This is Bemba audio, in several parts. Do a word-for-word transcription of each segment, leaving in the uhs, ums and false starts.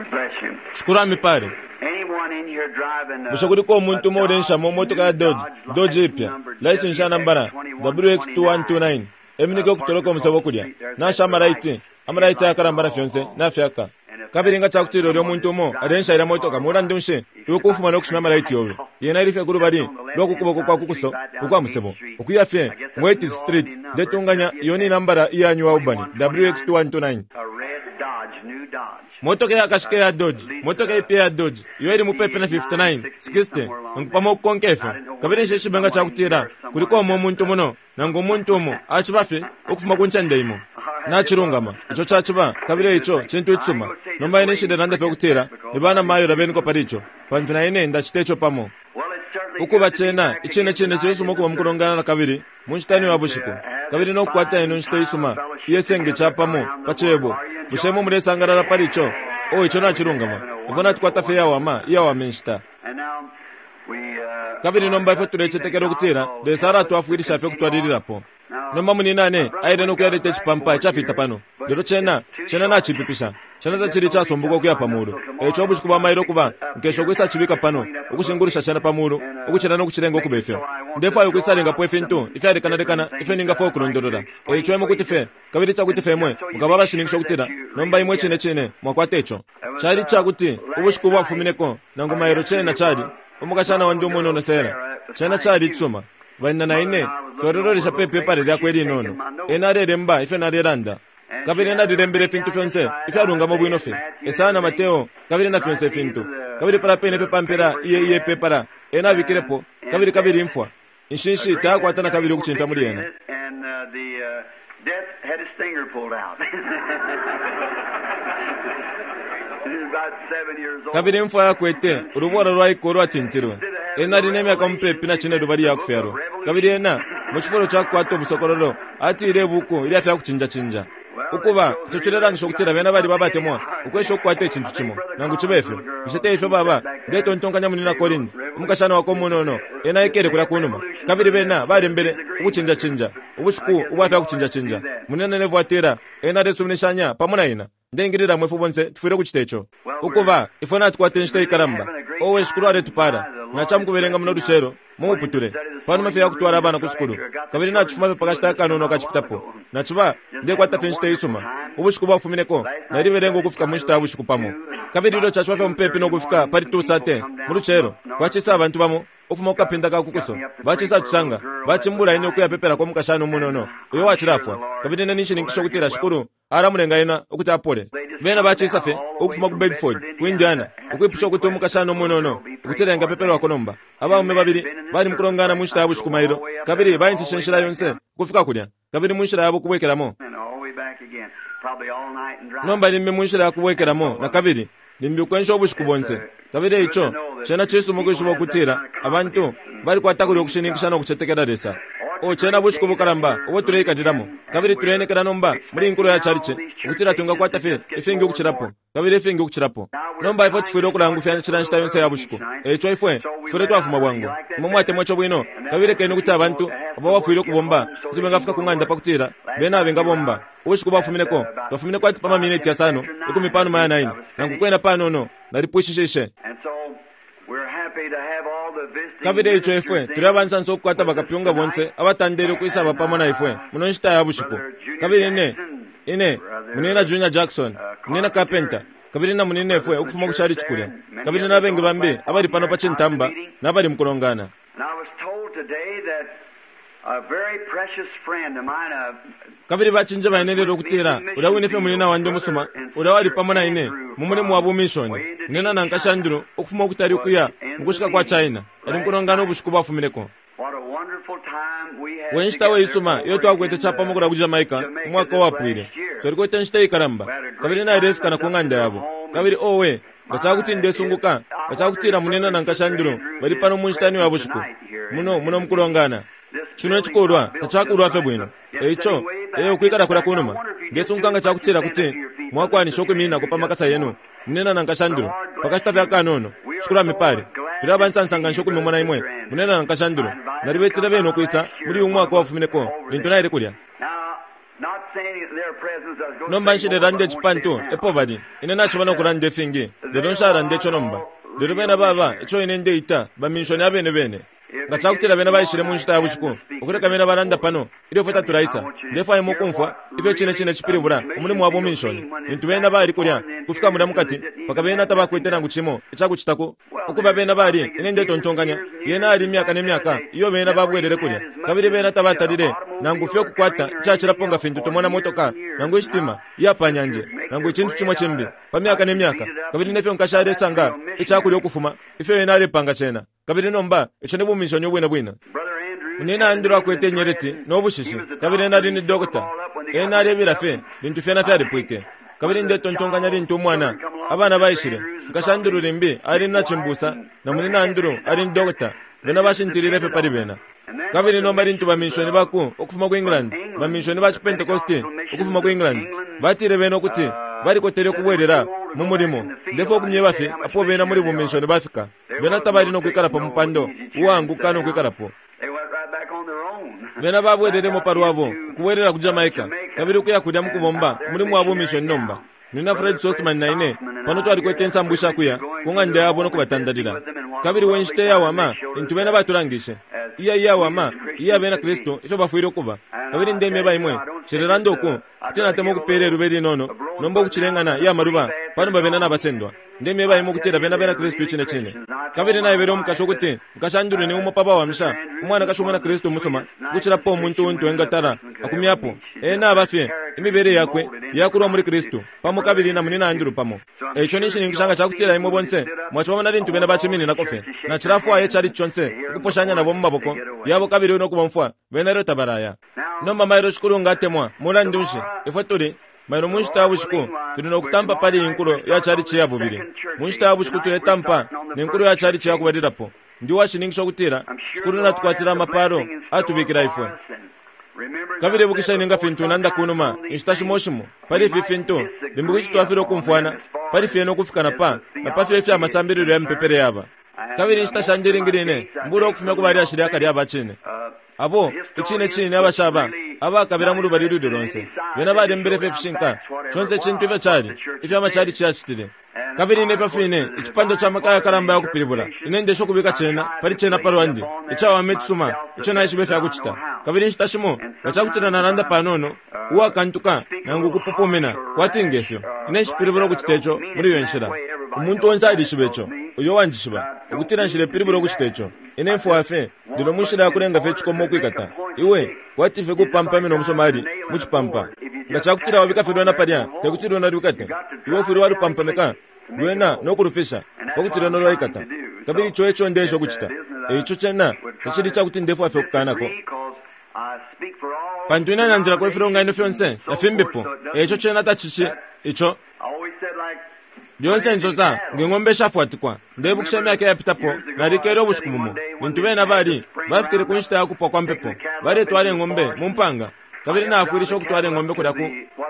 Lord bless you. Shikulu amipale. Anyone in here driving a, Bushe kuliko umuntu a umo ulensha mu Dodge, motoka ya new Dodge, Dodge, Dodge license ipya, number license ya nambala W X W X two one two nine, eminike okutoloka omusebo kulya, nasha amalaiti, amalaiti ayakalamba na fyonse, nafyaka. Kabili nga cakutila ulya umuntu umo alensha ilya motoka mulandu nshi iwe kufuma no kushimya amalaiti yobe. Yena ili fye kulubali lwa ku kuboko kwa kukuso ukwa musebo, ukuya fye mu eighth Street, ndetunganya iyo ni nambala iya New Albany, W X two one two nine. A red Dodge, new Dodge. Motoka yakashika ya Dodge, motoka ipya ya Dodge, iyo ili mupepi na fifty-nine, sixty, nangu pamo ukukonka ifyo. Kabili nshishibe nga cakutila kuliko umo umuntu muno, nangu umuntu umo aciba fye ukufuma ku ncende imo. Nacilungama, ico caciba, kabili ico cintu icisuma. Nomba ine nshilelanda fye ukutila ni bana mayo labeniko pali ico, pantu na ine ndacita ico pamo. Well, it's certainly Ukuba good to be cena, back icine again cine tonight cisuma in ukuba the mukulongana na kabili mu nshita ino ya bushiku, kabili no kukwata ino nshita isuma iyesenge capamo pa cebo. Bushe imwe mulesangalala pali ico? Oh, ico nacilungama. Ifwe natukwata fye iyawama, iyawama inshita. And now we, uh, Kabili nomba ifwe are tulecetekela trusting ukutila that God will Lesa help us alatwafwilisha fye continue on. ukutwalililapo. Nomba muninane aile no kuyaleta icipampa icafita pano, lelo cena cena nacipipisha, cena tacili casumbuka ukuya pa mulu. Eico ubushiku bwa mailo kuba nkesha ukwisa cibika pano, ukushingulusha cena pa mulu, ukucila no kucilenga ukuba ifyo. Ndefwaya ukwisalingapo ifintu ifyalekanalekana ifyo ningafwaya ukulondolola. Eico imwe kuti fye, kabili cakuti fye imwe mukaba abashininkisha ukutila nomba imwe cine cine mwakwata ico. Cali cakuti ubushiku bwafumineko nangu mailo cena cali umukashana wandi umunono Sera, cena cali icisuma. Banina na ine twalilolesha pe pepala lyakwe linono. Ena alelemba ifyo nalelanda, kabili ena alilembele ifintu fyonse ifyalungama bwino fye, Esaya na Mateo, kabili na fyonse ifintu. Kabili pala pene fye pampela iye iye pepala ena abikilepo, kabili kabili imfwa inshinshi tayakwata na kabili ukucimfya muli ena. And uh, the uh, death had his finger pulled out. He was about seven years old. Kabili imfwa yakwete ulubola lwaiko ulwatintilwe. Ena ali ne myaka mupepi na cine lubali ya kufyalwa, kabili ena mu cifulo ca kukwata ubusokololo atile ibuku ilya fya kucinjacinja. Ukuba ico cilelangisha ukutila bena bali babatemwa ukwesha ukukwata icintu cimo, nangu cibe ifyo. Bushe te ifyo baba? Ndetontonkanya munina Collins, umukashana wakwe umunono, ena aikele kulya kunuma, kabili bena balembele ukucinjacinja ubushiku ubwa fya kucinjacinja. Munina Neville atila ena alesuminishanya pamo na ina. Ndengilila mwe ifwe bonse tufwile ukucita ico. Ukuba ifwe natukwata inshita ikalamba. Owe Shikulu aletupala. Nacamukubelenga muno lucelo mumuputule panuma fye yakutwala abana ku sukulu, kabili nacifuma fye pakashita akanono akacipitapo. Naciba ndekwata fye inshita isuma. Ubushiku bwafumineko nalibelenga ukufika mu nshita ya bushiku pamo, kabili ilyo caciba fye mupepi no kufika pali two thirty mu lucelo, kwacisa abantu bamo ukufuma ku kapinda ka kukuso bacisa tusanga bacimbula ine ukuyapepelako umukashana umunono uyo wacilafwa, kabili ine ninshininkisha ukutila Shikulu alamulenga ena ukuti apole. Bena bacisa fye ukufuma ku Bedford ku Indiana ukwipusha ukuti umukashana umunono ukutila engapepelwako. Nomba abaume babili bali mukulongana mu nshita ya bushiku mailo, kabili baintishe inshila yonse ukufika kulya, kabili mu nshila yabo kubwekelamo. And all the way back again. Probably all night and drive. Nomba limbi mu nshila ya kubwekelamo na kabili limbi ukwensha ubushiku bonse. Kabili ico cena cisuma ukwishiba ukutila abantu balikwata kulya ukushininkisha no kucetekela Lesa. O cena bushiku bukalamba ubo tuleikalilamo, kabili tulenekela nomba muli inkulo ya chalichi ukutila twingakwata fye ifingi ukucilapo, kabili ifingi ukucilapo. Nomba ifwe tufwile ukulangufyanya cila nshita yonse ya bushiku, eico ifwe tufwile twafuma bwangu. Imwe mwatemwa ico bwino, kabili lekeni ukuti abantu abo bafwile ukubomba kuti bengafika ku ng'anda pakutila bena bengabomba. Ubushiku bwafumineko twafumineko ati pa mamineti yasano ikumi panuma ya nine, nangu kwena panono nalipwishishishe. And so we're happy to have all the visiting Kabili eico ifwe ministers tuli abansansa ukukwata bakapyunga bonse abatandele ukwisaba pamo na ifwe muno nshita ya bushiku. Kabili ine ine munina Junior Jackson, munina Carpenter, kabili na munina ifwe ukufuma ku chalichi kulya, kabili n'abengi bambi abali pano pa cintamba n'abali mukulongana. And I was told today that a very precious friend of mine, a Kabili bacinje baenelele ukutila ulya wine fye munina wandi umusuma ulya wali pamo na ine mu mulimu wa bumishoni, munina na nkashandulu ukufuma ukutali ukuya mukushika kwa China, ali mukulongana ubushiku bwafumineko. what a wonderful time we had We nshita we isuma iyo twakwete capamo kulya ku Jamaica umwaka uwapwile. Twalikwete nshita ikalamba, kabili nalefika na ku ng'anda yabo. Kabili owe nga cakuti ndesunguka nga cakutila munina na nkashandulu bali pano mu nshita ino ya bushiku muno muno mukulongana. Cino icikulwa tacakulwa fye bwino, eico eyo ukwikala kulya kunuma. Ndesunguka nga cakutila kuti mwakwanisha ukwimininako pa makasa yenu munina na nkashandulu pakashita fye akanono. Shikulu amipale. Tuli abansansa nganshi ukumimona imwe munina na nkashandulu. Nalibetile bene ukwisa muli uyu mwaka wafumineko lintu naile kulya. Now, not saying it in their presence Nomba nshilelanda ici pantu epo bali. Ine naciba nokulanda ifingi, lelo nshalanda ico nomba. Lelo bena baba ico ine ndeita baminshoni abene bene. Nga cakutila bena baishile mu nshita ya bushiku, ukuleka bena balanda pano ilyo fwe tatulaisa. Ndefwaya imwe ukumfwa ifyo cine cine cipilibula umulimo wa buminshoni. Lintu bena bali kulya kufika mulya mukati, mpaka bena tabakwete nangu cimo icakucitako. Ukuba bena bali, ine ndetontonkanya, yena ali imyaka ne myaka iyo bena babwelele kulya, kabili bena tabatalile nangu fye ukukwata icacilapo nga fintu tumona motoka nangu ishitima iya pa nyanje nangu icintu cimo cimbi pa myaka ne myaka, kabili nefyo nkashi alesanga icakulya ukufuma ifyo ena alepanga cena. Kabili nomba ico ni buminshoni ubwine bwine. Munyina Andrew akwete inyeleti no bushishi, kabili ena ali ni dokota. Ena alebila fye lintu fyena fyalipwike. Kabili ndetontonkanya lintu umwana abana baishile, nkashi Andrew limbi ali na cimbusa na munyina Andrew ali ni dokota. Bena bashintilile fye pali bena. Kabili nomba lintu baminshoni baku ukufuma ku England, baminshoni ba Chipentecosti ukufuma ku England, batile bena ukuti balikotele ukubwelela mu mulimo. Ndefo okumyeba fye apo bena muli buminshoni bafika. Bena tabali nokwikalapo mupando uwaanguka nokwikalapo. Bena babwelelemo palwabo ukubwelela ku Jamaica, kabili ukuya kulya mukubomba umulimo wa buminshoni nomba. Nina Fred Sothmann na ine pano twalikwete insambu ishakuya ku ng'anda yabo nokubatandalila. Kabili we nshita iyawama lintu bena batulangishe iya iyawama iya bena Kristu ifyo bafwile ukuba. Kabili ndemyeba imwe, nshilelanda uku kuti natemwa ukupeela ilube linono nomba ukucilengana iya maluba panuma bena nabasendwa. Ndemyeba imwe ukutila bena bena Kristu icine cine. Kabili naebele umukashi ukuti nkashi Andrew ni umo pa bawamisha umwanakashi umwina Kristu umusuma ukucilapo umuntu untu engatala akumyapo. Ena aba fye imibele yakwe yakulwa muli Kristu pamo kabili na munyina Andrew pamo. Eico ninshininkisha nga cakutila imwe bonse mwacibamona lintu bena bacimininako fye. Nacilafwaya icali conse ukuposhanya nabo mu maboko yabo kabili nokubomfwa bena ilyo tabalaya. Nomba mailo Shikulu nga atemwa, mulandu nshi ifwe tuli mailo mu nshita ya bushiku tuli nokutampa pali inkulo ya chalichi ya bubili. Mu nshita ya bushiku tuletampa ne nkulo ya chalichi ya kubalilapo. Ndi uwashininkisha ukutila Shikulu natukwatila amapalo atubikila ifwe. Kabili ibukisheni nga fintu nanda kunuma inshita shimo shimo pali ifi fintu limbi kuti twafile ukumfwana pali fyena ukufika na pa na pa fyo ifya masambililo ya mipepele yaba. Kabili inshita shandi ilingi line mbula ukufumya ku balyashi lya kale aba cine abo icine cine abashaba abakabila mu lubali luli lonse. Bena balembele fye ifishinka conse icintu ifyo cali ifyo amachalichi yacitile. Kabili nefyo fine icipando ca maka yakalamba yakupilibula ine ndesha ukubika cena pali cena palwandi icawama icisuma ico naishiba ifyakucita. Kabili inshita shimo nga cakutila nalanda panono uwakantuka nangu ukupupumina kwati ngefyo, ine nshipilibula ukucita ico muli iyo nshila. Umuntu onse alishiba ico, uyo wanjishiba ukutila nshilepilibula ukucita ico. Ine mfwaya fye lelo mu nshila yakulenga fye icikomo ukwikata iwe kwati fye kupampamina umusomali mu cipampa. Nga cakutila wabika fye lwena palya, tekuti lwena lwikate. Iwe ufwile walupampamika lwena nokulufisha pakuti lwena lwaikata. Kabili ico eco ndesha ukucita. Eico cena tacili cakuti ndefwaya fye ukukanako, pantu ine nandilako ifilonganino fyonse na fimbipo. Eico cena tacici ico lyonse nsosa nge ng'ombe ishafwatikwa. Ndebukisha imyaka iyapitapo nalikele ubushiku bumo lintu bena bali bafikile ku nshita ya kupwa kwa mpepo, baletwala ing'ombe mu mpanga. Kabili naafwilisha ukutwala ing'ombe kulya ku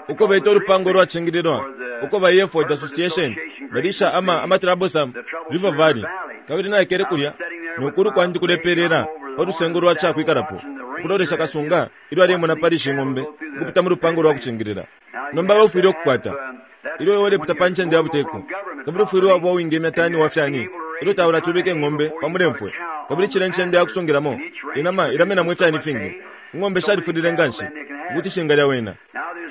uko beta ulupango ulwacingililwa uko ba Hereford Association balisha ama ama Troublesome River Valley. Kabili naikele kulya nokulu kwandi kulepelela pa lusengo lwa cakwikalapo ukulolesha kasunga ilyo alemona pali ishi ng'ombe ukupita mu lupango lwa kucingilila. Nomba we ufwile ukukwata ilyo iwe ulepita pa ncende ya buteko, kabili ufwile waba uwingemya tani wa fyani ilyo taulatubika ing'ombe pa mulemfwe. Kabili cila ncende ya kusungilamo inama ilamenamo ifyani fingi. Ing'ombe shalifulile nganshi ukuti shingalya wena.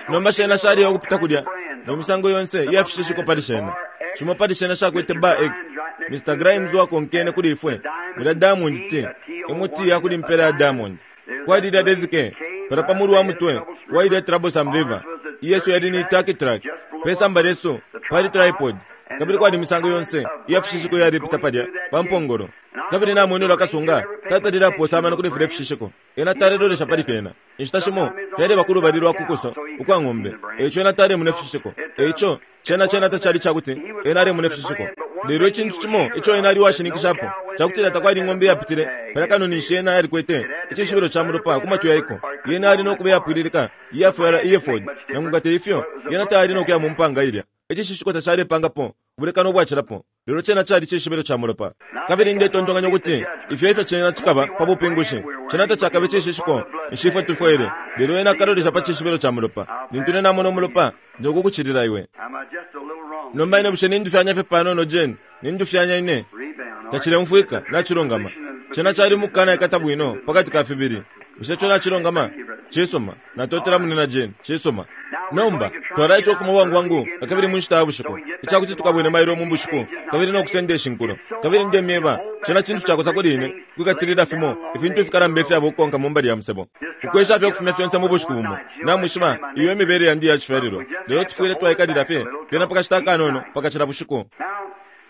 Nomba shena shaliya ukupita kulya no misango yonse iyafishishiko pali shena. Shimo pali shena shakwete bar X. Mister Grimes wakonkene kuli ifwe mulya Diamond T, M T yakuli mpela ya Diamond. Kwali ilya Dezike pala pa mulu wa mutwe wa ilya Troublesome River. Iyesu yali ni Turkey Track pesamba lyesu pali tripod. Kabili kwali misango yonse iyafishishiko yalipita palya pa mpongolo. Kabili namwene ulwa kasunga tatalile aposa amano kuli filya ifishishiko. Ena talelolesha pali fyena. Inshita shimo fyaleba ku lubali lwa kukuso ukwa ng'ombe, eico ena talemona ifishishiko. Eico cena cena tacali cakuti ena alemona ifishishiko. Lelo icintu cimo ico ena ali uwashininkishapo cakutila takwali ing'ombe iyapitile palya kano ninshi ena yalikwete icishibilo ca mulopa ku matwi yaiko. Yena ali nokuba iyapwililika iyafwala Hereford, nangu nga teifyo yena tayali nokuya mu mpanga ilya. Icishishiko tacalepangapo Ubulekano ubwacilapo. Lelo cena cali cishibilo ca mulopa. Kabili ndetontonkanya ukuti ifyo ifyo cena cikaba pa bupingushi. Cena tacakabe cishishiko nshifwe tufwele. Lelo ena akalolesha pa cishibilo ca mulopa. Lintu ine namona umulopa, ndikukucilila iwe. Am I just a little wrong? Nomba ine bushe nindufyanya fye panono Jane, nindufyanya ine. Rebound. Tacilemfwika, nacilungama. Cena cali mukana ikata bwino pakati ka fibili. Bushe co nacilungama? Cisuma. Natotela munina Jane. Cisuma. Nomba, twalaisha ukufuma bwangu bwangu kabili mu nshita ya bushiku. Icakuti tukabwene mailo mu bushiku, kabili no kusenda ishinkulo. Kabili ndemyeba, cena cintu cakosa kuli ine, kwikatilila fimo, ifintu ifikalamba ifyaba ukukonka mu mbali ya musebo. Ukwesha fye ukufumya fyonse mu bushiku bumo. Namwishiba, iyo emibele yandi ya cifyalilwa. Lelo tufwile twaikalila fye, fyena pakashita akanono, pakacila bushiku. Now,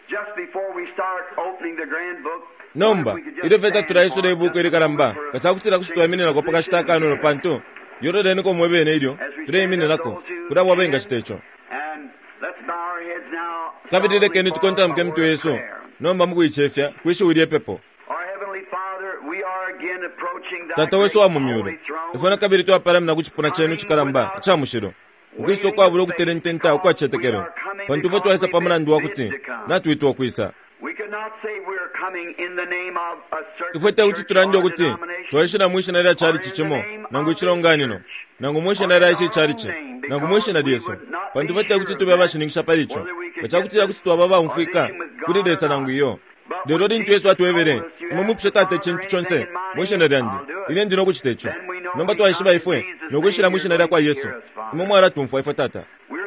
just before we start opening the grand book, Nomba, ilyo fye tatulaisula ibuku ilikalamba, nga cakutila kuti twaimininako pakashita akanono pantu, yololeniko mwe bene ilyo, tuleimininako, kuli abo abengacita ico. And let's bow our heads now. Kabili lekeni tukontamike imitwe yesu, nomba mukuicefya, kwishiwi lyepepo. Our Heavenly Father, we are again approaching thy Tata wesu wa mu great myulu, holy throne. ifwe nakabili twapalamina ku cipuna cenu cikalamba ica mushilo, ukwisa ukwabula ukutelententa ukwacicetekelo, pantu ifwe twaisa pa mulandu wa kuti natwitwa ukwisa. We could not say we are coming in the name of a certain Ifwe tekuti church tulande or ukuti denomination. twaishila mwishina lya chalichi cimo nangu icilonganino nangu mwishina lya ici chalichi nangu mwishina lyesu, pantu ifwe tekuti tube abashininkisha pali ico nga cakutila kuti twaba abaumfwika kuli Lesa nangu iyo. Lelo lintu Yesu atwebele, imwe mupushe Tata icintu conse mwishina lyandi, ine ndi nokucita ico. Nomba twaishiba ifwe nokwishila mwishina lya kwa Yesu. Imwe mwalatumfwa ifwe Tata.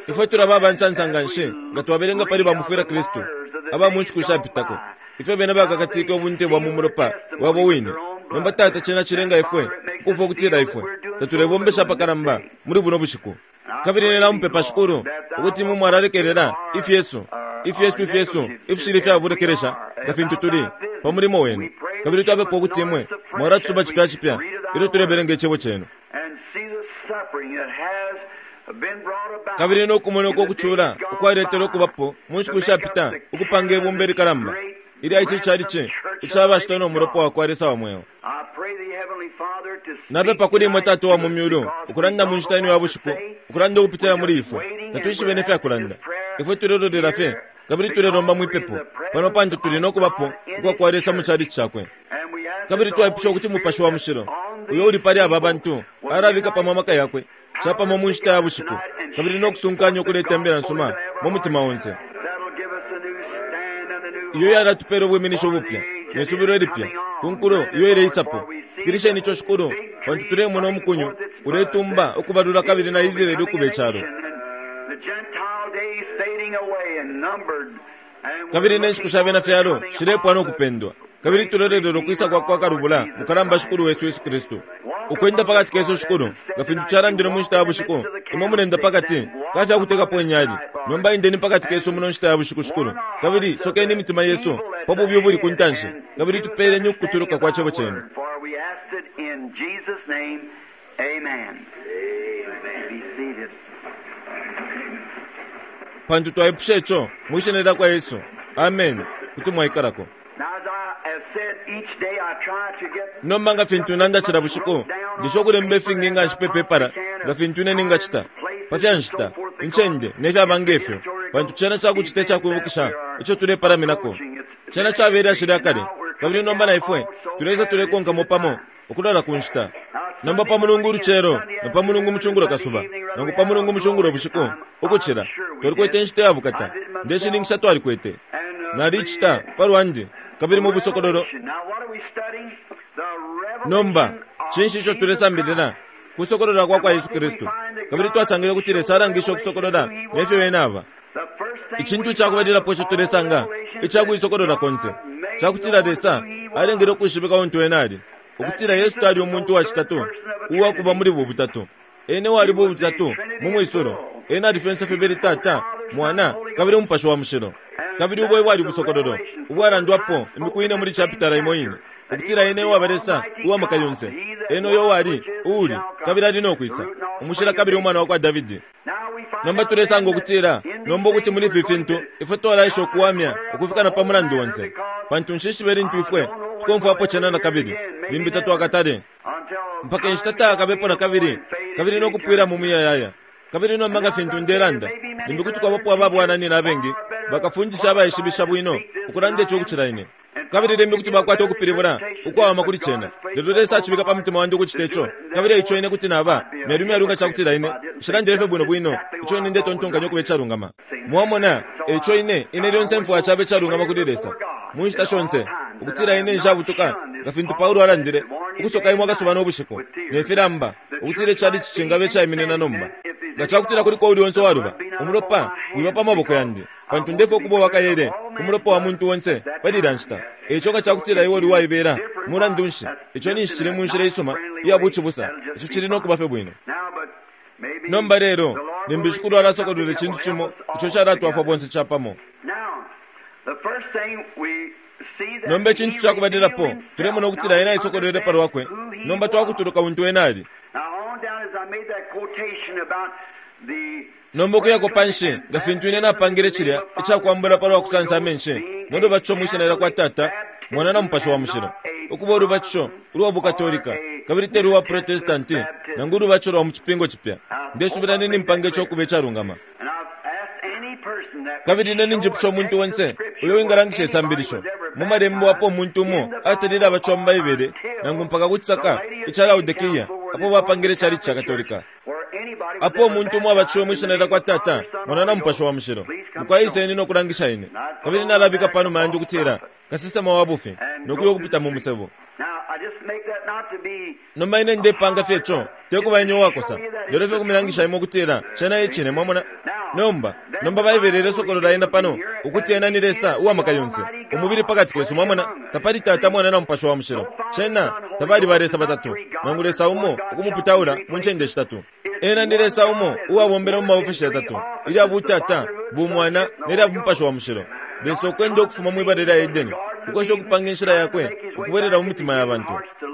Ifwe tulaba abansansa nga nshi nga twabelenga pali bamufwila Kristu aba mu nshiku shapitako, ifyo bena bakakatike ubunte bwa mu mulopa wabo wine. Nomba Tata, cena cilenga ifwe ukumfwa ukutila ifwe tatulebombesha apakalamba muli buno bushiku. Kabili ine namupepa Shikulu ukuti imwe mwalalekelela ifyesu ifyesu ifyesu ifishili ifyabulekelesha nga fintu tuli pa mulimo wenu. Kabili twapepa ukuti imwe mwalatusuba cipya cipya ilyo tulebelenga icebo cenu. And see the suffering that has been brought about Kabili nokumona uko in the ukucula days gone ukwaletele by ukubapo mu nshiku to make shapita up the ukupanga ibumba ilikalamba ilya ici chalichi ica bashitwa no mulopa wa kwa Lesa wa mweo. I pray thee, Heavenly Father, to speak Napepa kuli imwe tonight Tata wa mu to us myulu, because ukulanda we mu don't nshita ino know ya what to bushiku, say. ukulanda ukupitila We're muli just ifwe. waiting and Tatwishibe we're ne fya asking kulanda. this prayer Ifwe tulelolera fye, here kabili tulelomba because mwipepo, we're in the pano pantu presence tuli of nokubapo God in ukwa His kwa Lesa mu church. chalichi cakwe. And we ask Kabili that the twaipusha Holy ukuti Mupashi Spirit wa Mushilo, on uyo uli these pali aba people bantu, will alabika pamo unite amaka yakwe, capamo mu nshita ya bushiku, kabili nokusunkanya ukuleta imbila nsuma mu mutima onse. That'll give us a new stand and a new Iyo hope yalatupela ubwiminisho for the bupya age that ne is subilo ilipya coming on. ku nkulo Granted, iyo Lord, ileisapo. for we see Fikilisheni ico the Shikulu, big pantu tree tulemona putting umukunyu forth its buds, uletumba that ukubalula kabili na Israel Israeli becoming ukuba a icalo. nation, and the Gentile days fading away and numbered. And we're Kabili ne nshiku looking sha bena for the fyalo coming shilepwa of no the kupendwa. Kabili great tulelelelo kwisa Redeemer, kwa kwa our Lord kalubula Jesus mukalamba Christ. Shikulu wesu Yesu Kristu. Walk Ukwenda among us, pakati kesu Lord, as Shikulu, it said nga fintu tonight, you calandile mu walk nshita in ya the midst bushiku, of the imwe mulenda candlesticks pakati and walk ka fya among kutekapo us inyali. tonight, Lord, Nomba indeni pakati kesu and muno nshita ya bushiku Shikulu. warn our Kabili hearts of sokeni the imitima yesu evil that's pa bubi ubuli ku ahead ntanshi, and kabili give us tupeeleni understanding ukukutuluka of kwa thy cebo cenu. word. For we ask it in Jesus' name. Amen. Amen. Be seated. Pantu twaipusha ico mwishina lya kwa Yesu. Amen. Kuti mwaikalako. Now, as I have said, each day I try to get Nomba nga fintu nanda cila bushiku, ndisho ukulemba ifingi nga nshipe pepala nga fintu ine ningacita pa fya nshita, incende ne fyaba ngefyo, pantu cena cakucita icakwibukisha ico tulepalaminako. Cena cabele lya kale, kabili nomba na ifwe tuleisa tulekonkamo pamo ukulola ku nshita. Nomba pa mulungu ulucelo na pa mulungu mucungulo kasuba nangu pa mulungu mucungulo bushiku ukucila twalikwete inshita ya bukata. Ndeshininkisha twalikwete. and uh, Nalicita the palwandi kabili mu busokololo. revelation. Now, what are we studying? The Nomba revelation of cinshi ico Jesus tulesambilila? Christ. Kusokolola kwa And kwa what Yesu did we Kristu. find that Kabili God twasangile kuti showed Lesa the alangisha revelation ukusokolola who He nefyo was? ena aba. The first thing Icintu we ica find kubalilapo of ico all tulesanga revelations ica that kuisokolola konse God made cakutila known Lesa who He alengele was. ukwishibika untu ena ali, That ukutila Yesu Jesus tali was umuntu no wa third citatu person of a uwakuba Trinity. muli bu butatu. Ene wali He bu was the butatu mu Trinity in mwisulo. full. Ena ali fyonse fibili The Tata, Father, Son, Mwana, Holy kabili Ghost. Umupashi wa Mushilo. And Kabili ubo bwali that's the busokololo revelation four ubwalandwapo times imiku spoken ine in muli the same chapitala imo ine, chapter. That he ukutila was ene the uwaba Lesa Almighty uwa maka God, yonse, he that ene uyo was, wali, which is, and uuli, shall kabili come, ali no the kwisa, root and umushila offspring of kabili umwana David. wa kwa Davidi. Now we find Nomba out tulesanga then that ukutila in these nomba ukuti things muli we're ifi going fintu to ifwe twalaisha try to ukuwamya clear up the ukufika na pa whole mulandu matter onse, because pantu nshishibe lintu I ifwe don't know when we'll tukomfwapo ever cena na hear it kabili again, maybe limbi never, tatwakatale until mpaka inshita time shall be tayakabepo no na more kabili and fade kabili into no kupwila mu eternity. muyayaya. Kabili nomba And nga now, as fintu I say, there ndelanda may be many limbi kuti brethren kwabapo teachers ababwananyina abengi far better bakafundisha abaishibisha bwino ukulanda ico ukucila ine, kabili limbi kuti bakwata ukupilibula ukwawama kuli cena. Lelo Lesa acibika pa mutima wandi ukucita ico, kabili eico ine kuti naba myalumyalu nga cakutila ine nshilandile fye bwino bwino ico ine ndetontonkanya ukuba icalungama. Mwamona, eico ine ine lyonse mfwaya caba icalungama kuli Lesa mu nshita shonse, ukutila ine nshabutuka nga fintu Paulo alandile, ukusoka imwe akasuba no bushiku ne filamba, ukutila icali cicingaba icaiminina nomba. Nga cakutila kuliko uli onse waluba, umulopa wiba pa maboko yandi, pantu ndefwaya ukuba uwakaele umulopa wa muntu onse pali ilya nshita. Eico nga cakutila iwe uli uwaibela, mulandu nshi, ico ninshi cili mu nshila isuma iya bucibusa, ico cili no kuba fye bwino. Nomba lelo, limbi Shikulu alasokolwela icintu cimo ico calatwafwa bonse capamo. Nomba icintu cakubalilapo, tulemona ukutila ena aisokolwele palwakwe. Nomba twakutuluka untu ena ali. Nomba ukuyako panshi, nga fintu ine napangile cilya icakwambula palwa kusansa amenshi no lubatisho mwi shina lyakwa Tata, Mwana na Mupashi wa Mushilo, ukuba ulubatisho ulwa bukatolika kabili te lwa Protestanti nangu ulubatisho lwa mu Cipingo Cipya. Ndesubila nini mpanga ico ukuba icalungama. Kabili ine ninjipusha umuntu onse uyo wingalangisha isambilisho mu malembo apo umuntu umo atalile abatishiwa mu Baibele nangu mpaka ku cisaka ica Laodikia apo bapangile icalici ca Katolika, apo umuntu umo abatishiwe mwi shina lyakwa Tata, Mwana na Mupashi wa Mushilo. Mukwaiseni no kulangisha ine. Kabili nalabika panuma yandi ukutila kasesema wa bufi nokuya ukupita mu musebo. Nomba ine ndepanga fye ico tekuba ine uwakosa, lelo fye kumilangisha imwe ukutila cena e cine, mwamona. Nomba nomba Baibele ilesokolola ena pano ukuti ena ni Lesa uwamaka yonse, umubili pakati kesu, mwamona. Tapali Tata, Mwana na Mupashi wa Mushilo. Cena tabali ba Lesa batatu, nangu Lesa umo ukumuputaula mu ncende shitatu. Ena ni Lesa umo uwabombela mu maofeshi yatatu, ilya butata, bumwana nelya Mupashi wa Mushilo. Lesa ukwenda ukufuma mwibala lya Edeni, ukwesha ukupanga inshila yakwe ukubwelela mu mitima ya bantu,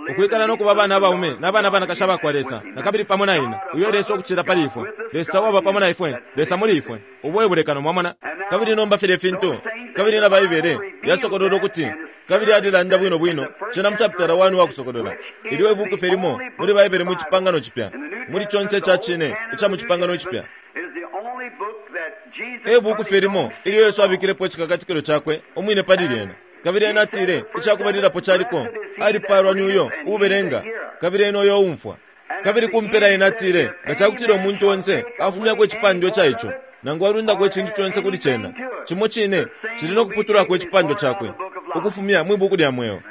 ukwikala no kuba abana abaume n'abana banakasha bakwa Lesa, na kabili pamo na ine, uyo Lesa ukucila pali ifwe, Lesa waba pamo na ifwe, Lesa muli ifwe, ubo ebulekano, mwamona. Kabili nomba filya fintu, kabili na Baibele yasokolola ukuti, kabili alilanda bwino bwino cena mu chapitala one wa Kusokolola, ilyo ibuku fye limo muli Baibele mu Cipangano Cipya, muli conse ica cine ica mu Cipangano Cipya. E buku fye limo ilyo Yesu abikilepo icikakatikilo cakwe umwine pali lyena. Kabili ena atile icakubalilapo caliko, alipaalwa ni uyo uubelenga, kabili ena uyo uumfwa. Kabili kumpela ena atile, nga cakutila umuntu onse afumyako icipandwa ica ico, nangu alundako icintu conse kuli cena, cimo cine cili no kuputulako icipandwa cakwe ukufumya mwi buku lya mweo.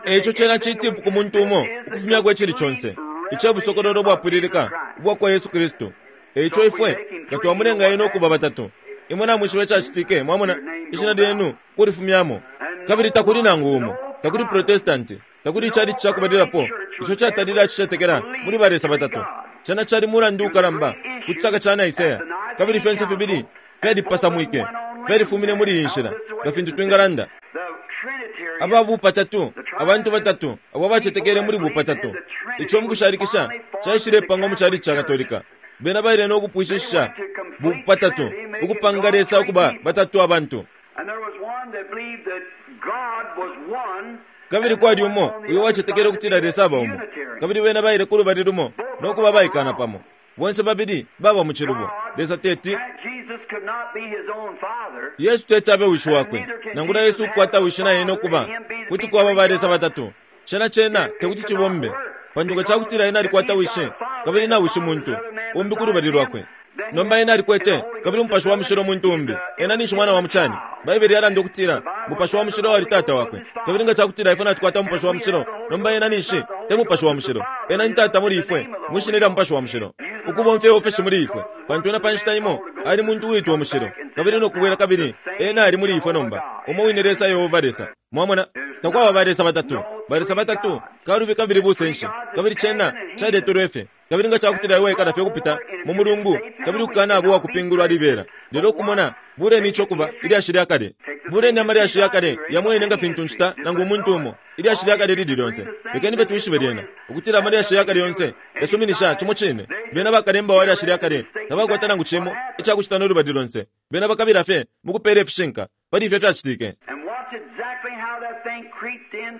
Eico cena citipu ku muntu umo ukufumyako icili conse ica busokololo bwapwililika ubwakwa Yesu Kristu. Eico ifwe nga twamulenga ena ukuba batatu, imwe namwishiba icacitike, mwamona, ishina lyenu kulifumyamo. Kabili takuli nangu umo, takuli Protestanti, takuli icalici cakubalilapo ico catalile acicetekela muli ba Lesa batatu. Cena cali mulandu ukalamba ku cisaka ca Nicaea, kabili fyonse fibili fyalipasamwike, fyalifumine muli iyi nshila, nga fintu twingalanda. Aba bupatatu, abantu batatu abo abacetekele muli bupatatu, ico mukushalikisha caishilepangwa mu calici ca Katolika. Bena baile no kupwishishisha bupatatu, ukupanga Lesa ukuba batatu abantu. Kabili kwali umo uyo wacetekele ukutila Lesa aba umo, kabili bena baile ku lubali lumo no kuba baikana pamo. Bonse babili baba mu cilubo. Lesa teti Yesu teti abe wishi wakwe, nangula Yesu ukukwata wishi na ena ukuba kuti kwaba ba Lesa batatu. Cena cena tekuti cibombe, pantu nga cakutila ena alikwata wishi kabili na wishi muntu umbi ku lubali lwakwe. Nomba ena alikwete kabili Umupashi wa Mushilo muntu umbi, ena ninshi mwana wa mucani. Baibele yalanda ukutila Mupashi wa Mushilo wali tata wakwe, kabili nga cakutila ifwe natukwata Umupashi wa Mushilo, nomba ena ninshi te Mupashi wa Mushilo, ena ni tata muli ifwe mwi shina lya Mupashi wa Mushilo, ukubomfya iofeshi muli ifwe, pantu ena pa nshita imo ali muntu uitwa mushilo, kabili no kubwela kabili ena ali muli ifwe nomba, umo wine Lesa Yehova Lesa. Mwamona, takwaba ba Lesa batatu, ba Lesa batatu kalubi kabili busenshi, kabili cena caletelwe fye. Kabili nga cakutila iwe ikala fye kupita mu mulungu, kabili ukukana abo wakupingulwa libela. Lelo kumona buleni ico kuba ilyashi lya kale, buleni amalyashi ya kale yamwene nga fintu nshita nangu umuntu umo, ilyashi lya kale lili lyonse. Lekeni fye twishibe lyena ukutila amalyashi ya kale yonse yasuminisha cimo cine. Bena bakalemba wa lyashi lya kale tabakwata nangu cimo icakucita no lubali lonse. Bena bakabila fye mukupela ifishinka pali ifyo fyacitike.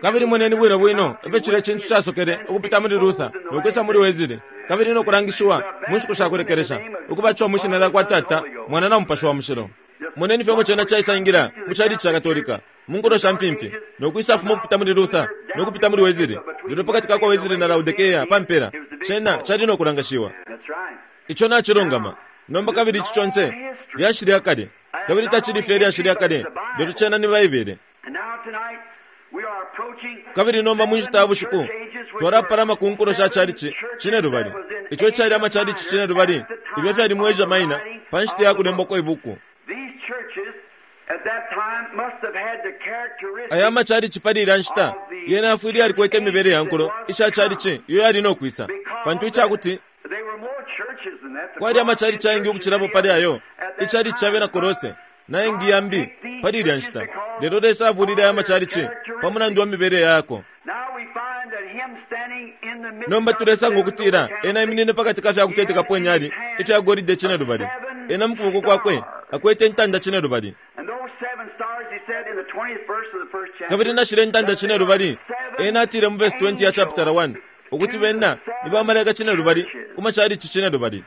Kabili moneni bwino bwino ifyo cilya cintu casokele ukupita muli Luther nokwisa muli Wesley, kabili no kulangishiwa mu nshiku sha kulekelesha ukubatishiwa mwi shina lyakwa Tata, Mwana na Mupashi wa Mushilo. Moneni fye cena caisangila mu chalichi cha Katolika mu nkulo sha mfimfi, no kwisafuma ukupita muli Luther no kupita muli Wesley, lelo pakati ka kwa Wesley na Laodikea pa mpela cena cali no kulangashiwa. Ico nacilungama. Nomba kabili ici conse lyashi lya kale, kabili tacili fye lyashi lya kale, lelo cena ni Baibele. Kabili nomba mu nshita ya bushiku twalapalama ku nkulo sha chalichi cinelubali, ico cali amachalichi cinelubali ifyo fyali mu Asia Minor pa nshita ya kulembwa kwa ibuku. Aya amachalichi pali ilya nshita yena yafwile yalikwete imibele ya nkulo isha chalichi iyo yali no kwisa, pantu icakuti kwali amachalichi ayengi ukucilapo pali ayo ichalichi ca bena Kolose na yengi yambi pali ilya nshita, lelo Lesa abulile aya amachalichi pa mulandu wa mibele yako. Nomba tulesanga ukutila ena iminine pakati ka fya kutetekapo inyali ifya golide cinelubali, ena mu kuboko kwakwe akwete intanda cinelubali. Kabili nashile intanda cinelubali, ena atile mu verse twenty ya chapter one ukuti bena ni bamalaika cinelubali ku machalichi cinelubali.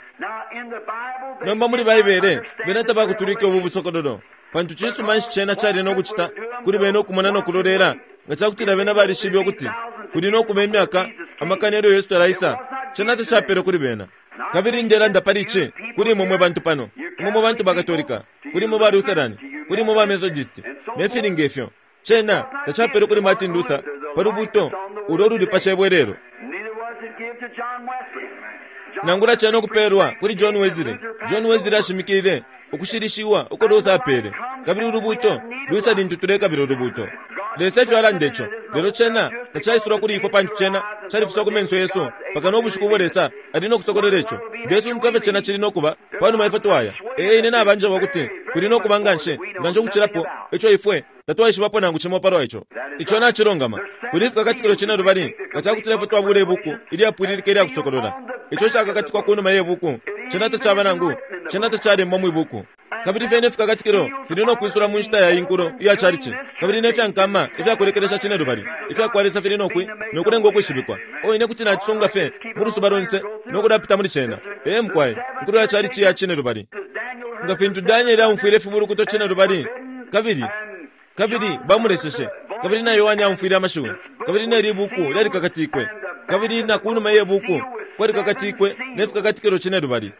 Nomba muli Baibele bena tabakutulike ubu busokololo, pantu cisuma nshi cena cali no kucita kuli bena okumona no kulolela nga cakutila bena balishibe ukuti kuli no kuba imyaka amakana elyo Yesu talaisa. Cena tacapele kuli bena. Kabili ndelanda pali ici kuli imwe mwe bantu pano, imwe mwe bantu ba Katolika, kuli imwe ba Lutheran, kuli imwe ba Methodist, ne fili ngefyo. Cena tacapele kuli Martin Luther pa lubuto ulo luli pa cebwelelo, nangula cena okupelwa kuli John Wesley. John Wesley ashimikile ukushilishiwa uko Luther apele, kabili ulubuto lwisa lintu tulekabila ulubuto. Lesa efyo alanda ico, lelo cena tacaisulwa kuli ifwe pantu cena califiswa ku menso yesu paka no bushiku ubo Lesa ali no kusokolera ico. Ndesunguka ifyo cena cili no kuba panuma ifwe twaya. Ee, ine nabanjeba ukuti kuli no kuba nganshi nganshi ukucilapo ico ifwe tatwaishibapo nangu cimo palwa ico. Ico nacilungama. Kuli ifikakatikilo cinelubali nga cakutila ifwe twabula ibuku ilyapwililika ilya kusokolola. Ico cakakatikwa kunuma ye buku, cena tacaba nangu cena tacalembwa mwi buku. Kabili fyene ifikakatikilo fili no kwisula mu nshita ya inkulo iya chalichi, kabili ne fyankama ifyakulekelesha cinelubali ifyakwa Lesa fili no kwi no kulenga ukwishibikwa. O ine kuti nacisunga fye mu lusuba lonse no kulapita muli cena. Ee mukwaye, inkulo ya chalichi ya cinelubali. Nga fintu Danieli aumfwile ifibulukuto cinelubali, kabili kabili bamuleseshe, kabili na Yohane aumfwile amashiwi, kabili ne libuku lyalikakatikwe, kabili na kunuma ye buku kwalikakatikwe ne fikakatikilo cinelubali.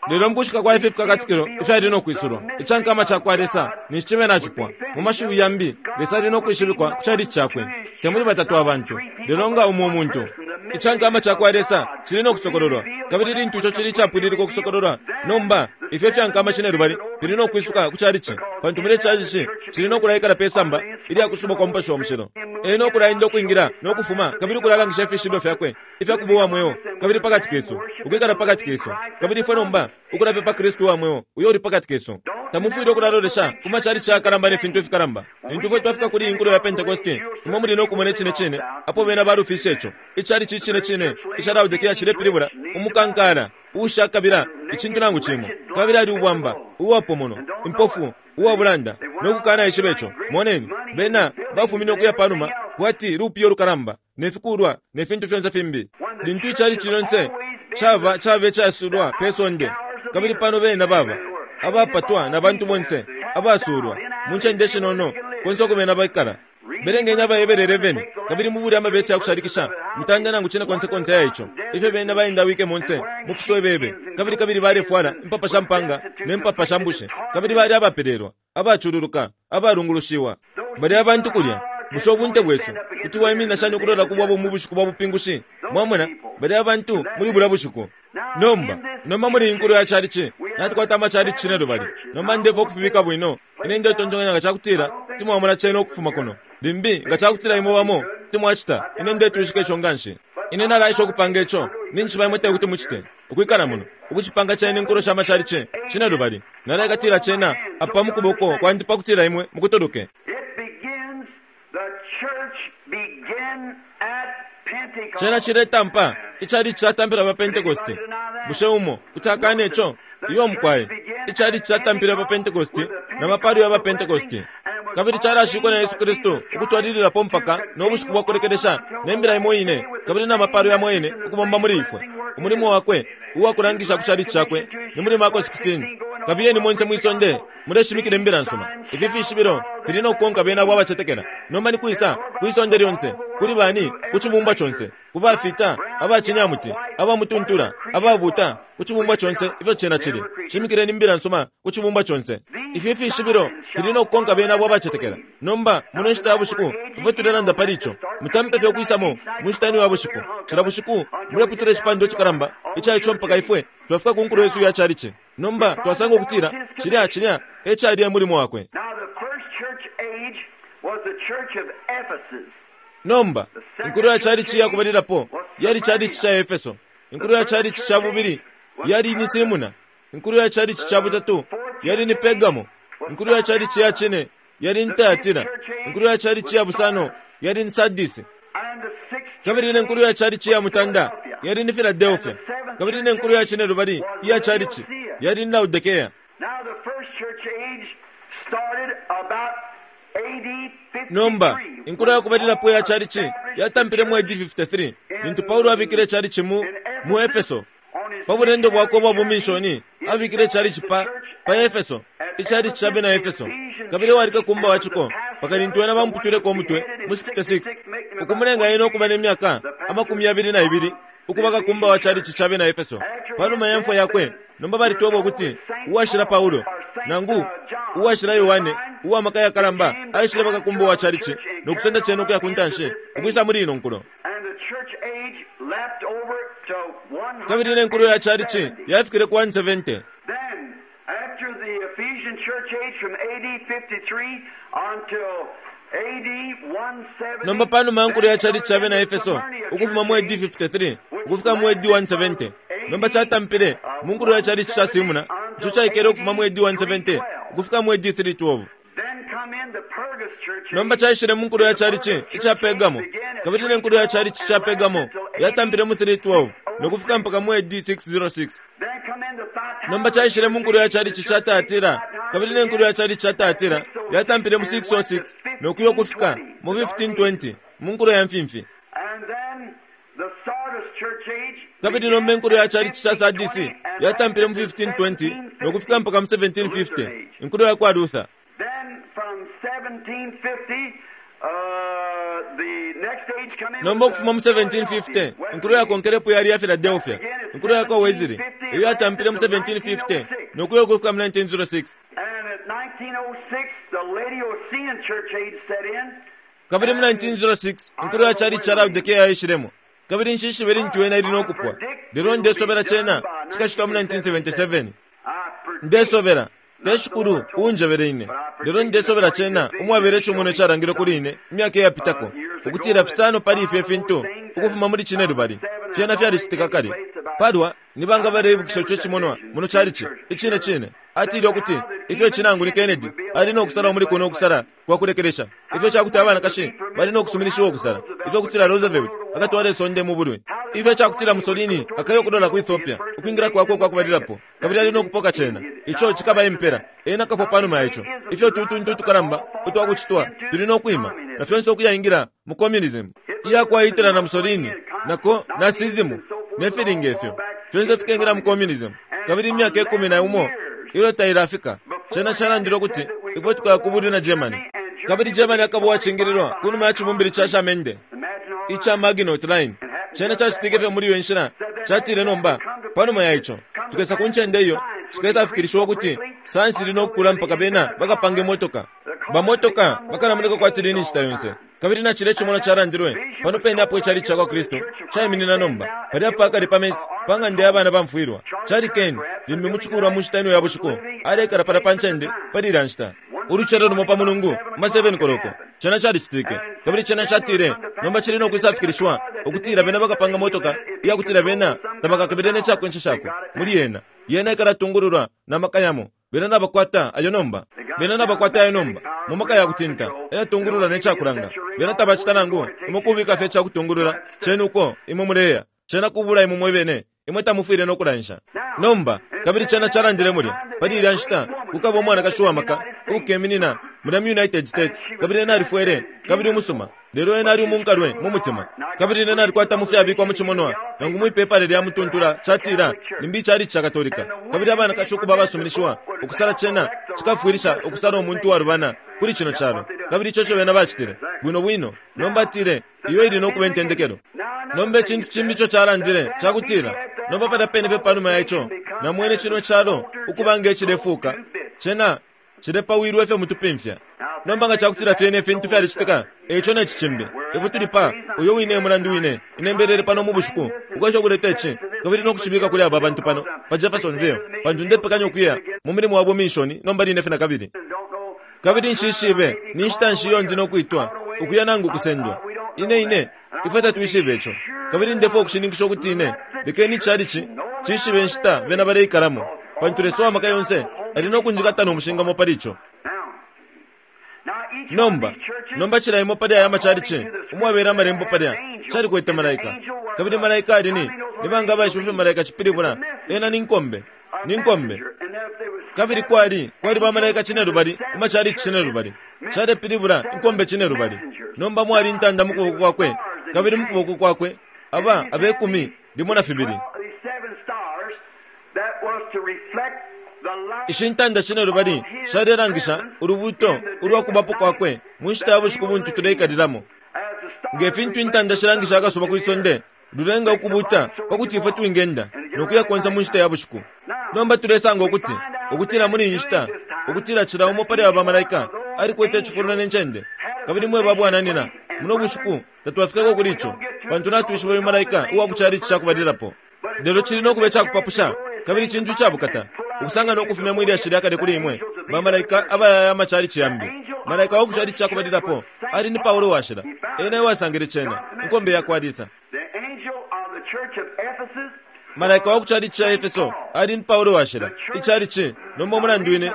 Lelo mukushika kwa ifi fikakatikilo ifyali no kwisulwa, icankama cakwa Lesa ninshi cibe nacipwa. Mu mashiwi yambi, Lesa ali no kwishibikwa ku chalichi cakwe, te muli batatu abantu, lelo nga umo umuntu. Icankama cakwa Lesa cili no kusokololwa, kabili lintu ico cili icapwililika ukusokololwa, nomba ifyo ifyankama cinelubali fili no kwisuka ku chalichi, pantu muli chalichi cili no kulaikala pe samba ilya kusubwa kwa Mupashi wa Mushilo. Ena no kulaenda ukwingila no kufuma, kabili ukulalangisha ifishibilo fyakwe ifya kuba uwa mweo, kabili pakati kesu, ukwikala pakati kesu, kabili ifwe nomba ukulapepa Kristu uwa mweo uyo uli pakati kesu. Tamufwile ukulalolesha ku machalichi ayakalamba ne fintu ifikalamba. Lintu ifwe twafika kuli inkulo ya Pentekoste, imwe muli no kumona icine cine apo bena balufishe ico. Ichalichi icine cine ica Laodikea cilepilibula umukankala uushakabila icintu nangu cimo, kabili ali ubwamba, uwapomonwa, impofu, uwabulanda, no kukana ishiba ico. Moneni, bena bafumine ukuya panuma kwati lupiyo lukalamba ne fikulwa ne fintu fyonse fimbi. Lintu ichalichi lyonse caba cabe casulwa pe sonde, kabili pano bena baba abapatwa na bantu bonse abasulwa mu ncende shinono konse uko bena baikala. Belengenya abaebele eleven, kabili mubuli amabesi yakushalikisha mutanda nangu cine konse konse ya ico ifyo bena baendawike monse mu fiswebebe, kabili kabili balefwala impapa sha mpanga ne mpapa sha mbushe, kabili bali abapelelwa, abacululuka, abalungulushiwa. Bali abantu kulya. Bushe ubunte bwesu kuti waiminina shani ukulola ku bwabo mu bushiku bwa bupingushi? Mwamona, bali abantu muli bulya bushiku. Nomba nomba muli inkulo ya chalichi natukwata amachalichi cinelubali. Nomba ndefo ukufibika bwino. Ine ndetontonkanya nga cakutila timwamona cena ukufuma kuno limbi nga cakutila imwe bamo timwacita. Ine ndetwishika ico nganshi. Ine nalaisha ukupanga ico ninshi imwe tekuti mucite ukwikala muno ukucipanga cena inkulo sha machalichi cinelubali. Nalaikatila cena apa mu kuboko kwandi pakutila imwe mukutuluke. Cena ciletampa ichalichi catampila pa Pentekoste. Bushe umo kuti akane ico? Iyo mukwaye, ichalichi catampila pa Pentekoste na mapalo ya pa Pentekoste, kabili calashikwa na Yesu Kristu ukutwalililapo mpaka no bushiku bwa kulekelesha ne mbila imo ine, kabili na mapalo yamo ine ukubomba muli ifwe. Umulimo wakwe uwakulangisha ku chalichi cakwe ni muli Marko sixteen. Kabiyeni monse mwisonde Muleshimikila imbila nsuma. Ifi fishibilo fili no kukonka bena abo abacetekela. Nomba ni kwisa kwisonde lyonse, kuli bani, ku cibumbwa conse, ku bafita, abacinyamuti, abamutuntula, ababuta, ku cibumbwa conse ifyo cena cili. Shimikileni imbila nsuma ku cibumbwa conse. Ifi fishibilo fili no kukonka bena abo abacetekela. Nomba muno nshita ya bushiku ifwe tulelanda pali ico. Mutampe fye ukwisamo mu nshita ino ya bushiku. Cila bushiku muleputula icipandwa icikalamba ica ico mpaka ifwe twafika ku nkulo yesu ya chalichi. Nomba twasanga ukutila cilya cilya e cali e mulimo wakwe. Now the first church age was the church of Ephesus. Nomba inkulo ya chalichi yakubalilapo yali chalichi cha Efeso. Inkulo ya chalichi cha bubili yali ni Simuna. Inkulo ya chalichi cha butatu yali ni Pergamo. Inkulo ya chalichi ya chine yali ni Thyatira. Inkulo ya chalichi ya busano yali ni Sardisi. And the sixth Kabili ne nkulu ya chalichi ya mutanda yali ni Philadelphia. Kabili ne nkulu ya chine lubali iya chalichi yali ni Laodicea. Now the first church age started about A D fifty-three. Nomba inkulu yakubalilapo ya chalichi yatampile mu A D fifty-three lintu Paulo abikile chalichi mu mu Efeso. Pa bulendo bwakwe ubwa buminshoni abikile chalichi pa pa Efeso, ichalichi cha bena Efeso. Kabili wali kakumba wa chiko paka lintu ena bamuputuleko umutwe mu sixty-six, ukumulenga ena okuba n'emyaka amakumi yabili na ibili ukuba kakumba wa chalichi cha bena Efeso. Panuma ya mfwa yakwe nomba balitwebwa ukuti uwashila Paulo nangu uwashila Yohane uwamaka yakalamba aishile bakakumba wa chalichi nokusenda chene ukuya ku ntanshi ukwisa muli ino nkulo. And the church age leapt over to Kabili ne nkulo ya chalichi yafikile ku one seventy. Then, after the Ephesian church age from A D fifty-three until A D one seventy, Nomba panuma ya nkulo ya chalichi cha bena Efeso ukufuma mu A D fifty-three ukufika mu A D one seventy, nomba chatampile mu nkulo ya chalichi cha Simuna ico caikele ukufuma mu A D one seventy ukufika mu A D three twelve. Then come in the Pergamos church age. Nomba caishile mu nkulo ya chalichi ica Pergamo. Kabili ne nkulo ya chalichi cha Pergamo yatampile mu three twelve nokufika mpaka mu A D six oh six. Then come in the Thyatira Nomba caishile mu nkulo ya chalichi cha Thyatira. Kabili ne nkulo ya chalichi cha Thyatira yatampile mu six oh six nokuya ukufika mu fifteen twenty mu nkulo ya mfimfi. And then the Sardis church age Kabili nomba inkulo ya chalichi cha Sardisi yatampile mu fifteen twenty nokufika mpaka mu seventeen fifty inkulo ya kwa Luther. Then from seventeen fifty, uh, the next age come in Nomba was ukufuma mu the seventeen fifty inkulo yakonkelepo yali ya Philadelphia. Inkulo ya kwa Wesley iyo yatampile mu seventeen fifty nokuya ukufika mu nineteen oh six. And at nineteen oh six, the Laodicean church age set in. Kabili mu nineteen oh six inkulo ya chalichi cha Laodicea yaishilemo. Kabili nshishibe lintu yena ili nokupwa. Lelo ndesobela chena chikachitwa mu nineteen seventy-seven. I predict Ndesobela teshikulu unjebele ine. Lelo ndesobela chena umwabele chumuno charangile kuli ine imyaka iyapitako ukutila fisano pali ifyo fintu ukufuma muli chine lubali fyena fyalicitika kale. Palwa nibanga baleibukisha ico cimonwa muno chalichi icine cine. Atile ukuti ifyo chinangu ni Kennedy ali nokusala muli kuno okusala kwa kulekelesha. Ifyo chakuti abanakashi bali nokusuminishiwa okusala. Ifyo kutila Roosevelt akatwala isonde mu bulwi. Ifyo chakutila Mussolini akayo kudola ku Ethiopia ukwingira kwakwe kwakubalilapo. Kabili ali nokupoka chena. Ico chikaba impera. Ena kafwa panuma yacho. Ifyo tutuntu tukalamba utwakuchitwa tuli nokwima na fyonse okuyaingira mu communism. Iya kwa Hitler na Mussolini nako nazism nefilinga ifyo fyonse fikengera mu communism. Kabili imyaka ikumi na umo ilo tailafika chena chalandile ukuti ifwe tukayakubulwi na Germany. Kabili Germany akaba uwacingililwa kunuma ya cibumbili cha Shamende ica Maginot Line. Chena chacitike fye muli iyo nshila chatile nomba panuma ya ico tukesa ku ncende iyo chikesafikirishiwa ukuti sayansi ili nokukula mpaka bena bakapange motoka. Bamotoka bakalamoneka kwati lini nshita yonse. Kabili na chile chimono chalandilwe pano pene apo ichalichi cha kwa Kristu chaiminina nomba pali apa akali pamesi pa ng'anda ya bana bamfwilwa. Chali Ken limbi muchikulwa mu nshita ino ya bushiku alekala pala pa ncende pali ilya nshita. Ulucelo lumo pa mulungu ma seven koloko chena chalicitike. Kabili chena chatile nomba chili nokwisafikirishiwa ukutila bena bakapanga motoka iyakutila bena tabakakabile nechakwensha shako muli yena. Yena ikalatungululwa na maka yamo. Bena nabakwata ayo nomba. Bena nabakwata ayo nomba mu maka yakutinta eyatungulula nechakulanga. Bena tabacita nangu imwe kubika fye chakutungulula chenu uko imwe muleya chena kubula imwe mwebene imwe tamufwile nokulansha. Nomba kabili chena chalandile mulya pali ilya nshita kukaba umwanakashi wa maka ukeminina mulya mu United States, kabili ena alifwele kabili umusuma, lelo ena ali umunkalwe mu mutima. Kabili ena alikwata mu fyabikwa mu cimonwa nangu mwipepala lya mutuntula catila nimbi icali ca Katolika, kabili abanakashi ukuba abasuminishiwa ukusala cena cikafwilisha ukusala umuntu walubana kuli cino calo. Kabili ico ico bena bacitile bwino bwino. Nomba atile iyo ili nokuba intendekelo. Nomba icintu cimbi ico calandile cakutila nomba palya pene fye panuma ya ico namwene cino calo ukuba nge cilefuka, cena cilepawilwe fye mutupimfya. Nomba nga cakutila fyene ifintu fyalicitika, eico ne cicimbi ifwe tuli pa uyo wine mulandu wine inembelele pano mu bushiku ukwesha ukuleta ici kabili nokucibika kuli aba bantu pano pa Jeffersonville, pantu ndepekanya ukuya mu mulimo wa bumishoni nomba line fye na kabili. Kabili nshishibe ni nshita nshi iyo ndi nokwitwa ukuya nangu kusendwa. Ine ine ifwe tatwishibe ico, kabili ndefwa ukushininkisha ukuti ine lekeni icalici cishibe nshita bena baleikalamo, pantu Lesa wamaka yonse ali nokunjikata nomushingamo pali ico. Nomba nomba cila imo pali aya macalici umwabela amalembo palya calikwete malaika, kabili malaika ali ni nibanga abaishiba ifyo malaika cipilibula? Ena ni nkombe, ni nkombe. Kabili kwali kwali bamalaika cinelubali ku macalici cinelubali, calepilibula inkombe cinelubali. Nomba mwali intanda mu kuboko kwakwe, kabili mu kuboko kwakwe aba abekumi limo na fibili. Ishi ntanda cinelubali shalelangisha ulubuto ulwakubapo kwakwe mu nshita ya bushiku buntu tuleikalilamo. Nge fintu intanda shilangisha akasuba kwisonde lulenga ukubuta pakuti ifwe twingenda nokuya konse mu nshita ya bushiku. Nomba tulesanga ukuti ukutila muli iyi nshita ukutila cila umo pali aba bamalaika alikwete icifulo ne ncende. Kabili mwe babwananina muno bushiku tatwafikako kuli ico, pantu natwishiba uyu malaika uwa ku calici cakubalilapo. Lelo cili nokuba icakupapusha kabili cintu icabukata ukusanga nokufumya mwi lyashi lya kale kuli imwe bamalaika abayaya amacalici yambi. Malaika wa ku calici cakubalilapo ali ni Paulo washila, ena ewasangile cena inkombe yakwa Lesa. Malaika wa ku calici ca Efeso ali ni Paulo washila, icalici nomba umulandu wine.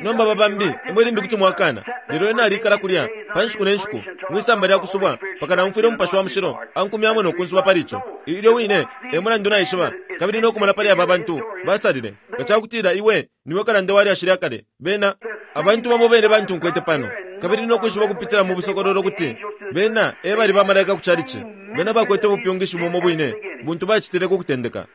Nomba babambi imwe limbi kuti mwakana, lelo ena alikala kulya pa nshiku ne nshiku mwisamba lya kusubwa mpaka namfwile umupashi wa mushilo ankumyamo nokunsuba pali ico. Ilyo wine e mulandu naishiba kabili nokumona pali aba bantu basalile nga cakutila iwe niwe kalanda wa lyashi lya kale. Bena abantu bamo bene bantu nkwete pano, kabili nokwishiba kupitila mu busokololo kuti bena e bali bamalaika ku calici. Bena bakwete ubupyungishi bumo bwine buntu bacitile ku kutendeka,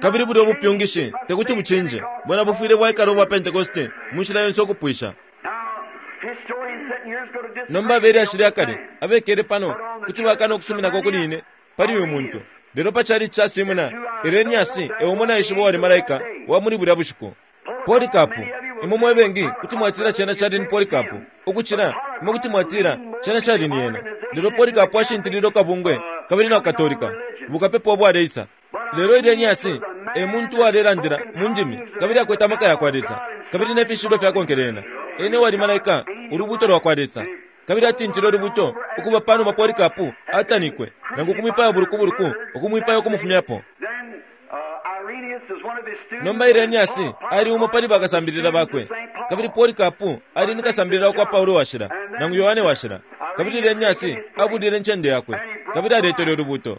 kabili bulya ubupyungishi tekuti bucinje. Bwena bufwile bwaikala ubwa Pentekoste mu nshila yonse ukupwisha. Nomba abelyashi lya kale abekele pano kuti bakana ukusuminako kuli ine pali uyu muntu, lelo pa calici ca Simuna Irenaeus eumo naishiba uwali malaika wa muli bulya bushiku. Polikapu, imwe mwe bengi kuti mwatila cena cali ni Polikapu ukucila imwe kuti mwatila cena cali ni ena, lelo Polikapu ashintilile kabungwe kabili na Katolika bukapepa ubwaleisa. Lelo Irenaeus e muntu uwalelandila mu ndimi kabili akwete amaka yakwa Lesa kabili ne fishibilo fyakonkele ena. Ene wali malaika ulubuto lwakwa Lesa, kabili atintile ulubuto ukuba panuma Polikapu atanikwe nangu kumwipaya bulukubuluku ukumwipaya ukumufumyapo. Nomba Irenaeus ali umo pali bakasambilila bakwe, kabili Polikapu ali ni kasambilila kwa Paulo washila nangu Yohane washila, kabili Irenaeus abulile incende yakwe kabili aletele ulubuto.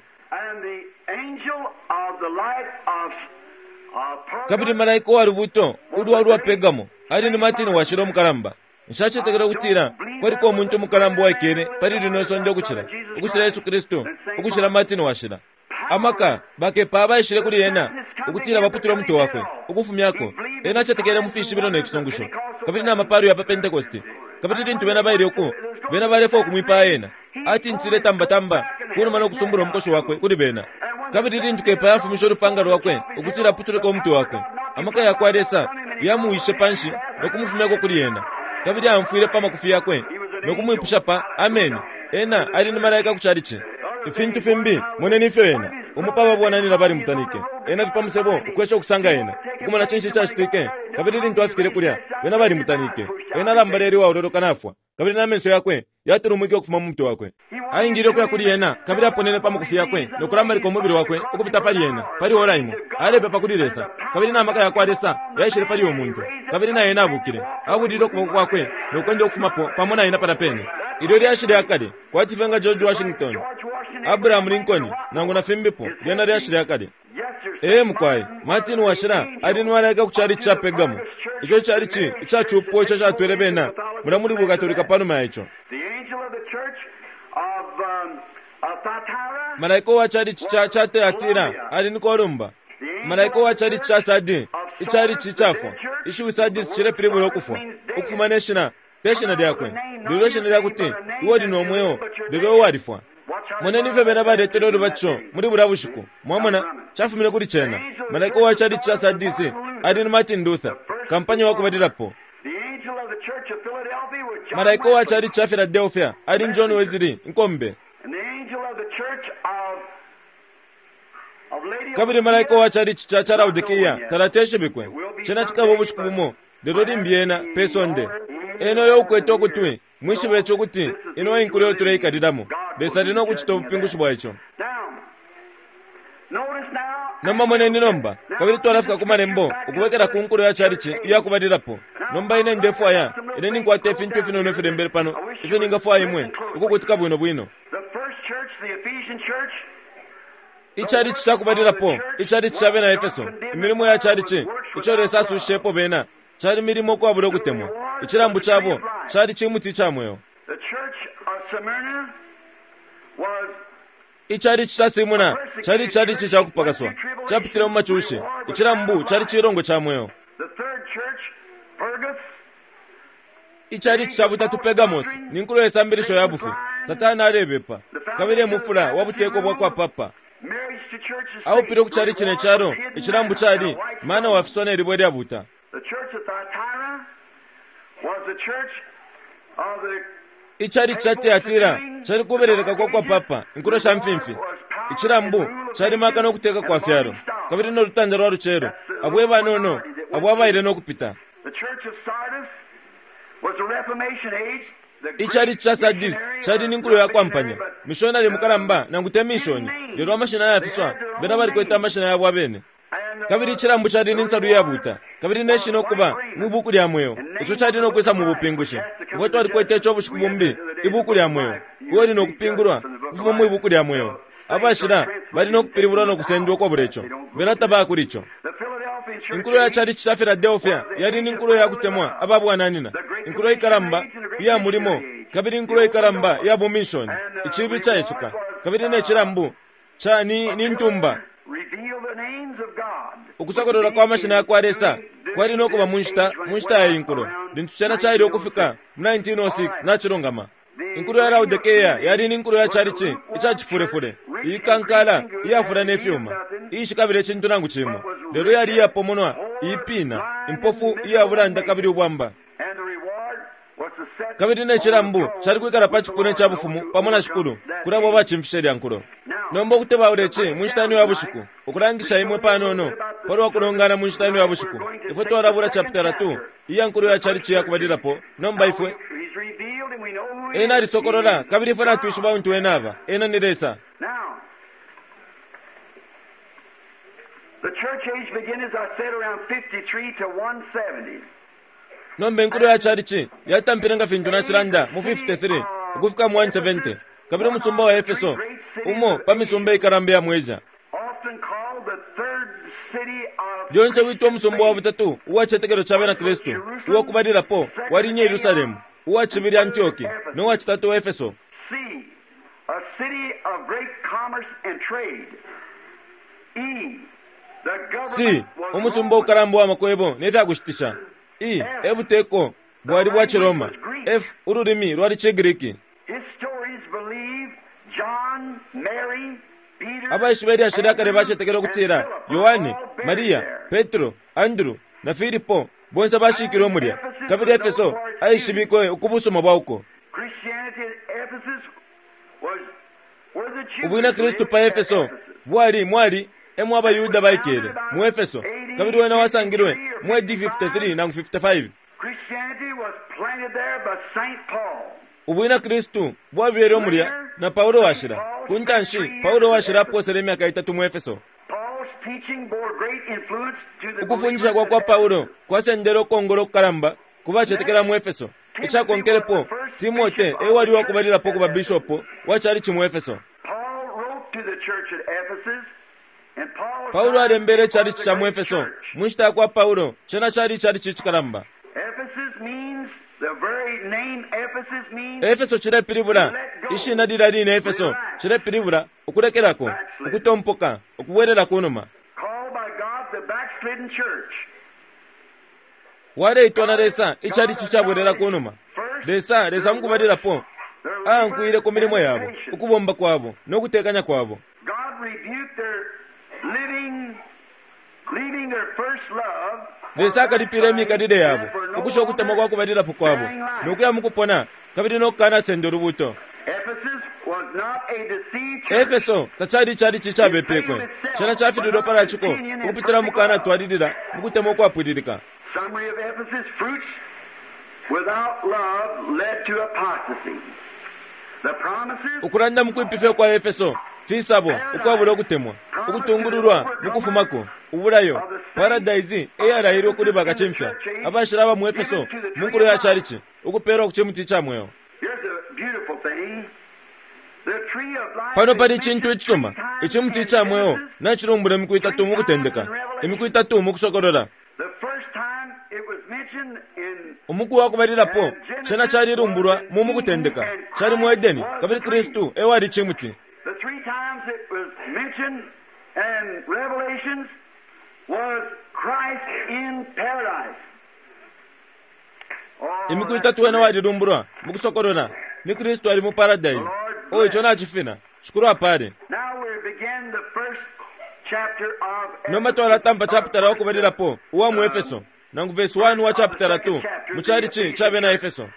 Kabili malaika wa lubuto ulwa lwa Pergamo ali ni Martin washila umukalamba. Nshacetekela ukutila kwaliko umuntu umukalamba uwaikele pali lino isonde ukucila ukucila Yesu Kristu, ukucila Martin washila. Amaka bakepa abaishile kuli ena ukutila baputule umutwe wakwe ukufumyako. Ena acetekele mu fishibilo ne fisungusho kabili na mapalo ya pa Pentekoste, kabili lintu bena baile uku bena balefwa ukumwipaya ena, atintile tambatamba kunuma nokusumbula umukoshi wakwe kuli bena. Kabili lintu kepa yafumisha ulupanga lwakwe ukutila aputuleko umutwe wakwe, amaka yakwa Lesa yamuwishe panshi nokumufumyako kuli ena, kabili amfwile pa makufi yakwe nokumwipusha pa ameni. Ena ali ni malaika ku calici. Ifintu fimbi moneni ifyo ena umupa babwananina bali mutanike. Ena ali pa musebo ukwesha ukusanga ena ukumona cinshi icacitike, kabili lintu afikile kulya bena bali mutanike. Ena alambalele uwaololoka nafwa, kabili n'amenso yakwe yatulumwike ukufuma mu mutwe wakwe. Aingile ukuya kuli ena kabili aponene pa makufi yakwe nokulambalika umubili wakwe ukupita pali ena pali ora imo. Alepepa kuli Lesa, kabili n'amaka yakwa Lesa yaishile pali uyo muntu, kabili na ena abukile abulile ukuboko kwakwe nokwenda ukufumapo pamo na ena palapene. Ilyo lyashi lya kale kwati fye nga George Washington, Abraham Lincoln nangu na fimbipo, lyena lyashi lya kale. Ee mukwai, Martin washila ali ni malaika ku chalichi cha Pergamo, ico chalichi icacupo ico catwele bena mulya muli bukatolika panuma ya ico. Malaika uwa chalichi cha cha Tiyatira ali ni Kolumba. Malaika uwa chalichi cha Sadi, ichalichi icafwa, ishiwi Sadisi cilepilibula ukufwa, ukufuma ne shina pe shina lyakwe, lelo ishina lyakuti iwe uli no mweo, lelo iwe walifwa. Moneni ifyo bena baletele ulubatisho muli bulya bushiku. Mwamona, cafumine kuli cena. Malaika uwa chalichi cha Sadisi ali ni Martin Luther, kampanya wa kubalilapo. Malaika uwa chalichi cha Philadelphia ali ni John Wesley, inkombe. Kabili malaika uwa chalichi cha cha Laodikia talateshibikwe. Cena cikaba ubushiku bumo, lelo limbi ena pe sonde. Ena uyo ukwete ukutwi, mwishibe ico ukuti ino inkulo iyo tuleikalilamo. Lesa ali no kucita ubupingushi bwa ico. Nomba moneni nomba, kabili twalafika ku malembo ukubwekela ku nkulo ya chalichi iya kubalilapo. Nomba ine ndefwaya, ine ninkwata ifintu ifinono ifilembele pano, ifyo ningafwaya imwe ukukutika bwino bwino. Ichalichi ca kubalilapo, ichalichi ca bena Efeso, imilimo ya chalichi ico Lesa asushishepo bena, cali milimo ukwabula ukutemwa. Icilambu cabo cali cimuti ica mweo. Ichalichi ca Simuna cali chalichi ca kupakaswa, capitile mu macushi. Icilambu cali cilongo ca mweo. Ichalichi ca butatu Pergamos ni nkulo ye sambilisho ya bufi. Satani alebepa kabili emufula wa buteko bwa kwa papa. Aupile ku chalichi ne calo, icilambu cali mana wafiswa ne libwe lya buta. Ichalichi ca Tiyatira cali kubeleleka kwa kwa papa, inkulo sha mfimfi. Icilambu cali maka no kuteka kwa fyalo, kabili no lutanda lwa lucelo, abo ebanono abo abaile no kupita. Ichalichi ca Sardis cali ni nkulo ya kwampanya, mishonari mukalamba nangu te mishoni, lelo amashina ayafiswa bena balikwete amashina yabo abene. Kabili icilambu cali ni nsalu iyabuta, kabili ne shina ukuba mwibuku lya mweo, ico cali no kwisa mu bupingushi. Ifwe twalikwete ico ubushiku bumbi, ibuku lya mweo, iwe uli no kupingulwa ukufuma mwibuku lya mweo. Abashila bali no kupilibulwa no kusendwa ukwabula ico, bena tabaya kuli ico. Inkulo ya chalichi cha Philadelphia yali ni nkulo ya kutemwa ababwananina, inkulo ikalamba iya mulimo, kabili inkulo ikalamba iya bumishoni, icibi caisuka, kabili ne cilambu ca ni, ni ntumba. Ukusokolola kwa mashina ya kwa Lesa kwali no kuba mu nshita mu nshita ya inkulo lintu cena caile ukufika mu nineteen oh six nacilungama. Inkulo ya Laodikea yali ni nkulo ya chalichi ica cifulefule, iyikankala iyafula ne fyuma, iyishikabile icintu nangu cimo, lelo yali iyapomonwa, iyipina, impofu iyabulanda kabili ubwamba. Kabili ne cilambu cali kwikala pa cipuna ca bufumu pamo na shikulu kuli abo abacimfishe lya nkulo. Nomba ukutebaula ici mu nshita ino ya bushiku, ukulangisha imwe panono palwa kulongana mu nshita ino ya bushiku. Ifwe twalabula chapitala two iya nkulo ya chalichi ya kubalilapo. Nomba ifwe ena alisokolola, kabili ifwe natwishiba untu ena aba. Ena ni Lesa. Nomba inkulo ya chalichi yatampile nga fintu nacilanda mu fifty-three ukufika mu one seventy, kabili umusumba wa Efeso umo pa misumba ikalamba ya mu Asia, lyonse witwa umusumba wa butatu uwa cicetekelo ca bena Kristu. Uwa kubalilapo wali ni Yerusalemu, uwa cibili Antioki, no wa citatu Efeso. C, umusumba ukalamba wa makwebo ne fya kushitisha. E, ebuteko bwali bwa Ciroma. F, ululimi lwali ciGriki. Abaishiba ilyashi lya kale bacetekele ukutila Yohane, Maria, Petro, Andrew na Filipo bonse bashikilwe mulya, kabili Efeso aishibikwe ukubusuma bwa uko. Ubwina Kristu pa Efeso bwali mwali emo abaYuda baikele mu Efeso, kabili wena wasangilwe mu A D fifty-three nangu fifty-five. Ubwina Kristu bwabele mulya na Paulo washila. Kuntanshi Paulo washila aposele imyaka itatu mu Efeso. Ukufundisha kwa kwa Paulo kwasendele ukongola okukalamba kubacetekela mu Efeso. Icakonkelepo Timote ewali wakubalilapo kuba bishopo wa chalichi mu Efeso. Paulo alembele icalici ca mu Efeso. Mu nshita ya kwa Paulo, cena cali icalici icikalamba. Efeso cilepilibula, ishina lilya line Efeso cilepilibula ukulekelako, ukutompoka, ukubwelela kunuma. Waleitwa na Lesa icalici cabwelela kunuma. Lesa, Lesa mukubalilapo aankwile ku milimo yabo, ukubomba kwabo no kutekanya kwabo. Lesa akalipile imikalile yabo, ukusha ukutemwa kwa kubalilapo kwabo, no kuya mukupona kabili no kukanasenda ulubuto. Efeso tacali icalici icabepekwe, cena cafililwe palaciko ukupitila mukukanatwalilila mukutemwa ukwapwililika. Ukulanda mukwipifya kwa Efeso fisabo ukwabula ukutemwa, ukutungululwa mukufumako, ubulayo paradise eyalailwe kuli bakacimfya abashila aba mu Efeso mu nkulo ya calici, ukupeelwa ku cimuti ca mweo. Pano pali icintu icisuma, icimuti ca mweo nacilumbula imiku itatu mu Kutendeka, imiku itatu mu Kusokolola. Umuku wa kubalilapo cena calilumbulwa mu Mukutendeka, cali mu Edeni, kabili Kristu ewali cimuti. Imiku itatu wena walilumbulwa mu Kusokolola ni Kristu ali mu paradise. O ico nacifina, shikulu apale. Nomba twalatampa chapitala wakubalilapo uwa mu Efeso, nangu verse one wa chapitala two mu calici ca bena Efeso.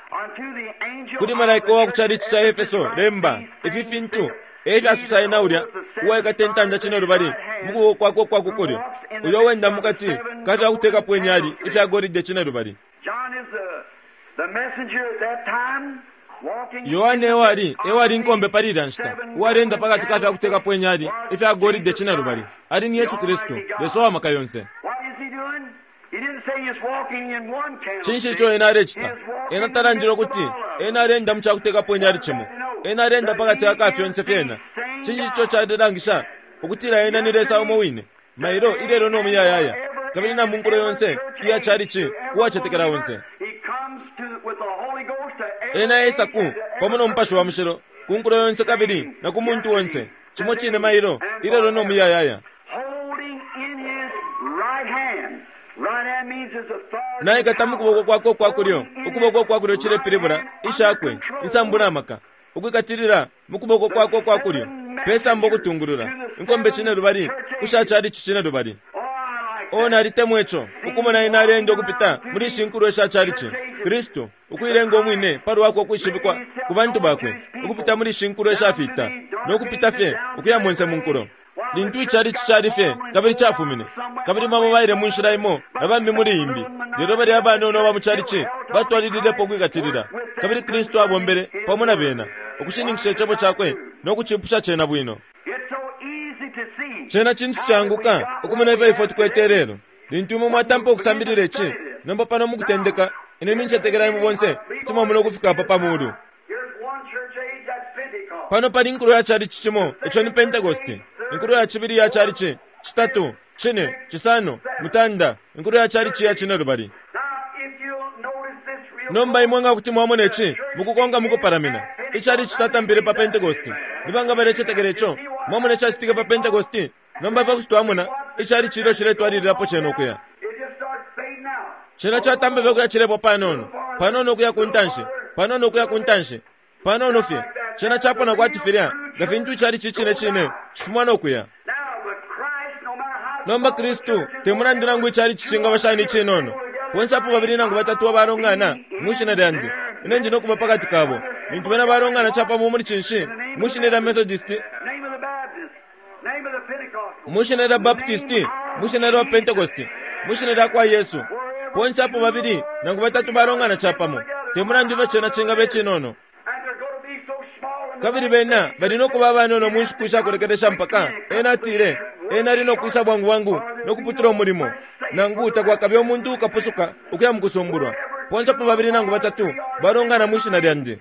Kuli malaika wa ku calici ca Efeso lemba ifi fintu efyasusa ena ulya uwaikata intanda cinelubali mu kuboko kwakwe ukwa ku kulyo, uyo wenda mukati ka fya kutekapo inyali ifya golide cinelubali. Yohane ewali ewali inkombe pali ilya nshita, uwalenda pakati ka fya kutekapo inyali ifya golide cinelubali. Ali ni Yesu Kristu, Lesa wa maka yonse. Cinshi ico ena alecita? Ena talandile ukuti ena alenda mu cakutekapo inyali cimo. Ena alenda pakati ka fyonse fyena. Cinshi ico calelangisha ukutila ena ni Lesa umo wine, mailo ilelo no muyayaya, kabili na munkulo yonse iya calici kuwacetekela onse. Ena esa ku pamo no Mupashi wa Mushilo ku nkulo yonse kabili na ku muntu onse, cimo cine mailo ilelo no muyayaya. Naikata mu kuboko kwakwe ukwa kulyo, ukuboko kwa kulyo cilepilibula ishakwe insambu na maka, ukwikatilila mu kuboko kwakwe ukwa kulyo pesamba ukutungulula inkombe cinelubali kusha calici cinelubali. O nalitemwa ico, ukumona ena alenda ukupita muli ishi nkulo isha calici, Kristu ukuilenga umwine palwakwe ukwishibikwa ku bantu bakwe ukupita muli ishi nkulo ishafita no kupita fye ukuya monse mu nkulo. Lintu icalici cali fye kabili cafumine, kabili bamo baile mu nshila imo na bambi muli imbi, lelo bali abanono aba mu calici batwalililepo ukwikatilila, kabili Kristu abombele pamo na bena ukushininkisha icebo cakwe no kucipusha cena bwino. Cena cintu canguka ukumona ifyo ifwe tukwete lelo. Lintu imwe mwatampa ukusambilila ici, nomba pano mu Kutendeka, ine nincetekela imwe bonse kuti mwamona ukufika apa pa mulu. Pano pali inkulo ya calici cimo, ico ni Pentekoste. Inkulo ya cibili ya calici, citatu, cine, cisano, mutanda, inkulo ya calici ya cinelubali. Nomba imwe nga kuti mwamona ici mukukonka mukupalamina, icalici catampile pa Pentekoste. Ni banga balecetekela ico? Mwamona icacitike pa Pentekoste? Nomba ifwe kuti twamona icalici ilyo ciletwalililapo cena ukuya. Cena catampa fye ukuya cilepwa panono, panono ukuya ku ntanshi, panono ukuya ku ntanshi, panono fye. Cena capona kwati filya nga fintu icalici cine cine cifuma no kuya. Nomba Kristu te mulandu nangu icalici cingaba shani icinono, bonse apo babili nangu batatu abalongana mwishina lyandi, ine ndi no kuba pakati kabo. Lintu bena balongana capamo muli cinshi, mwishina lya Methodist, mwishina lya Baptist, mwishina lya Pentecost, mwishina lya kwa Yesu, bonse apo babili nangu batatu balongana capamo, te mulandu ifyo cena cingaba icinono. Kabili bena bali no kuba abanono mu nshiku ishakulekelesha mpaka ena atile ena ali no kwisa bwangu bwangu no kuputula umulimo, nangu takwakabe umuntu ukapusuka ukuya mu kusumbulwa. Bonse apo babili nangu batatu balongana mwishina lyandi.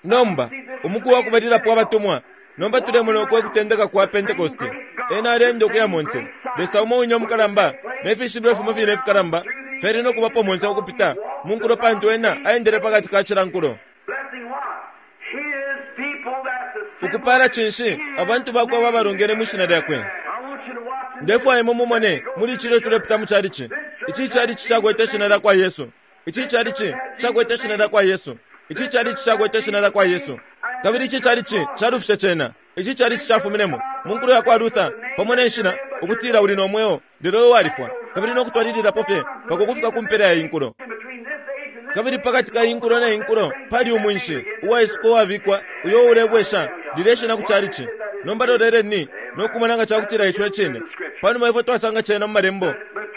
Nomba umuku wa kubalilapo abatumwa, Nomba tulemona uko kutendeka kwa Pentecost. Ena alienda ukuya monse. Lesa umo wine umukalamba ne fishibilo fimo fine ifikalamba fyali no kubapo monse ukupita mu nkulo, pantu ena aendele pakati ka cila nkulo. Ukupala cinshi abantu bakwe babalongene mwi shina lyakwe. Ndefwaya imwe mumone muli cilyo tulepita mu chalichi. Ici chalichi cakwete shina lya kwa Yesu. Ici chalichi cakwete shina lya kwa Yesu. Ici chalichi cakwete shina lya kwa Yesu. Kabili ici chalichi calufishe cena. Ici chalichi cafuminemo mu nkulo ya kwa Luther pamo ne nshina ukutila uli no mweo lelo walifwa, kabili no kutwalililapo fye mpaka ukufika ku mpela ya inkulo. Kabili pakati ka inkulo na inkulo pali umwinshi uwaisuka uwabikwa uyo ulebwesha lilye shina ku chalichi. Nomba loleleni no kumona nga cakutila ico icine. Panuma ifwe twasanga cena mu malembo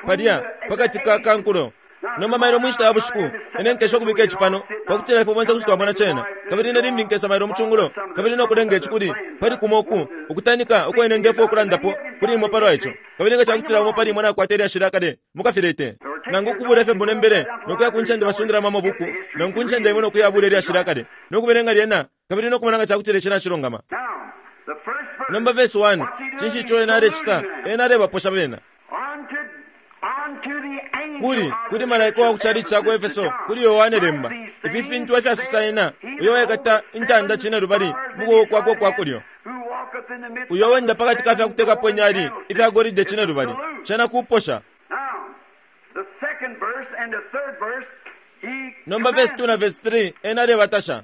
palya pakati ka kankulo. Nomba mailo mu nshita ya bushiku ine nkesha ukubika ici pano pakutila ifwe bonse kuti twamona cena. Kabili ine limbi nkesa mailo mu cungulo kabili no kulenga ici kuli pali kumo uku ukutanika uko ine ndefwaya ukulandapo kuli imwe palwa ico. Kabili nga cakutila umo pali imwe nakwata ilyashi lya kale mukafilete nangu ukubula ifyo mbonembele nokuya ku ncende basungilamo amabuku nangu ku ncende imwe nokuya bula ilyashi lya kale nokubelenga lyena kabili nokumona nga cakutila ici nacilungama. Nomba verse one, cinshi ico ena alecita? Ena alebaposha bena. Kuli kuli malaika wa ku chalichi ca ku Efeso, kuli Yohane lemba, ifi fintu efyasosa ena uyo wekata intanda cine lubali mu kuboko kwakwe ukwa kulyo, uyo wenda pakati ka fyakutekapo inyali ifya golide cine lubali. Cena kuposha. Nomba verse two na verse three, ena alebatasha.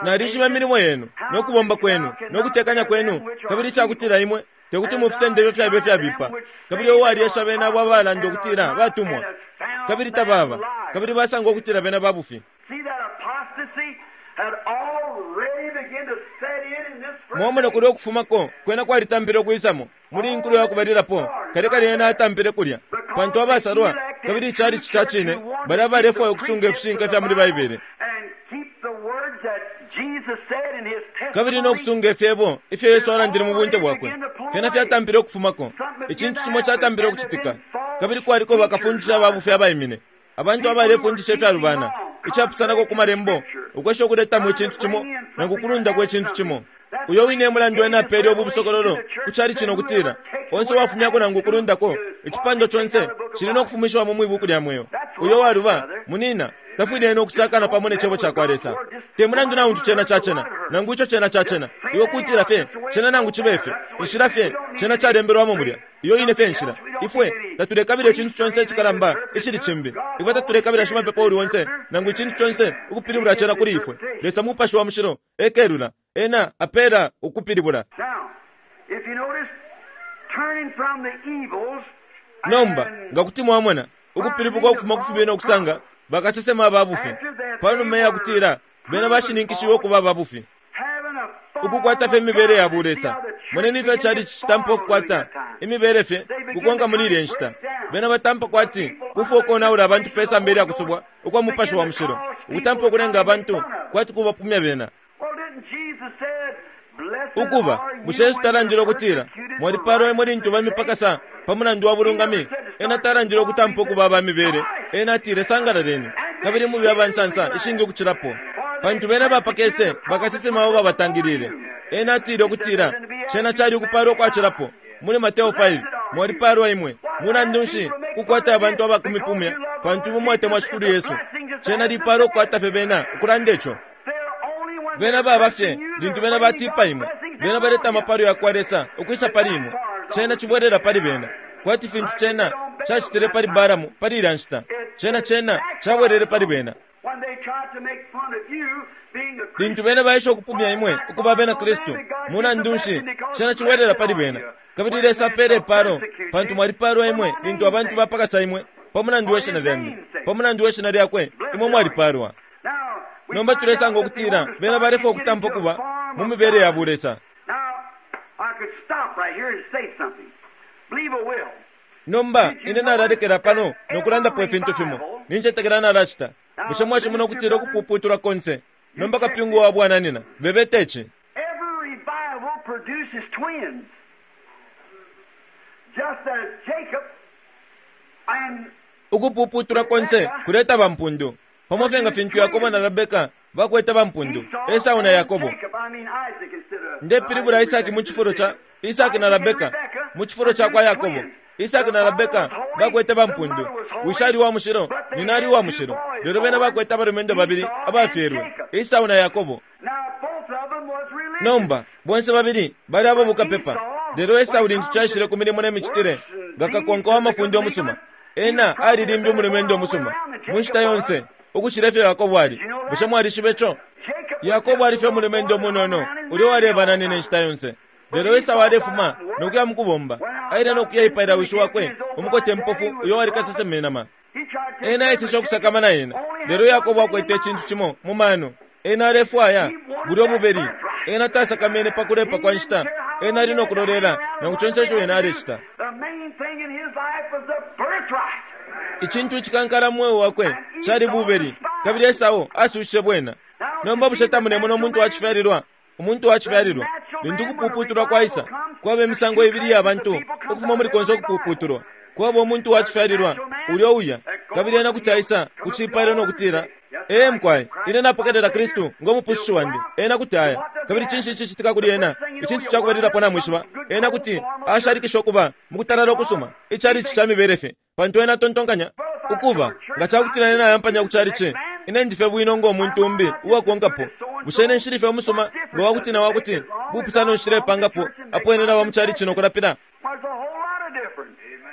Nalishiba imilimo yenu no kubomba kwenu no kutekanya kwenu, kabili icakutila imwe tekuti mufisende ifyo fyabe fyabipa. Kabili uwalyesha bena abo abalanda ukutila batumwa kabili tababa, kabili basanga ukutila bena babufi. Mwamona kulya ukufumako kwena kwalitampile ukwisamo muli inkulo yakubalilapo. Kale kale ena atampile kulya pantu abasalwa kabili ichalichi ca cine bali abalefwaya ukusunga ifishinka fya muli Baibele kabili no kusunga ifyebo ifyo Yesu alandile mu bunte bwakwe. Fyena fyatampile ukufumako. Icintu cimo catampile ukucitika, kabili kwaliko bakafundisha babufi abaimine, abantu abalefundisha ifyalubana icapusanako ku malembo, ukwesha ukuletamo icintu cimo nangu kulundako icintu cimo. Uyo wine emulandu ena apele ubu busokololo ku chalichi nokutila onse uwafumyako nangu kulundako icipando conse cili no kufumishiwamo mwi buku lya mweo. Uyo waluba munina tafwile ena ukusakana pamo ne cebo cakwa Lesa. Te mulandu na untu cena cacena nangu ico cena cacena, iwe kutila fye cena nangu cibe fye inshila fye cena calembelwamo mulya. Iyo ine fye nshila. Ifwe tatulekabila icintu conse icikalamba icili cimbi. Ifwe tatulekabila shimapepo uli onse nangu icintu conse ukupilibula cena kuli ifwe. Lesa Mupashi wa Mushilo ekelula ena apela ukupilibula. Nomba nga kuti mwamona ukupilibuka ukufuma ku fibi no kusanga bakasesema ababufi panuma ya kutila bena bashininkishiwe ukuba ababufi, ukukwata fye imibele ya bulesa. Moneni ifyo chalichi citampa ukukwata imibele fye kukonka muli ilya nshita. Bena batampa kwati kufwa ukonaula abantu pe samba ilya kusubwa ukwa Mupashi wa Mushilo, ukutampa ukulenga abantu kwati kubapumya bena. Ukuba bushe Yesu talandile ukutila mwalipalwa imwe lintu bamipakasa pa mulandu wa bulungami? Ena talandile ukutampa ukuba aba mibele. Ena atile sangalaleni kabili mube abansansa ishingi ukucilapo, pantu bena bapakese bakasesema abo babatangilile. Ena atile ukutila cena cali ukupalwa ukwacilapo muli Mateo five, mwalipalwa imwe mulandu nshi kukwata abantu abakumipumya pantu imwe mwatemwa Shikulu Yesu. Cena lipalwa ukukwata fye bena ukulanda ico. Bena baba fye lintu bena batipa imwe, bena baleta amapalo ya kwa Lesa ukwisa pali imwe. Cena cibwelela pali bena kwati fintu cena cacitile pali Balamu pali ilya nshita. Cena cena cabwelele pali bena lintu bena baisha ukupumya imwe ukuba bena Kristu. Mulandu nshi cena cibwelela pali bena. Kabili Lesa apele ipalo pantu mwalipalwa imwe lintu abantu bapakasa imwe pa mulandu we shina lyandi, pa mulandu we shina lyakwe imwe mwalipalwa. Nomba tulesanga ukutila bena balefwaya ukutampa ukuba mu mibele ya bulesa. Nomba ine nalalekela pano nokulandapo ifintu fimo nincetekela nalacita. Bushe mwacimona ukutila ukupuputulwa konse? Nomba kapyungu wa bwananina bebete ici. Ukupuputulwa konse kuleta bampundu pamo fye nga fintu Yakobo na Rebeka bakwete bampundu, Esau na Yakobo. Ndepilibula Isaki mu cifulo ca Isaki na Rebeka mu cifulo ca kwa Yakobo. Isaki na Rebeka bakwete bampundu. Wishi ali wa mushilo, nyina ali wa mushilo. Lelo bena bakwete abalumendo babili abafyelwe, Esau na Yakobo. Nomba bonse babili bali abo bukapepa. Lelo Esau lintu caishile ku milimo ne micitile nga kakonka wa mafunde omusuma, ena alilimbi umulumendo omusuma mu nshita yonse ukushila ifyo Yakobo ali. Bushe mwalishiba ico? Yakobo ali fye umulumendo umunono ulya uwalebananina inshita yonse. Lelo Esau alefuma nokuya mukubomba, aile nokuya ipaila wishi wakwe umukote mpofu uyo wali kasesema inama. Ena aeseshe ukusakamana ena. Lelo Yakobo akwete icintu cimo mu mano. Ena alefwaya bulya ububeli. Ena tasakamene pa kulepa kwa nshita. Ena ali nokulolela nangu conse ico ena alecita. Icintu icikankala mu mweo wakwe cali bubeli, kabili Esau asushishe bwena. Nomba bushe tamunemona umuntu wacifyalilwa? Umuntu wacifyalilwa lintu ukupuputulwa kwaisa, kwaba imisango ibili ya bantu ukufuma muli konse ukupuputulwa. Kwaba umuntu wacifyalilwa ulya uya, kabili ena kuti aisa ku cipailo nokutila, ee mkwai, ine napokelela Kristu ngo mupususshi wandi. Ena kuti aya. Kabili cinshi icicitika kuli ena? Icintu cakubalilapo namwishiba, ena kuti ashalikisha ukuba mukutalala ukusuma, icalici ca mibele fye, pantu ena atontonkanya ukuba nga cakutila ena ayampanya ku calici, ine ndife bwino ngo muntu umbi uwakonkapo. Bushe ine nshili fye umusuma nga wakuti na wakuti bupusano nshilepangapo apo ene naba mu calici nokulapila?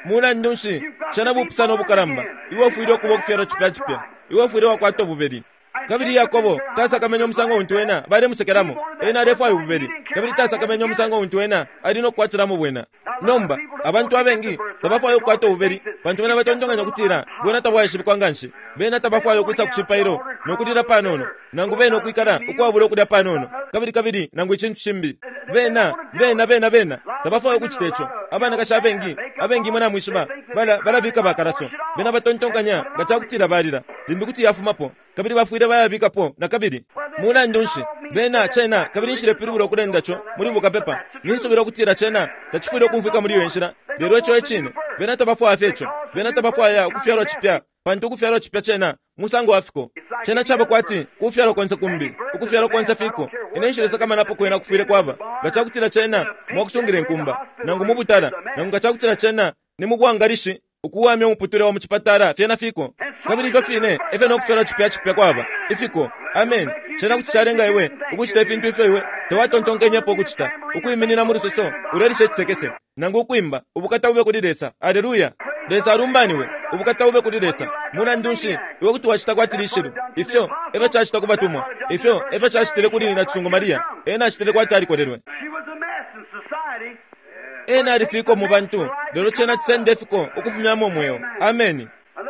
Mulandu nshi cena bupusano ubukalamba? Iwe ufwile ukuba ukufyalwa cipya cipya. Iwe ufwile wakwata ububeli. Kabili Yakobo tasakamene umusango untu ena balemusekelamo. Ena alefwaya ububeli, kabili tasakamene umusango untu ena ali nokukwatilamo bwena. Nomba abantu abengi tabafwaya ukukwata ububeli, pantu bena batontonkanya ukutila bwena tabwaishibikwa nganshi. Bena tabafwaya ukwisa ku cipailo nokulila panono, nangu bena ukwikala ukwabula ukulya panono, kabili kabili nangu icintu cimbi. Bena bena bena bena tabafwaya ukucita ico. Abanakashi abengi abengi imwe namwishiba bala balabika bakalaso. Bena batontonkanya nga cakutila balila limbi kuti yafumapo, kabili bafwile bayabikapo na kabili. Mulandu nshi bena cena, kabili nshilepilibula ukulenda co muli bukapepa. Ninsubila ukutila cena tacifwile ukumfwika muli iyo nshila, lelo ico ecine. Bena tabafwaya fye ico. Bena tabafwaya ukufyalwa cipya, pantu ukufyalwa cipya cena musango wa fiko. Cena caba kwati kufyalwa konse kumbi, ukufyalwa konse fiko. Ine nshilesakamanapo kwena kufwile kwaba nga cakutila cena mwakusungila inkumba, nangu mu butala, nangu nga cakutila cena ni mu bwangalishi ukuwamya umuputule wa mu cipatala, fyena fiko. Kabili ifyo fine efyo nokufyalwa cipya cipya kwaba ifiko. Amen. Cena kuti calenga iwe ukucita ifintu ifyo iwe tawatontonkenyepo ukucita, ukwiminina mu lusoso ulelisha icisekese, nangu ukwimba ubukata bube kuli Lesa. Aleluya! Lesa alumbaniwe, ubukata bube kuli Lesa. Mulandu nshi iwe kuti wacita kwati lishilu? Ifyo efyo cacita ku batumwa, ifyo efyo cacitile kuli nyina cisungu Maria. Ena acitile kwati alikolelwe. Ena alifiko mu bantu, lelo cena cisenda ifiko ukufumyamo umweo. Ameni.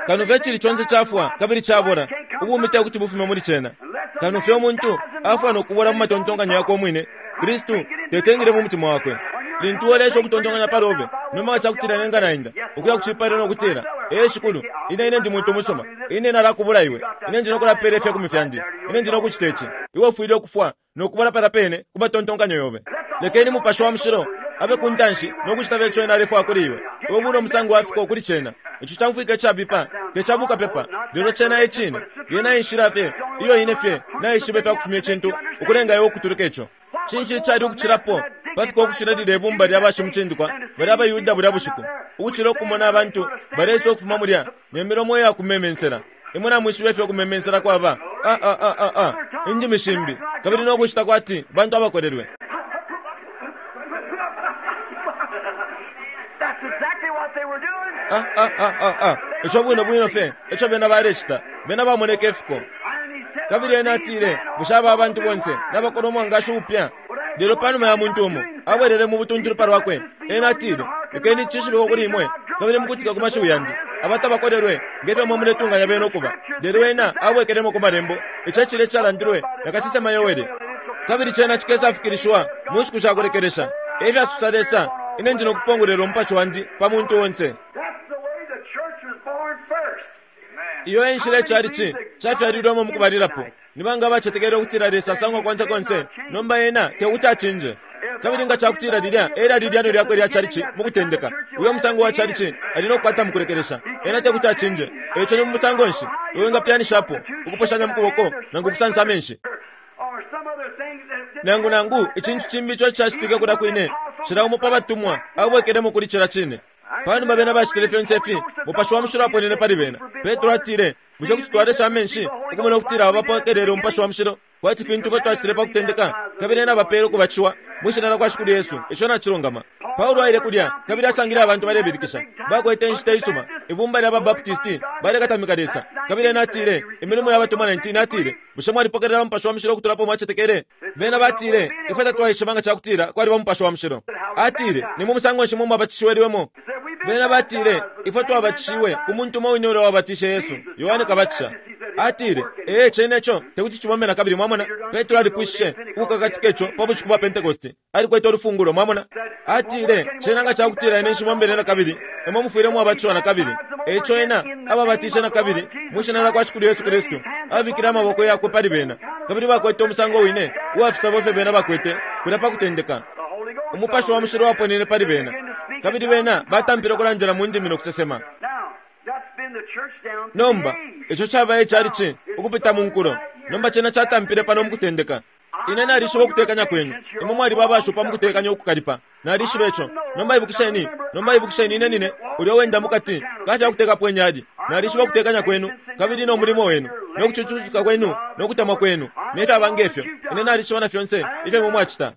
Kano fye cili conse cafwa kabili cabola, ubumi te kuti bufume muli cena. Kano fye umuntu afwa nokubola mu matontonkanyo yakwe umwine, Kristu tetengile mu mutima wakwe. Lintu uolesha ukutontonkanya palobe, nomba nga cakutila nenga nainda ukuya ku cipailo nokutila, ee Shikulu, ine ine ndi muntu umusuma, ine nalakubula iwe, ine ndi nokulapela ifya kumi fyandi, ine ndi nokucita ici. Iwe ufwile ukufwa nokubola pala pene ku matontonkanyo yobe. Lekeni Mupashi wa Mushilo abe ku ntanshi nokucita fye ico ena alefwaya kuli iwe. Iwe bula umusango wa fiko kuli cena. Ico camfwika icabipa, te ca bukapepa, lelo cena e cine. Yena enshila fye iyo ine fye naishiba ifya kufumya icintu ukulenga iwe ukutuluka ico. Cinshi icali ukucilapo pafika ukucila lilya ibumba lya bashimucindikwa balya abaYuda bulya bushiku, ukucila ukumona abantu baleisa ukufuma mulya ne milomo iya kumemensela. Imwe namwishiba ifyo ukumemensela kwaba, ah ah ah ah ah, indimi shimbi, kabili nokucita kwati bantu abakolelwe. Ah ah ah ah ah, ico bwino bwino fye ico bena balecita, bena bamoneke ifiko. Kabili ena atile, bushe aba abantu bonse nabakola umwangashi upya? Lelo panuma ya muntu umo abwelele mu butuntulu palwakwe, ena atile, lekeni cishibikwe kuli imwe, kabili mukutika ku mashiwi yandi, abatabakolelwe ngefyo mwe muletunganya bena ukuba. Lelo ena abwekelemo ku malembo, ico ecile icalandilwe na kasesema Yoele. Kabili cena cikesafikilishiwa mu nshiku sha kulekelesha, efyasusa Lesa, ine ndi nokupongolwela umupashi wandi pa muntu onse. Iyo enshila icalici cafyalilwemo mukubalilapo. Nibanga abacetekele ukutila Lesa asangwa konse konse? Nomba ena tekuti acinje. Kabili nga cakutila lilya elyali ilyano lyakwe lya calici mukutendeka, uyo musango wa calici ali nokukwata mukulekelesha. Ena tekuti acinje. Eico ni mu musango nshi iwe ngapyanishapo ukuposhanya mu kuboko nangu ukusansa amenshi nangu nangu icintu cimbi ico cacitike kulya kwine. Cila umo pa batumwa abwekelemo kuli cila cine. Panuma bena bacitile fyonse ifi, Mupashi wa Mushilo aponene pali bena. Petro atile, bushe kuti twalesha amenshi ukumona ukutila aba bapokelele Umupashi wa Mushilo kwati fintu ifyo twacitile pa kutendeka, kabili ena bapele ukubatishiwa mwi shina lya kwa Shikulu Yesu. Ico nacilungama. Paulo aile kulya kabili asangile abantu balebilikisha, bakwete inshita isuma, ibumba lya babaptisti balekatamika Lesa. Kabili ena atile, Imilimo ya Batumwa nineteen atile, bushe mwalipokelela Umupashi wa Mushilo ukutulapo mwacetekele? Bena batile, ifwe tatwaishiba nga cakutila kwaliba Umupashi wa Mushilo. Atile, ni mu musango nshi mwe mwabatishiwelwemo? Bena batile, ifwe twabatishiwe ku muntu umo wine ulya wabatishe Yesu, Yohane Kabatisha. Atile, ee, cene ico tekuti cibombe na kabili. Mwamona, Petro alipwishishe ukukakatika ico pa bushiku bwa Pentekoste. Alikwete ulufungulo, mwamona. Atile, cena nga cakutila ine nshibombele na kabili, imwe mufwile mwabatishiwa na kabili. Eico ena ababatishe na kabili mwi shina lya kwa Shikulu Yesu Kristu, abikile amaboko yakwe pali bena, kabili bakwete umusango wine uwa fisabo ifyo bena bakwete kulya pa kutendeka. Umupashi wa Mushilo waponene pali bena, kabili bena batampile ukulandila mu ndimi no kusesema. Nomba ico caba icalici ukupita mu nkulo. Nomba cena catampile pano mu kutendeka. Ine nalishiba ukutekanya kwenu. Imwe mwaliba abashupa mu kutekanya ukukalipa. Nalishiba ico. Nomba ibukisheni, nomba ibukisheni ine nine ulya wenda mukati kafya kutekapo inyali. Nalishiba ukutekanya kwenu kabili no mulimo wenu no kucucutika kwenu no kutemwa kwenu ne fyaba ngefyo. Ine nalishiba na fyonse ifyo imwe mwacita.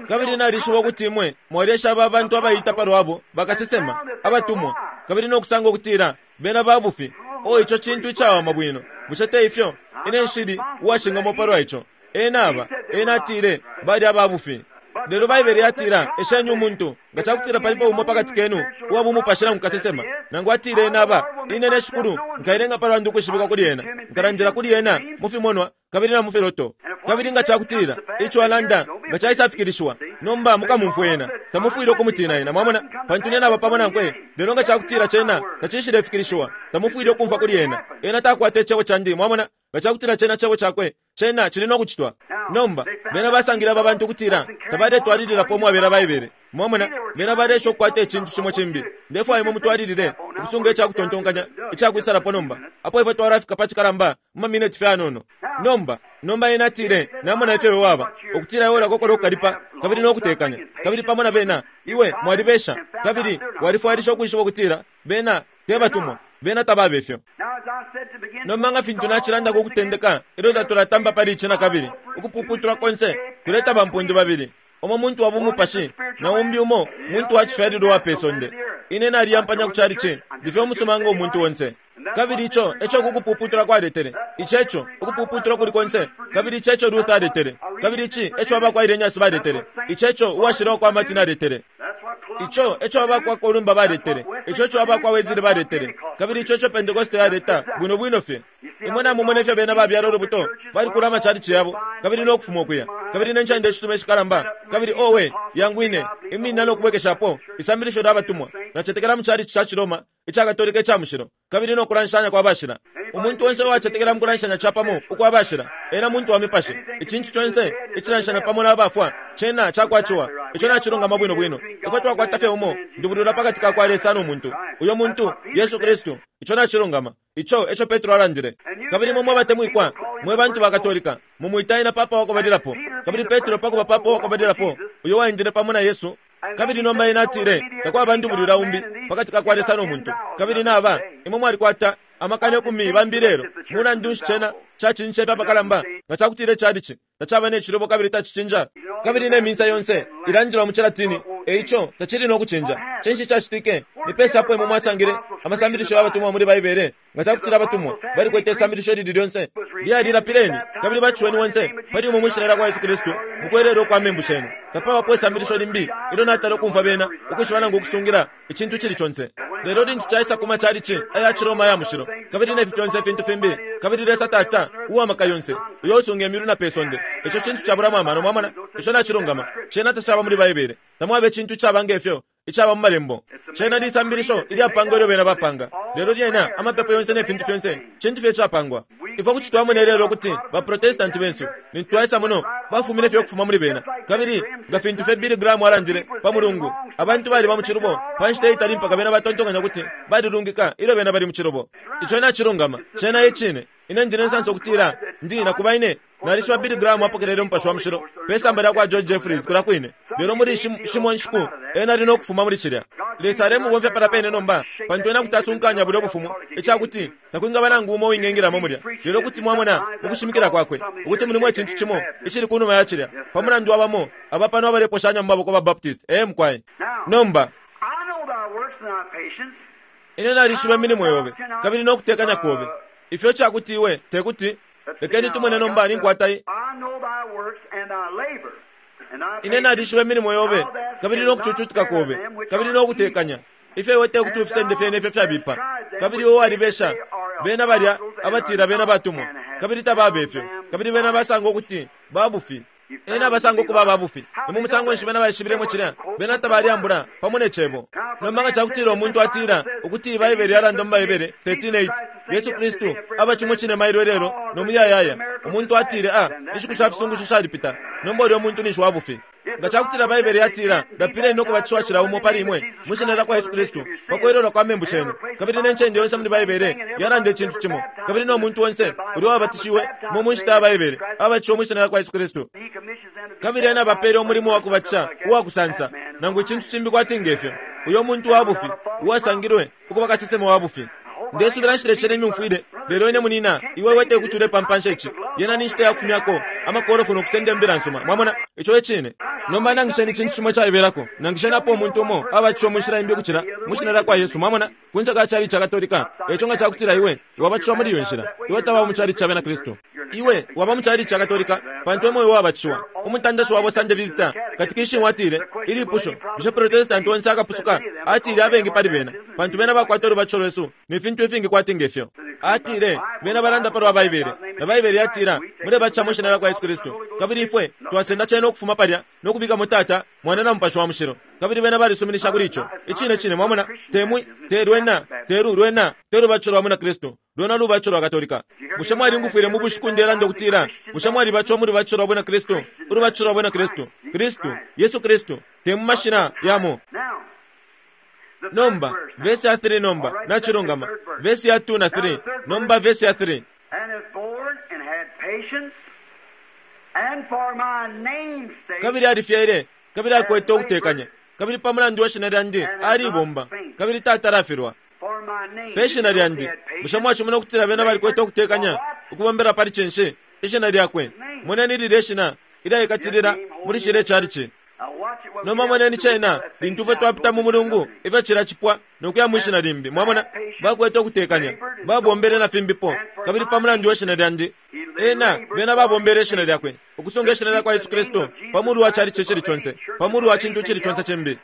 Kabili nalishiba ukuti imwe mwalyesha aba bantu abaita palwabo bakasesema abatumwa, kabili no kusanga ukutila bena babufi. O, ico cintu icawama bwino. Bushe te ifyo? Ine nshili uwashingamo palwa ico. Ena aba, ena atile bali ababufi. Lelo Baibele yatila, esheni umuntu nga cakutila palipo umo pakati kenu uwa bumupashi nangu kasesema, nangu atile ena aba, ine ne Shikulu nkailenga palwandu ukwishibikwa kuli ena, nkalandila kuli ena mu fimonwa kabili na mu filoto. Kabili nga cakutila ico alanda nga caisafikilishiwa, nomba mukamumfwe ena, tamufwile ukumutina ena, mwamona, pantu ine naba pamo nankwe. Lelo nga cakutila cena tacishilefikilishiwa, tamufwile ukumfwa kuli ena. Ena takwata icebo candi, mwamona. Nga cakutila cena cebo cakwe, cena cili no kucitwa. Nomba bena basangile aba bantu ukutila tabaletwalililapo umwabela Baibele, mwamona. Bena balesha ukukwata icintu cimo cimbi. Ndefwaya imwe mutwalilile ukusunga icakutontonkanya icakwisalapo nomba, apo ifwe twalafika pa cikalamba mu mamineti fye anono. Nomba nomba ena atile, namona ifyo iwe waba, ukutila iwe ulakokola ukukalipa kabili no kutekanya, kabili pamo na bena iwe mwalibesha, kabili walifwailisha ukwishiba ukutila bena te batumwa, bena tababe ifyo. Nomba nga fintu nacilandako ukutendeka, ilyo tatulatamba pali ici na kabili, ukupuputula konse kuleta bampundu babili, umo muntu wa bumupashi na umbi umo muntu wa cifyalilwa wa pesonde. Ine naliyampanya ku calici, ndifye umusuma nga umuntu onse. Kabili ico eco kukupuputula kwaletele, ico eco ukupuputula kuli konse, kabili ico eco Luther aletele, kabili ici eco abakwa Irenaeus baletele, ico eco uwashila kwa Martin aletele, ico eco abakwa Columba baletele, ico eco abakwa Wesley baletele, kabili ico eco Pentecost yaleta bwino bwino fye. Imwe namumona ifyo bena babyala ulubuto, balikula amacalici yabo, kabili no kufuma ukuya, kabili ne ncende ishitume ishikalamba, kabili owe yangwine imina no kubwekeshapo isambilisho lya batumwa. Nacetekela mu calici ca Ciroma ica Katolika ica mushilo, kabili no kulanshanya kwa bashila. Umuntu onse uwacetekela mu kulanshanya capamo ukwa bashila, ena muntu wa mipashi. Icintu conse icilanshanya pamo na bafwa cena cakwaciwa. Ico nacilungama bwino bwino. Ifwe twakwata fye umo ndubulula pakati ka kwa Lesa no muntu, uyo muntu Yesu Kristu. Ico nacilungama. Ico eco Petro alandile. Kabili mwe mwabatemwikwa mwe bantu ba Katolika, mumwita ena papa wakubalilapo. Kabili Petro pakuba papa wakubalilapo, uyo waendele pamo na Yesu. Kabili nomba ena atile takwaba ndubulula umbi pakati ka kwa Lesa no muntu. Kabili naba imwe mwalikwata amakana ikumi bambi lelo, mulandu nshi cena cacinja ifya pakalamba nga cakutila icalici tacaba ne cilubo kabili tacicinja, kabili ne minsa yonse ilandilwa mu Cilatini, eico tacili no kucinja. Cinshi cacitike? Ni pesa apo imwe mwasangile amasambilisho y'abatumwa muli Baibele nga cakutila abatumwa balikwete isambilisho lili lyonse lyalilapileni kabili baciweni wonse pali umwe mwishina lya kwa Yesu Kristu mukwerera ukwa membu shenu. Tapabapo isambilisho limbi ilyo natala ukumfwa bena ukwishiba nangu ukusungila icintu cili conse. Lelo lintu caisa kuma calici aya Ciroma ya mushilo, kabili nefi fyonse ifintu fimbi, kabili Lesa Tata uwamaka yonse uyo usunga imilu na pesonde, ico cintu cabulamo amano, mwamona. Ico nacilungama. Cena tacaba muli Baibele. Tamwaba icintu icaba ngefyo icaba mu malembo. Cena lisambilisho ilyapangwa ilyo bena bapanga. Lelo lyena amapepo yonse ne fintu fyonse cintu fye icapangwa. Ifwe kuti twamona lelo ukuti ba Protestanti bensu lintu twaisa muno bafumine fye ukufuma muli bena. Kabili nga fintu fye Billy Graham alandile pa Mulungu, abantu baliba mu cilubo pa nshita itali mpaka bena batontonkanya kuti balilungika ilyo bena bali mu cilubo. Ico nacilungama, cena e cine. Ine ndi ne nsansa ukutila ndi nakuba ine nalishiba Billy Graham apokelele Umupashi wa Mushilo pe samba lya kwa George Jeffreys kulya kwine, lelo muli shimo nshiku ena ali no kufuma muli cilya. Lesa alemubomfya pala pene nomba, pantu ena kuti asunkanya bulya bufumu icakuti takwingaba nangu umo uwingengilamo mulya. Lelo kuti mwamona ukushimikila kwakwe ukuti mulimo icintu cimo icili kunuma ya cilya, pa mulandu wabamo aba pano abaleposhanya mu maboko ba Baptist. Ee mukwai. Nomba ine nalishiba imilimo yobe kabili no kutekanya kobe, ifyo cakuti iwe tekuti. Lekeni tumone nomba ninkwata ine nalishiba imilimo yobe kabili no kucucutika kobe kabili no kutekanya, ifyo iwe tekuti ufisende fyene ifyo fyabipa, kabili iwe walibesha bena balya abatila bena batumwa kabili tababe ifyo, kabili bena basanga ukuti babufi. Ena basanga ukuba babufi. Ni mu musango nshi bena baishibilemo cilya? Bena tabaliambula pamo ne cebo. Nomba nga cakutila umuntu atila ukuti Baibele yalanda mu Baibele thirteen eight, Yesu Kristu aba cimo cine mailo lelo no muyayaya. Umuntu atile a inshiku sha fisungusho shalipita. Nomba ulyo muntu ninshi wabufi. Nga cakutila Baibele yatila lapileni no kubatishiwa cila umo pali imwe mu shina lya kwa Yesu Kristu pa kwelelwa kwa membu shenu, kabili ne ncende yonse muli Baibele yalanda icintu cimo, kabili no muntu onse ulyo wabatishiwe mu mu nshita ya Baibele abatishiwe mu shina lya kwa Yesu Kristu, kabili ena bapele umulimo wa kubatisha uwa kusansa nangu icintu cimbi kwati ngefyo, uyo muntu wabufi uwasangilwe ukuba kasesema wabufi. Ndesubila nshilecele imyumfwile, lelo ine munina iwe wete kuti ulepampansha ici. Yena ni nshita ya kufumyako amakolofu no kusenda imbila nsuma. Mwamona ico e cine. Nomba nangisheni icintu cimo caibelako, nangisheni apo umuntu umo abatishiwe mu nshila imbi ukucila mu shina lya kwa Yesu. Mwamona kunse ka cali ca Katolika. Eco nga cakutila iwe wabatishiwa muli iyo nshila, iwe tawaba mu cali ca bena Kristu, iwe waba mu cali ca Katolika pantu emo iwe wabatishiwa. Umutandashi wabo Sunday Visitor katikishimu atile ilipusho, bushe Protestant onse akapusuka? Atile abengi pali bena, pantu bena bakwata ulubatisho lwesu ne fintu ifingi kwati ngefyo. Atile bena balanda palwa Baibele, na Baibele yatila mulebatisha mu shina lya kwa Yesu Kristu, kabili ifwe twasenda cena ukufuma palya no kubikamo Tata, Mwana na Mupashi wa Mushilo, kabili bena balisuminisha kuli ico. Icine cine, mwamona, temwi te lwena te lwena te lubatisho lwa mwina Kristu, lwena lubatisho lwa Katolika. Bushe mwalingufwile mu bushiku ndelanda ukutila bushe mwalibatishiwa mu lubatisho lwa bwina Kristu? Ulubatisho lwa bwina Kristu, Kristu Yesu Kristu, te mu mashina yamo. Nomba verse ya three, nomba nachilungama verse ya two na three. Nomba verse ya three, kabili alifyele kabili akwete ukutekanya, kabili pa mulandu wa shina lyandi alibomba kabili tatalafilwa pe shina lyandi. Bushe mwachimona ukutila bena balikwete ukutekanya ukubombela pali cinshi? Ishina lyakwe. Moneni lilye shina ilyaikatilila muli shile chalichi. Nomba moneni cena lintu ifwe twapita mu mulungu ifyo cilacipwa nokuya mwishina limbi. Mwamona bakwete ukutekanya, babombele na fimbipo, kabili pa mulandu wa shina lyandi ena bena babombele ishina lyakwe, ukusunga ishina lya kwa Yesu Kristu pa mulu wa chalichi cili conse, pa mulu wa cintu cili conse cimbi.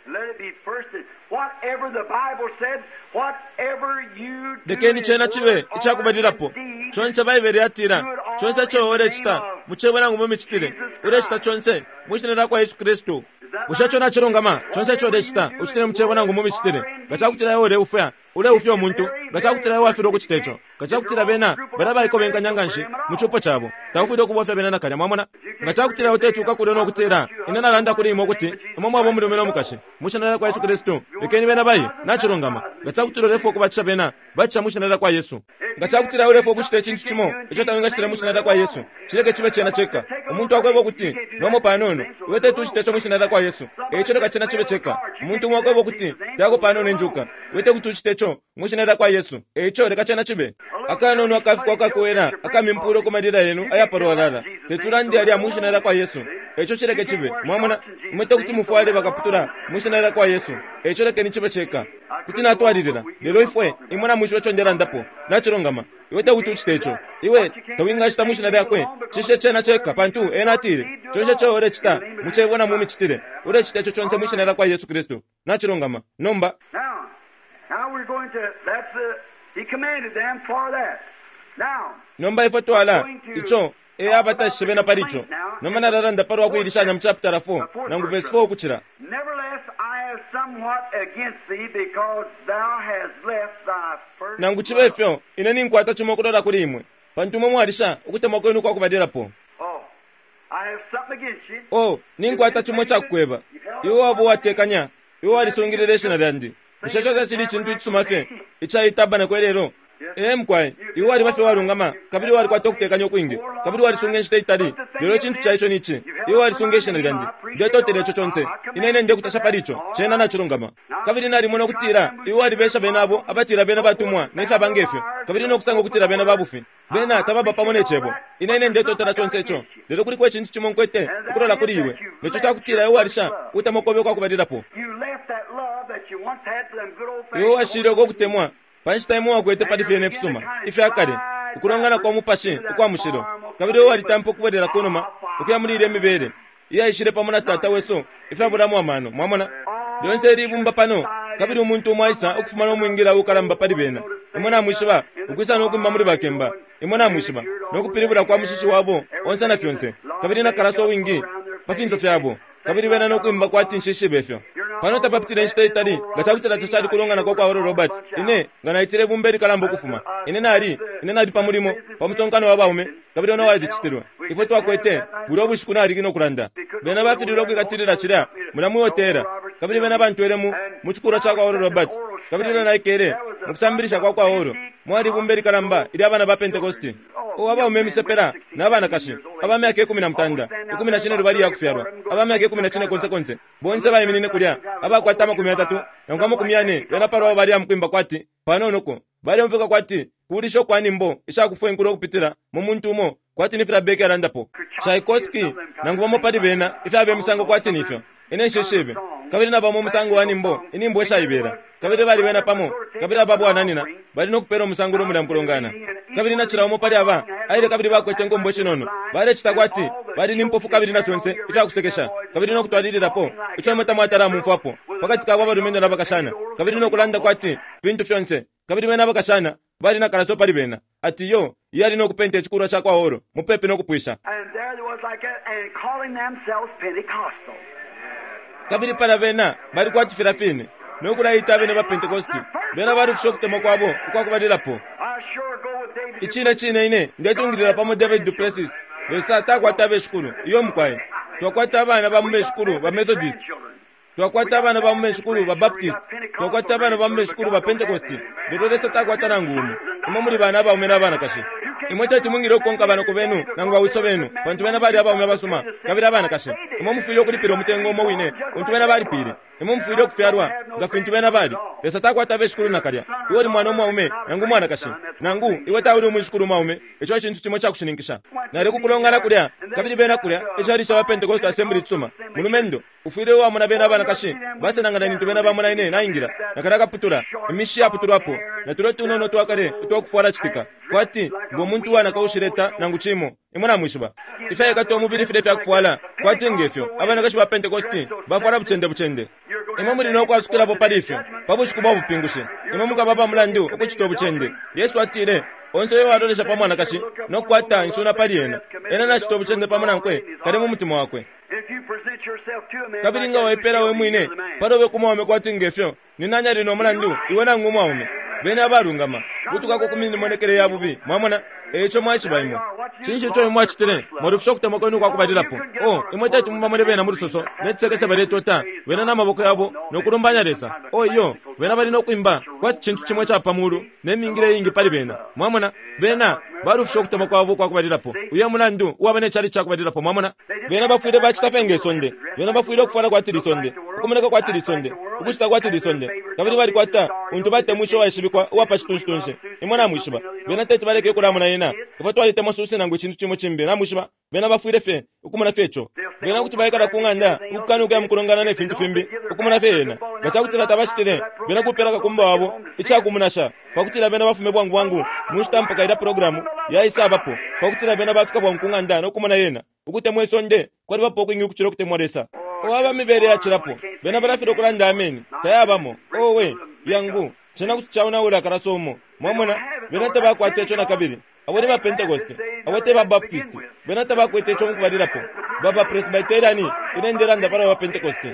Lekeni cena cibe icakubalilapo. Conse Baibele yatila, conse ico ulecita mu cebo nangu mu micitile, ulecita conse mu shina lya kwa Yesu Kristu. Bushe ico nacilungama? Conse ico ulecita ucitile mu cebo nangu mu micitile. Nga cakutila iwe uleufya, uleufya umuntu. Nga cakutila iwe wafilwa ukucita ico, nga cakutila bena bala baikobenkanya nganshi mu cupo cabo, taufwile ukubofya bena nakalya. Mwamona nga cakutila iwe utetuka kulya no kutila ine nalanda kuli imwe ukuti imwe mwaba umulume no mukashi mu shina lya kwa Yesu Kristu, lekeni bena baye. Nacilungama. Nga cakutila ulefwa ukubatisha bena, batisha mu shina lya kwa Yesu. Nga cakutila ulefwa ukucita icintu cimo ico tawingacitile mu shina lya kwa Yesu, cileke cibe cena ceka. Umuntu akweba ukuti nomo panono iwe tetucita ico mu shina lya kwa Yesu, eico leka cena cibe ceka. Umuntu umwe akweba ukuti lyako panono injuka, iwe tekutucita ico mu shina lya kwa Yesu, eico leka cena cibe. Akanono akafikwa akakwela akamimpulo ku malila yenu ayapalwalala, tetulandi alya mu shina lya kwa Yesu, eico cileke cibe. Mwamona imwe tekuti mufwale bakaputula mu shina lya kwa Yesu, eico lekeni cibe ceka. Kuti natwalilila, lelo ifwe imwe namwishiba ico ndelandapo. Nacilungama. Iwe tekuti ucite ico, iwe tawingacita mu shina lyakwe, cishe cena ceka, pantu ena atile conse ico ulecita mu cebo na mu micitile, ulecita ico conse mu shina lya kwa Yesu Kristu. Nacilungama. Nomba nomba ifwe twala ico e abatashishe bena pali ico. Nomba nalalanda palwa kuilishanya mu chapter four nangu verse four ukucila. Nangu cibe ifyo ine ninkwata cimo ukulola kuli imwe, Pantu imwe mwalisha ukutemwa kwenu kwa kubalilapo. Oh, I have something against you. O, ninkwata chimo chakukweba. Iwe waba uwatekanya, iwe walisungilile ishina lyandi. Bushe ico tacili icintu icisuma fye, icayitabana lelo? Ee mukwai, iwe waliba fye walungama, kabili walikwata ukutekanya ukwingi, kabili walisunga inshita itali. Lelo icintu ca ico ni ici, iwe walisunga ishina lyandi. Ndetotela ico conse. Ine ine ndekutasha pali ico, cena nacilungama. Kabili nalimona ukutila iwe walibesha bena abo abatila bena batumwa nefyaba ngefyo, kabili nokusanga ukutila bena babufi. Bena tababa pamo ne cebo. Ine ine ndetotela conse ico. Lelo kuliko icintu cimo nkwete ukulola kuli iwe. Neco cakutila iwe walisha ukutemwa kobe kwakubalilapo. You left that love that you once had for them good old Iwe washile uko kutemwa pa nshita imwe wakwete pali fyene ifisuma ifyakale, ukulongana kwa mupashi ukwa mushilo. Kabili iwe walitampa ukubwelela kunuma ukuya muli ilya mibele iyaishile pamo na tata wesu ifyabulamo amano. Mwamona lyonse ili ibumba pano, kabili umuntu umo aisa ukufuma nomwingila ukalamba pali bena. Imwe namwishiba ukwisa nokwimba muli bakemba. Imwe namwishiba nokupilibula kwa mushishi wabo onse na fyonse, kabili nakalaso wingi pa finso fyabo, kabili bena nokwimba kwati nshishibe ifyo. Pano tapapitile inshita itali nga cakutila ico cali kulongana kwa kwa Oral Roberts. Ine nga naitile ibumba ilikalamba ukufuma. Ine nali ine nali pa mulimo pa mutonkano wa baume, kabili ono walicitilwe. Ifwe twakwete bulya ubushiku naliki nokulanda. Bena bafililwe ukwikatilila cilya mulya mwihotela, kabili bena bantwele mu mu cikulwa ca kwa Oral Roberts. Kabili ilyo naikele mukusambilisha kwa kwa Oral, mwali ibumba ilikalamba ilya bana ba Pentecosti. O abaume imisepela na banakashi aba myaka ikumi na mutanda, ikumi na cine lubali ya kufyalwa, aba myaka ikumi na cine konse konse, bonse baiminine kulya abakwata amakumi yatatu nangu amakumi yane. Bena palwabo bali amukwimba kwati panonoko baleumfwika kwati kulisha kwa nimbo ishakufwa inkulo ukupitila mu muntu umo, kwati ni filya Beke alandapo Tchaikovsky nangu bamo pali bena ifyaba imisango kwati nifyo. Ine nshishibe. Kabili nabamo umusango wa nimbo inimbo ishaibela, kabili bali bena pamo, kabili aba bwananina bali nokupela umusango ulo mulya mukulongana. Kabili nachila umo pali aba aile, kabili bakwete nkombo ishinono, balecita kwati bali ni mpofu kabili na fyonse ifyakusekesha, kabili nokutwalililapo ico imwe tamwatala mumfwapo pakati kabo abalumendo nabakashana, kabili nokulanda kwati fintu fyonse. Kabili bena abakashana bali nakalaso pali bena ati yo iyali nokupenta icikulwa ca kwa Oro mupepi nokupwisha. And there there was like that, and calling themselves Pentecostal. Kabili pala bena bali kwati filya fine nokulayita abene ba Pentecosti. Bena balufisha ukutemwa kwabo ukwakubalilapo. I sure go with David. Icine cine ine ndetungilila pamo David Duplessis. Lesa takwata abeshikulu iyo mukwai. Twakwata abana ba mu beshikulu ba Methodist, twakwata abana ba mu beshikulu ba Baptist, twakwata abana ba mu beshikulu ba Pentecosti. Lelo Lesa takwata nangu umo. Imwe muli bana abaume n'abanakashi. Imwe teti mwingile ukukonka abanoko benu nangu bawiso benu, pantu bena bali abaume abasuma kabili abanakashi. Imwe mufwile ukulipila umutengo umo wine untu bena balipile. Imwe mufwile ukufyalwa nga fintu bena bali. Lesa takwata abeshikulu nakalya. Iwe uli mwana umwaume nangu umwanakashi, nangu iwe tauli umwishikulu umwaume. Ico ecintu cimo icakushininkisha. Nali kukulongana kulya, kabili bena kulya icali ca ba Pentecost Assembly cisuma. Mulumendo ufwile uwamona bena abanakashi basenangana nintu bena bamona ine naingila nakala kaputula imishi yaputulwapo na tulo tunono twakale utwakufwala citika kwati ngo muntu wanaka ushileta nangu cimo. Imwe namwishiba ifyayikata umubili file fyakufwala kwati ngefyo abanakashi ba Pentecosti bafwala bucende bucende. Imwe muli nokwasukilapo pali ifyo pa bushiku bwa bupingushi. Imwe mukaba pa mulandu ukucita ubucende. Yesu atile onse uyo walolesha pa mwanakashi nokukwata insuna pali ena, ena nacita ubucende pamo nankwe kale mu mutima wakwe. If you present yourself to a man Kabili like nga that, waipela we mwine you're the man. palobe ku mwaume kwati ngefyo, ni nani ali no mulandu iwe nangu umwaume? Bene abalungama kutukako ku mimonekele ya bubi. Mwamona eico mwaishiba imwe. Cinshi ico imwe mwacitile? Mwalufisha ukutemwa kwenu kwakubalilapo. O imwe teti mubamone bena mu lusoso necisekese baletota bena n'amaboko yabo nokulumbanya Lesa. O iyo bena bali nokwimba kwati cintu cimo ica pa mulu nemingile iingi pali bena. Mwamona bena balufisha ukutemwa kwabo kwakubalilapo. Uyo mulandu uwaba necali cakubalilapo. Mwamona bena bafwile bacita fye nge sonde. Bena bafwile ukufwala kwati lisonde, ukumoneka kwati lisonde, ukucita kwati lisonde, kabili balikwata untu batemwisha uwaishibikwa uwa pa citunshi. Imwe namwishiba bena teti baleke ukulamona yena. Ifwe twalitemwa susi nangu icintu cimo cimbi. Namwishiba bena bafwile fye ukumona fye ico. Bena kuti baikala ku ng'anda ukukana ukuya mukulongana ne fintu fimbi ukumona fye yena. Nga cakutila tabacitile, bena kupela kakumba wabo icakumunasha pakutila bena bafume bwangu bwangu mu nshita mpaka ilya programu yaisabapo, pakutila bena bafika bwangu ku ng'anda nokumona yena. Ukutemwa isonde kwalibapo ukwingi ukucila ukutemwa Lesa. Owaba mibele yacilapo bena balafilwa ukulanda ameni tayabamo. Owe yangu cena kuti caonaula akalaso umo. Mwamona bena tabakwata ico nakabili. Abo ni ba Pentecost, abo te ba Baptist, bena tabakwete ico mukubalilapo. Baba Presbyterian ine ndelanda pali ba Pentecost.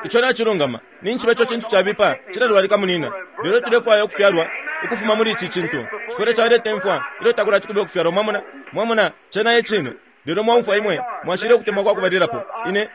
Ico nacilungama. Ninshi ico cintu cabipa cilalwalika munina. Lelo tulefwaya ukufyalwa ukufuma muli ici cintu. Cifwile caleta imfwa ilyo takulati kube ukufyalwa. Mwamona? Mwamona, cena e cine. Lelo mwaumfwa imwe mwashile ukutemwa kwa kubalilapo. Ine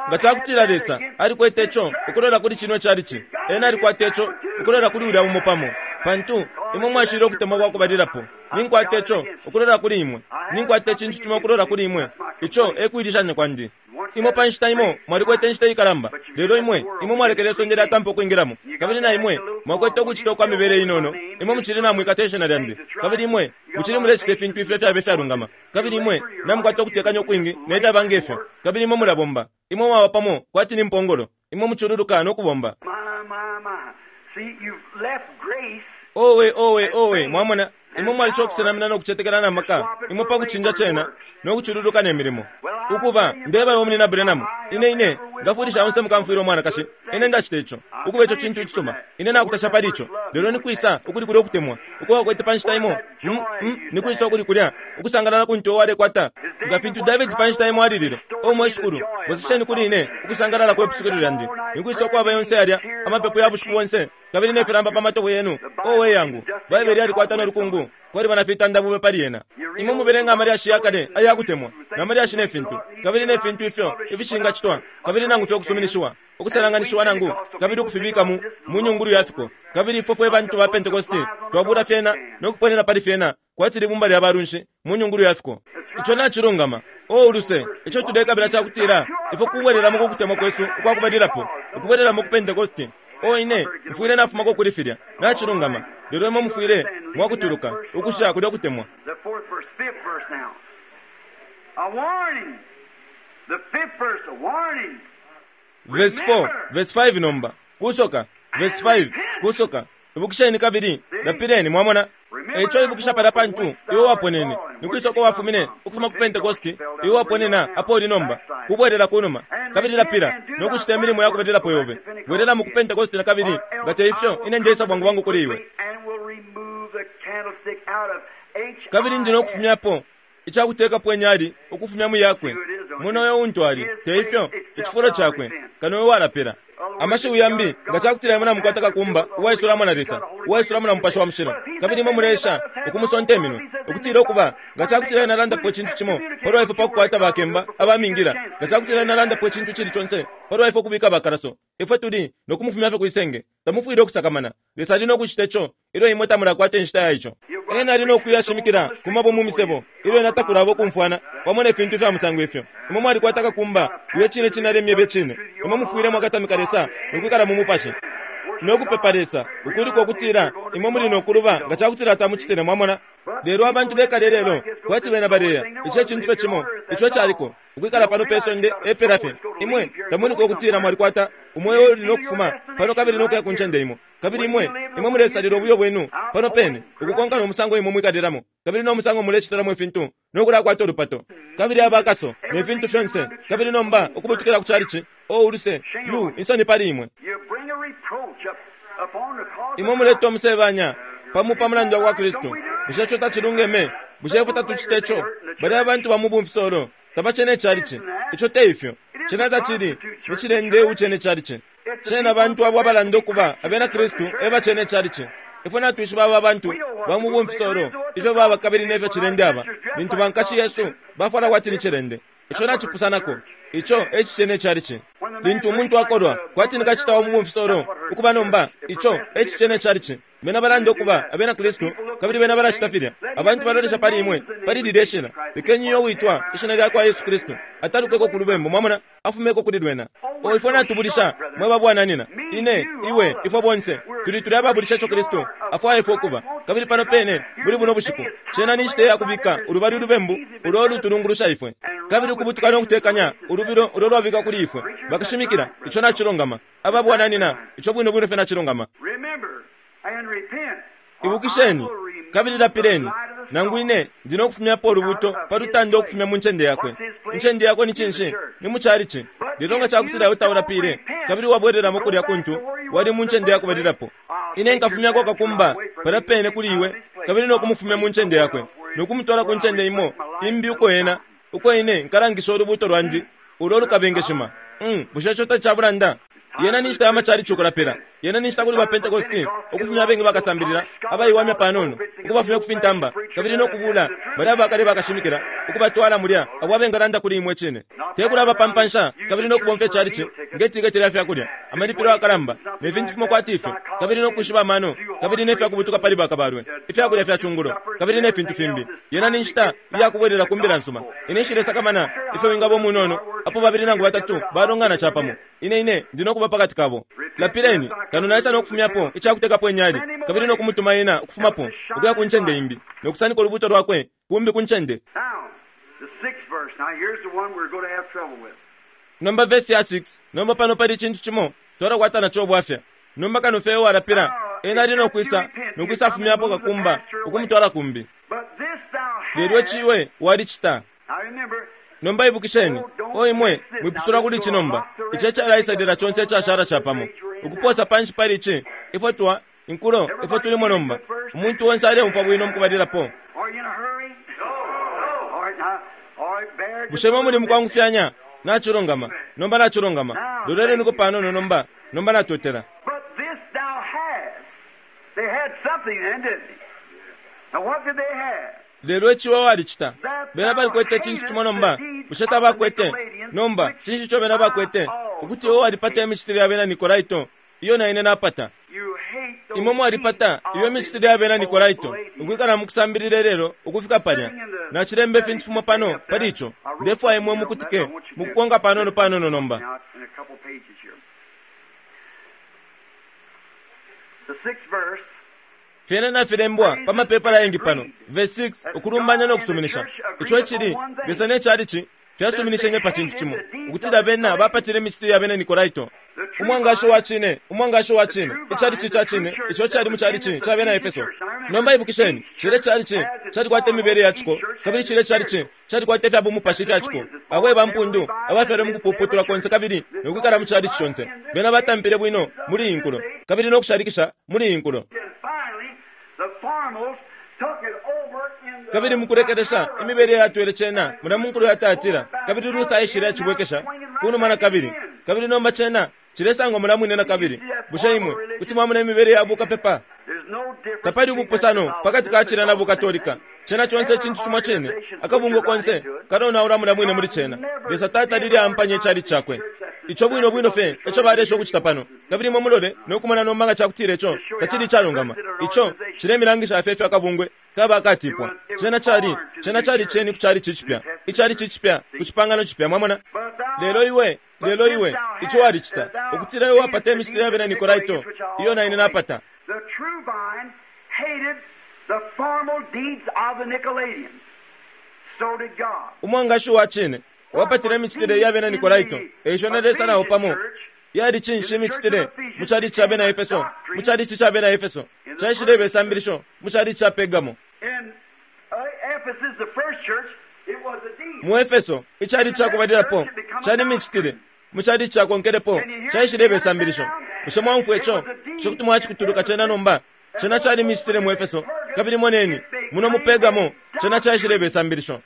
nga cakutila Lesa alikwete ico ukulola kuli cino chalichi, ena alikwata ico ukulola kuli ulya umo pamo, pantu imwe mwashile ukutemwa kwa kubalilapo. Ninkwata ico ukulola kuli imwe, ninkwata icintu cimo ukulola kuli imwe, ico e kuilishanya kwandi. Imwe pa nshita imo mwalikwete inshita ikalamba, lelo imwe imwe mwalekele isonde lyatampa ukwingilamo, kabili na imwe mwakwete ukucita ukwa mibele inono. Imwe mucili namwikata ishina lyandi, kabili imwe mucili mulecita ifintu ifyo fyaba ifyalungama, kabili imwe namukwata ukutekanya ukwingi nefyaba ngefyo, kabili imwe mulabomba. Imwe mwaba pamo kwati ni mpongolo, imwe mucululuka no kubomba. My, my, my. See, you've left grace. Owe, owe, owe, mwamona, imwe mwalica ukusenamina no kucetekela na maka, imwe pa kucinja cena no kucululuka ne milimo. Ukuba ndeba munyina Branham, ine ine ngafulisha onse mukamfwila umwanakashi, ine ndacita ico ukuba ico cintu icisuma, ine nakutasha pali ico. Lelo nikwisa ukuli kulya ukutemwa uko wakwete pa nshita imo? Mm, mm, nikwisa ukuli kulya ukusangalala kuntu walekwata nga fintu David pa nshita imo alilile, o mwe Shikulu, bwesesheni kuli ine ukusangalala kwepusukilo lyandi. Nikwisa ukwaba yonse yalya amapepo ya bushiku bonse kabili nefilamba pa matobo yenu? Owe yangu, Baibele yalikwata nolukungu kwaliba na fitanda bube pali yena. Imwe mubelenga amalyashi yakale ayakutemwa namalyashi nefintu, kabili nefintu ifyo ifishingacitwa, kabili nangu fye ukusuminishiwa, ukusalanganishiwa nangu kabili ukufibika mu mu nyungulu ya fiko. Kabili ifwe fwe bantu ba Pentecosti twabula fyena no kuponena pali fyena kwati libumba lya balunshi mu nyungulu ya fiko. Ico nacilungama. O uluse, ico tulekabila cakutila ifwe kubwelelamo ku kutemwa kwesu ukwakubalilapo, ukubwelelamo ku Pentecosti. O ine mfwile nafumako kuli filya, nacilungama. Lelo imwe mufwile mwakutuluka ukusha kulya kutemwa. The fourth verse, fifth verse now. A warning. The fifth verse, a warning. Verse four, verse five nomba. Kusoka, verse five, kusoka. Ibukisheni kabili, lapileni, mwamona. Eico ibukisha palya pantu iwe waponene, nikwisa uko wafumine ukufuma ku Pentecosti, iwe waponena apo uli nomba, kubwelela kunuma, kabili lapila no kucita imilimo ya kubalilapo yobe. Bwelelamo ku Pentecosti na kabili, nga te ifyo ine ndeisa bwangu bwangu kuli iwe. And will remove the candlestick out of H. Kabili ndi nokufumyapo icakutekapo inyali ukufumya mu yakwe muno uyo untu ali te ifyo icifulo cakwe kano uyo walapila. Amashiwi yambi nga cakutila imwe namukwata kakumba uwaisulamo na Lesa, uwaisulamo na Mupashi wa Mushilo, kabili imwe muleesha ukumusonta iminwe ukutila ukuba nga cakutila ena alandapo icintu cimo palwa ifwe pakukwata bakemba abamingila, nga cakutila ena alandapo icintu cili conse palwa ifwe ukubika bakalaso, ifwe tuli nokumufumya fye kwisenge. Tamufwile ukusakamana. Lesa ali nokucita ico ilyo imwe tamulakwata inshita ya ico. Ena ali nokuyashimikila ku mabo mu misebo ilyo ena takulaba ukumfwana pamo ne fintu ifya musango ifyo. Imwe mwalikwata kakumba uyo cine cine alemyeba icine. Imwe mufwile mwakatamika Lesa nokwikala mu mupashi nokupepa Lesa ukuliko ukutila imwe muli nokuluba nga cakutila tamucitile, mwamona. Lelo abantu bekale lelo kwati bena baleya ico ecintu fye cimo ico caliko ukwikala pano pe sonde epela fye. Imwe tamuliko ukutila mwalikwata umweo uli nokufuma pano kabili nokuya ku ncende imo, kabili imwe imwe mulesalila ubuyo bwenu pano pene ukukonka nomusango imwe mwikalilamo kabili nomusango mulecitilamo ifintu nokulakwata ulupato kabili abakaso ne fintu fyonse, kabili nomba ukubutukila ku chalichi. O uluse yu insoni pali imwe. You bring a reproach up upon the cause Imwe of muleta umusebanya pamu pa mulandu wa Kristu. Bushe ico tacilungeme? Bushe ifwe tatucita ico? Balya abantu ba mu bumfisolo tabacene icalichi. Ico te ifyo. Cena tacili ni cilende ucene icalichi. Cena abantu abo abalanda ukuba abena Kristu e bacene icalichi. Ifwe natwishiba aba bantu ba mu bumfisolo ifyo baba kabili nefyo cilende aba lintu bankashi Yesu bafwala kwati ni cilende. Ico nacipusanako. Ico e cicene icalichi. Lintu umuntu akolwa kwati ni kacita wa mu bumfisolo ukuba nomba, ico e cicene icalichi. Bena balanda ukuba abena Kristu kabili bena balacita filya. Abantu balolesha pali imwe pali lilya ishina. Lekeni iyo witwa ishina lya kwa Yesu Kristu atalukeko ku lubembu, mwamona, afumeko kuli lwena. O ifwe natubulisha mwe babwananina, ine iwe ifwe bonse tuli tuli ababulisha ico Kristu afwaya ifwe ukuba. Kabili pano pene muli buno bushiku cena ni nshita yakubika ulubali ulubembu ulo lutulungulusha ifwe, kabili ukubutuka no kutekanya ulubilo ulo lwabika kuli ifwe. Bakashimikila ico nacilungama, ababwananina ico bwino bwino fye nacilungama. Remember and repent. or Ibukisheni I will remove kabili lapileni, the light of the nangu ine ndi nokufumyapo ulubuto pa lutanda ukufumya mu ncende yakwe. Incende yakwe ni cinshi? Ni mu chalichi. Lelo nga cakutila iwe taulapile kabili wabwelelamo kulya kuntu wali mu ncende yakubalilapo, ine nkafumyako kakumba palya pene kuli iwe kabili nokumufumya mu ncende yakwe nokumutwala ku ncende imo imbi uko ena uko ine nkalangisha ulubuto lwandi ulo lukabengeshima. Mm, bushe ico tacabulanda? Yena ni nshita ya machalichi ukulapila. Yena ninshita kuli ba Pentecosti ukufumya abengi bakasambilila abaiwamya panono ukubafumya kufintamba kabili nokubula bali abakale bakashimikila ukubatwala mulya abo abengalanda kuli imwe cine tekula bapampansha kabili nokubomfya chalichi nge tiketi lya fyakulya amalipilo akalamba ne fintu fimo kwati ifyo kabili nokushiba amano kabili nefyakubutuka pali bakabalwe ifyakulya fya chungulo kabili ne fintu fimbi. Yena ninshita iyakubwelela ku mbila nsuma. Ine nshilesakamana ifyo wingaba umunono apo babili nangu batatu balongana chapamo. Ine ine ndinokuba pakati kabo. Lapileni kano naisa nokufumyapo ichakutekapo inyali kabili nokumutuma ena ukufumapo ukuya ku ncende imbi nokusanika ulubuto lwakwe kumbi ku ncende. Nomba verse ya six. Nomba pano pali chintu chimo twalakwata nacho obwafya. Nomba kano fye walapila ena ali nokwisa nokwisa afumyapo kakumba ukumutwala kumbi. Lelo chiwe walichita. Nomba ibukisheni o imwe mwipusula kuli chinomba iche chalaisadira chonse chashara chapamo ukuposa panshi pali ichi ifo twa inkulo ifo tulimo nomba umuntu wonse alempa bwino mukubalirapo. Bushe mwe muli mukwangufyanya nachilongama nomba nachilongama loleleniko panono nomba nomba natotela. Lelo ichiwa walichita bena balikwete chintu chimo nomba bushe tabakwete nomba chinshi cho bena bakwete ukuti iwe walipata imichitire ya bena Nikolaito iyo na ine napata. Imwe mwalipata iyo imichitire ya bena Nikolaito ukwikala mukusambilila lelo ukufika palya nachilemba ifintu fimo pano pali icho ndefwaya imwe mukutike mukukonka panono panono nomba. Fyena nafilembwa pa mapepala yengi pano. Verse six ukulumbanya nokusuminisha icho chili Lesa ne chalichi fyasuminishenye pa chintu chimo ukutila bena bapatile imichitire ya bena Nikolaito. Umwangasho wa chine umwangasho wa chine ichalichi cha chine icho chali mu chalichi cha bena Efeso. Nomba ibukisheni chile chalichi chalikwata imibele ya chiko kabili chile chalichi chalikwata ifya bumupashi fya chiko abo bampundu abafyalwe mukupuputula konse kabili nokwikala mu chalichi chonse bena batampile bwino muli inkulo kabili nokushalikisha muli inkulo. Kabili mukurekeresha imibele yatwele chena muna munkulu yatatira kabili Luther aishile achibwekesha kunuma na kabili kabili nomba chena chilesangwa mula mwine na kabili. Bushe imwe kuti mwamuna imibele ya bukapepa? Tapali ubupusano pakati ka chila na bukatolika. Chena chonse chintu chimwa chene akabungo konse kanonaula mula mwine muli chena. Lesa tata lili ampanye chali chakwe icho bwino bwino fe echo balesha okuchita pano kabili mwe mulole nokumana nomanga chakutira icho tachili chalungama icho chilemilangisha afefe akabungwe kaba akatipwa. Chena chali chena chali cheni kuchali chichipya ichali chichipya kuchipangano chipya mwamona. Lelo iwe lelo iwe icho walichita ukutira iwe wapata imichitire ya bena Nikolaito iyo na ine napata. The true vine hated the formal deeds of the Nicolaitans. So did God. Umwangashi wa chine wapatile imichitire ya bena Nikolaito eisho na Lesa nawo pamo. Yali chinshi imichitire mu chalichi cha bena Efeso mu chalichi cha bena Efeso chaishile besambilisho mu chalichi cha Pergamo. In Ephesus, the first church, it was a deed. Mu Efeso ichalichi cha kubalilapo chali imichitire mu chalichi cha konkelepo chaishile besambilisho. Bushe mwamfwe icho chokuti mwachikutuluka chena nomba chena chali imichitire mu Efeso kabili moneni muno mu Pergamo chena chaishile besambilisho.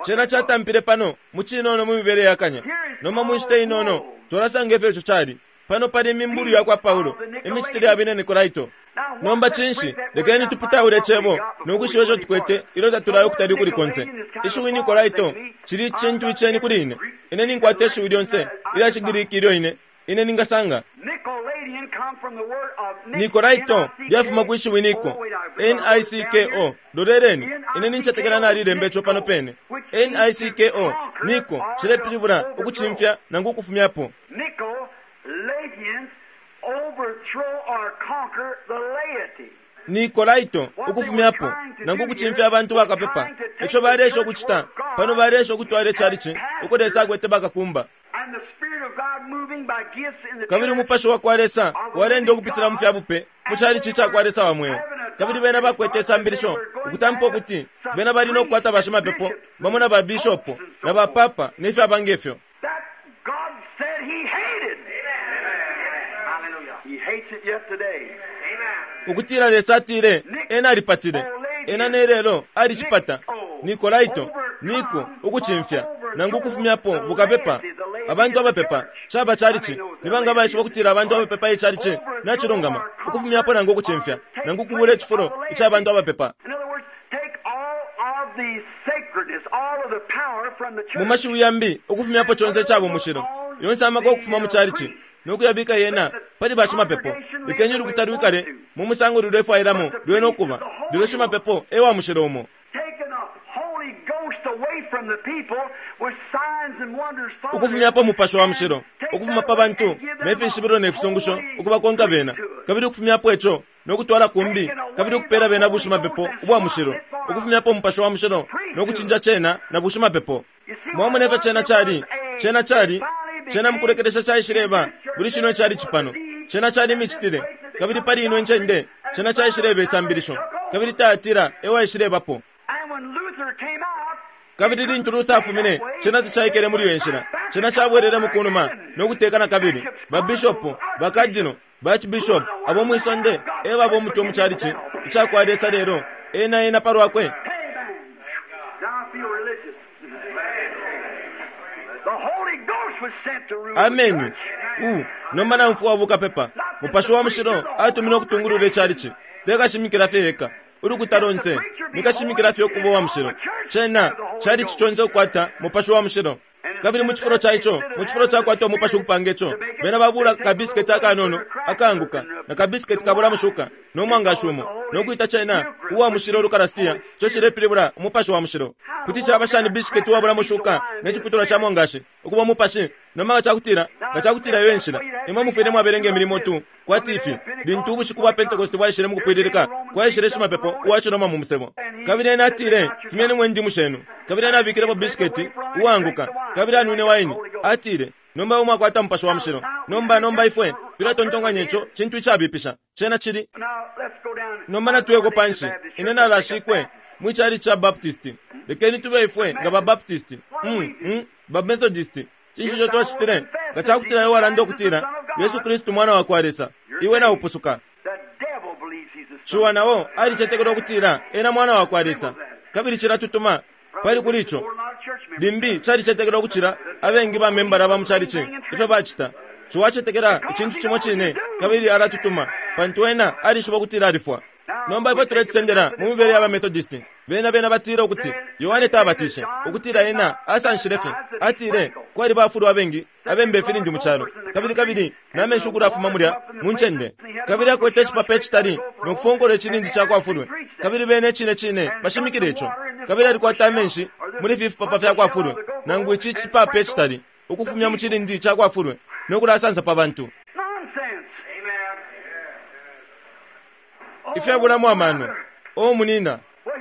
Chena chatampile pano muchinono mu mibele yakanya noma munshita inono tolasanga ifyo icho chali pano pali imimbulu yakwa Paulo imichitire ya bena Nikolaito. Nomba chinshi lekeni tuputaule chebo nokushiba icho tukwete ilo tatulayo kutali kuli konse. Ishiwi Nikolaito chili chintu icheni kuli ine ine ninkwata ishiwi lyonse ilya Chigiriki ilyo ine ine ningasanga. Nikolaito lyafuma ku ishiwi Niko N I C K O. Loleleni ine ninchetekela nalilemba icho pano pene N I C K O Niko chilepilibula ukuchimfya nangu ukufumyapo. Nicolaitans overthrow or conquer the laity. Nikolaito ukufumyapo nangu kuchimfya abantu bakapepa echo balesha okuchita pano balesha okutwala echalichi uko Lesa akwete bakakumba. And the Spirit of God moving by gifts in the Kabili church. umupashi wa kwa Lesa walenda okupitila mu fyabupe mu chalichi cha kwa Lesa wa mweo. Kabili bena bakwete isambilisho ukutampa okuti bena bali nokukwata bashimapepo bamo na babishopo na bapapa nefyaba ngefyo. That God said he hated. Hallelujah. He hates it yet today. Ukutila Lesa atile ena alipatile ena nelelo alichipata. Nikolaito niko ukuchimfya nangu ukufumyapo bukapepa Abantu abapepa caba chalichi. Nibanga baishiba ukutila abantu abapepa ichalichi nacilungama ukufumyapo nangu ukucimfya nangu ukubula icifulo ica bantu abapepa. Mu mashiwi yambi, ukufumyapo conse icaba umushilo, yonse amaka ukufuma mu chalichi nokuyabika yena pali bashimapepo. Lekeni ulukuta lwikale mu musango lulefwailamo lwena ukuba, lelo shimapepo e wa mushilo umo. Ukufumyapo Mupashi wa Mushilo ukufuma pa bantu ne fishibilo ne fisungusho ukubakonka bena, kabili ukufumyapo ico nokutwala kumbi, kabili ukupela bena bushimapepo ubwa mushilo, ukufumyapo Mupashi wa Mushilo nokucinja cena na bushimapepo. Mwamona ifyo cena cali? Cena cali cena mukulekelesha caishileba buli cino cali cipano. Cena cali imicitile, kabili pali ino incende cena caishileba isambilisho, kabili Tayatira ewaishilebapo. Kabili lintu Luther afumine, cena tacaikele muli iyo nshila. Cena cabwelele mukunuma nokuteka na kabili ba bishop, ba cardinal, ba archbishop abo mwisonde e baba umutwe mu chalichi icakwa Lesa lelo ena ena palwakwe. Ameni. U nomba namfwa bukapepa. Mupashi wa Mushilo atumine ukutungulula ichalichi. Tekashimikila fye eka ulukuta lonse nikashimikila fye ukuba wa mushilo. Cena chalichi conse ukukwata Mupashi wa Mushilo. Kabili mu cifulo ca ico, mu cifulo cakwata umupashi ukupanga ico, bena babula kabisiketi akanono akaanguka na kabisiketi kabula mushuka no mwangashi umo nokwita cena uwa mushilo Lukarastia. Ico cilepilibula umupashi wa mushilo. Kuti caba shani bisiketi uwabula mushuka ne ciputulwa ca mwangashi ukuba umupashi? Nomba nga cakutila nga cakutila iyo enshila, imwe mufwile mwabelenga imilimo tu kwati ifi. Lintu ubushiku bwa Pentecost bwaishile mukupwililika, kwaishile shimapepo uwaciloma mu musebo, kabili ena atile, fumyeni mwe ndimu shenu. Kabili ena abikilepo bisiketi uwaanguka, kabili anwine waini. Atile, nomba umwe akwata Mupashi wa Mushilo. Nomba nomba ifwe tulatontonkanya ico cintu icabipisha. Cena cili nomba natuyeko panshi. Ine nalashikwe mwi chalichi ca Baptist. Lekeni tube ifwe nga ba Baptist, mm, mm, ba Methodist. Cinshi ico twacitile? Nga cakutila iwe walanda ukutila Yesu Kristu mwana wa kwa Lesa, iwe naupusuka. Ciwa nao alicetekela ukutila ena mwana wa kwa Lesa, kabili cilatutuma pali kuli ico. Limbi calicetekela ukucila abengi ba membala ba mu chalichi ifyo bacita. Ciwa acetekela icintu cimo cine, kabili alatutuma pantu ena alishiba ukutila alifwa. Nomba ifwe tulecisendela mu mibele ya ba Methodist. Bena bena batila ukuti Yohane tabatishe, ukutila ena asanshile fye. Atile kwali bafulwa abengi abembe ifilindi mu calo, kabili kabili namenshi ukulafuma mulya mu ncende, kabili akwete icipapa icitali nokufonkola icilindi ca kwafulwe, kabili bene cine cine bashimikile ico. Kabili alikwata amenshi muli ifi fipapa fya kwafulwe, nangu ici cipapa icitali ukufumya mu cilindi ca kwafulwe nokulasansa pa bantu. Ifyabulamo amano. O munina,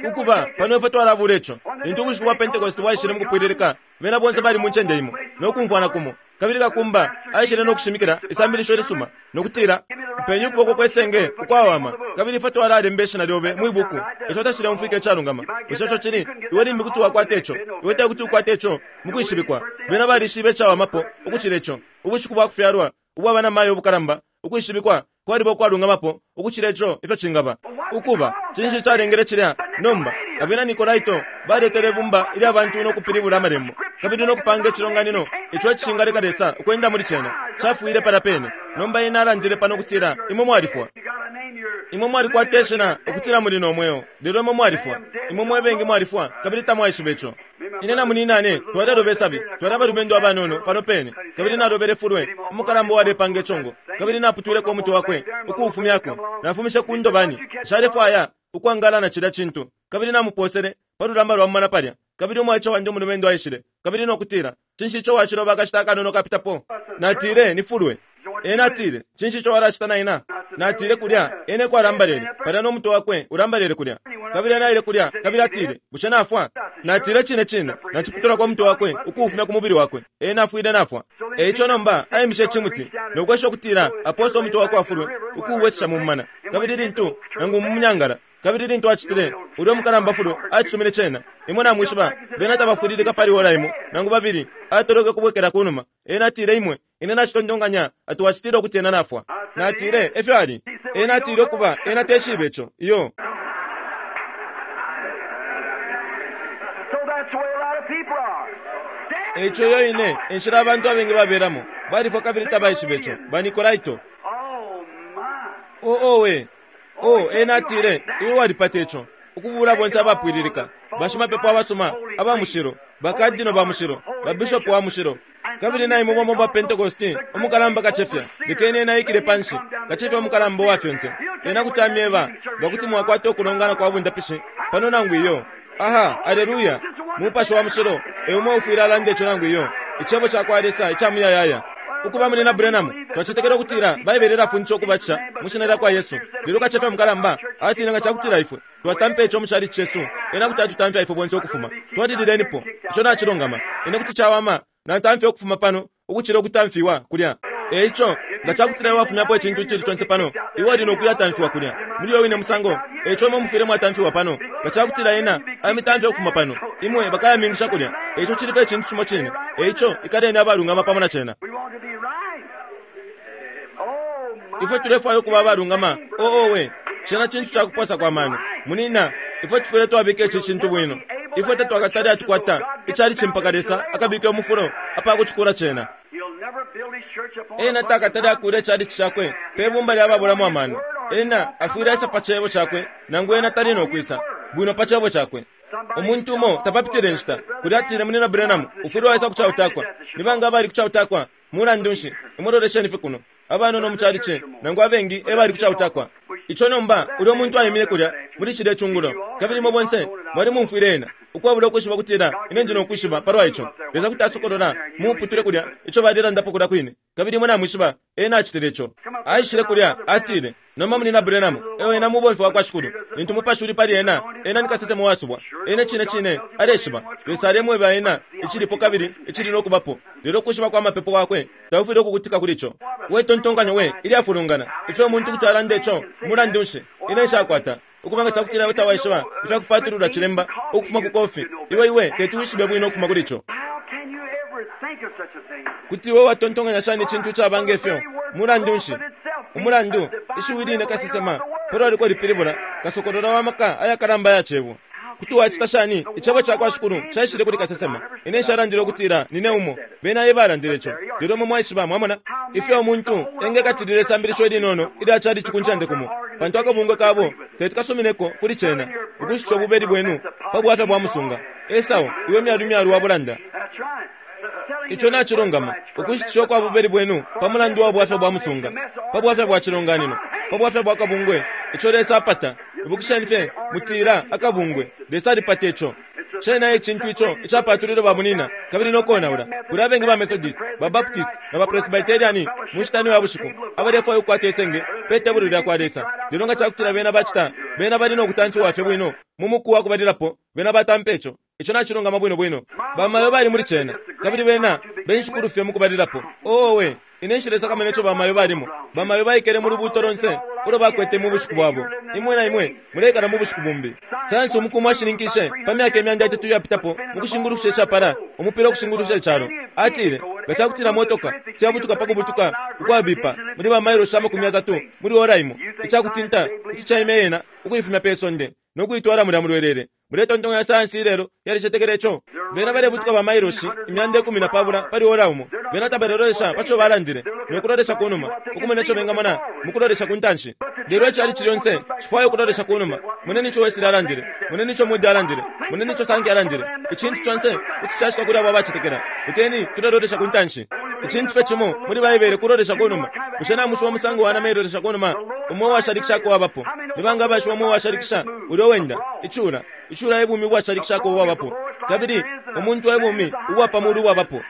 ukuba pano ifwe twalabula ico. Lintu ubushiku bwa Pentecost bwaishile mukupwililika, bena bonse bali mu ncende imo nokumfwana kumo. Kabili kakumba aishile nokushimikila isambilisho ilisuma nokutila, mpenye ukuboko kwesenge ukwawama, kabili ifwe twalalemba ishina lyobe mwi buku. Ico tacileumfwika icalungama. Bushe ico cili? Iwe limbi kuti wakwata ico, iwe tekuti ukwate ico mukwishibikwa. Bena balishibe icawamapo ukucila ico. Ubushiku bwa kufyalwa ubwa bana mayo ubukalamba ukwishibikwa kwaliba ukwalungamapo ukucila ico ifyo cingaba. Ukuba cinshi calengele cilya? Nomba abena Nikolaito baletele ibumba ilya bantu nokupilibula amalembo kabili nokupanga icilonganino ico icishingaleka Lesa ukwenda muli cena. Cafwile pala pene. Nomba ena alandile pano ukutila imwe mwalifwa. Imwe mwalikwata ishina ukutila muli no mweo, lelo imwe mwalifwa. Imwe mwebengi mwalifwa kabili tamwaishiba ico. Ine na muninane twaleloba isabi, twali abalumendo abanono pano pene, kabili nalobele fulwe umukalamba uwalepanga icongo, kabili naputwileko umutwe wakwe ukuufumyako. Nafumishe ku ndobani, nshalefwaya ukwangala na cilya cintu, kabili namuposele pa lulamba lwa mumana palya. Kabili umwaice wandi umulumendo aishile kabili nokutila, cinshi ico waciloba akashita akanono kapitapo? Natile, ni fulwe. Ena atile, cinshi ico walacita na ina? Natile kulya, ene kwalambalele palya no mutwe wakwe ulambalele kulya. Kabili ena aile kulya, kabili atile, bushe nafwa? Natile cine cine, naciputulako umutwe wakwe ukuufumya ku mubili wakwe. Ena afwile nafwa. Eico nomba aimishe icimuti nokwesha ukutila apose umutwe wakwe afulwe ukuuwesesha mu mumana, kabili lintu nangu mu munyangala. Kabili lintu acitile, ulya umukalamba fulwe acisumine cena. Imwe namwishiba, bena tabafwililika pali ora imo nangu babili, atoloke kubwekela kunuma. Ena atile, imwe ine nacitontonkanya ati wacitile ukuti ena nafwa. Natile, efyo ali. Ena atile ukuba ena teshibe ico. Iyo. Eico iyo ine enshila abantu abengi babelamo balifwa kabili tabaishiba ico. Banikolaito. O owe o ena atile iwe walipata ico ukubula bonse abapwililika, bashimapepo abasuma aba mushilo, bakadino ba mushilo, babishopu wa mushilo, kabili na imwe bomo ba Pentecosti umukalamba kacefya. Lekeni ena aikile panshi, kacefya umukalamba wa fyonse. Ena kuti amyeba nga kuti mwakwata ukulongana kwa bundapishi pano nangu iyo. Aha, aleluya! Mupashi wa mushilo eumo ufwile alanda ico nangu iyo. Icebo ca kwa Lesa ica muyayaya. Ukuba muli na Branham twacetekela ukutila Baibele ilafundisha ukubatisha mu shina lya kwa Yesu. Lelo kacefya mukalamba atile nga cakutila ifwe twatampa ico mu chalichi cesu, ena kuti atutamfya ifwe bonse ukufuma. Twalililenipo ico nacilungama. Ine kuti cawama natamfya ukufuma pano ukucila ukutamfiwa kulya. Eico nga cakutila iwe wafumyapo icintu icili conse pano, iwe uli nokuyatamfiwa kulya muli yo wine musango. Eico imwe mufwile mwatamfiwa pano. Nga cakutila ena amitamfya ukufuma pano, imwe bakayamingisha kulya. Eico cili icintu cimo cine. Eico ikaleni abalungama pamo na cena. Ifwe tulefwaya ukuba abalungama. Oowe, cena cintu cakuposa kwa mano munina. Ifwe tufwile twabika ici cintu bwino. Ifwe tatwakatale atukwata icali cimpaka Lesa akabike umufulo apakucikula cena. Ena takatale akule icali cakwe pe bumba lya babulamo amano. Ena afwile aisa pa cebo cakwe, nangu ena tali nokwisa bwino pa cebo cakwe. Umuntu umo tapapitile nshita kulya atile munina Branham ufwile waisa kucautakwa. Nibanga abali kucautakwa? Mulandu nshi imulolesheni fye kuno abanono muchalichi nangu abengi ebali kucautakwa. Ico nomba ulyo muntu aimine kulya muli cilya cungulo, kabili imwe bonse mwali mumfwile ena ukwabula ukwishiba kutila ine ndi nokwishiba palwa ico. Lesa kuti asokolola mumuputule kulya ico balilandapo kulya kwine, kabili imwe namwishiba ena acitile ico. Aishile kulya atile, nomba munina Branham ewe ena mubomfi wa kwa Shikulu, lintu mupashi uli pali ena, ena ni kasesema wasubwa. Ena cine cine aleshiba Lesa alemweba ena icilipo kabili icili nokubapo. Lelo ukwishiba kwa mapepo kwakwe taufwile ukukutika kuli ico. We tontonkanyo we ilyafulungana ifyo umuntu kuti alanda ico. Mulandu nshi ine nshakwata ukubanga cakutila iwe tawaishiba ifyakupatulula cilemba ukufuma ku kofi. Iwe iwe teti wishibe bwino ukufuma kuli ico. Kuti iwe watontonkanya shani icintu icabanga ifyo? Mulandu nshi umulandu ishiwi line kasesema pelo liko lipilibula kasokolola wa maka ayakalamba ya cebo. Kuti wacita shani icebo ca kwa Shikulu caishile kuli kasesema? Ine nshalandile ukutila nine umo bena ebalandile ico. Lelo imwe mwaishiba mwamona ifyo umuntu engekatilila isambilisho ilinono ilya chalichi ku ncende kumo, pantu akabungwe kabo teti kasumineko kuli cena ukushica ububeli bwenu pa bwafya bwa musunga. Esau iwe myalu myalu wa bulanda. Ico nacilungama ukushitisha kwa bubeli bwenu pa mulandu wa bwafya bwa musunga, pa bwafya bwa cilonganino, pa bwafya bwa kabungwe. Ico Lesa apata. Ibukisheni fye mutila akabungwe Lesa alipata ico. Cena icintu ico icapatulile bamunina kabili nokonaula. Kuli abengi ba Methodist, ba Baptist na ba Presbyterian mu nshita ya bushiku abalefwaya ukukwata isenge pe tebulo lya kwa Lesa. Lelo nga cakutila bena bacita, bena bali nokutamfiwa fye bwino mu muku wa kubalilapo bena batampa ico. Ico nacilungama bwino bwino. Bamayo bali muli cena kabili bena benshikulu fye mu kubalilapo. Owe, ine nshilesa kamene ico bamayo balimo. Bamayo baikele mu lubuto lonse ulo bakwete mu bushiku bwabo. Imwe na imwe mulekala mu bushiku bumbi. Sayansi umukumu ashininkishe pa myaka imyanda itatu iyapitapo mu kushingulusha icapala umupira ukushingulusha icalo. Atile nga cakutila motoka tiyabutuka pa kubutuka ukwabipa muli ba mailo amakumi atatu muli ora imo, icakutinta kuti caime yena ukuifumya pe sonde nokuitwala mulya mulwelele. Muletontonkanya sayansi ilelo yalicetekela ico. Bena balebutuka ba mailoshi imyanda ikumi na pabula pali ora umo. Bena tabalelolesha paco balandile nokulolesha kunuma ukumona ico bengamona mukulolesha ku ntanshi. Lelo icali lyonse cifwaya ukulolesha kunuma. Moneni ico Wesley alandile, moneni ico Moody alandile, moneni ico Sankey alandile. Icintu conse kuti cacitwa kuli abo abacetekela. Lekeni tulelolesha ku ntanshi. Icintu fye cimo muli Baibele kulolesha kunuma. Bushe namushiwa musango wa nama ilolesha kunuma? Umo uwashalikishako wabapo. Nibanga abashiwa umo uwashalikisha ulyo wenda icula icula ebumi ubwashalikishako ubwabapo, kabili umuntu ebumi ubwa pamulu ubwabapo.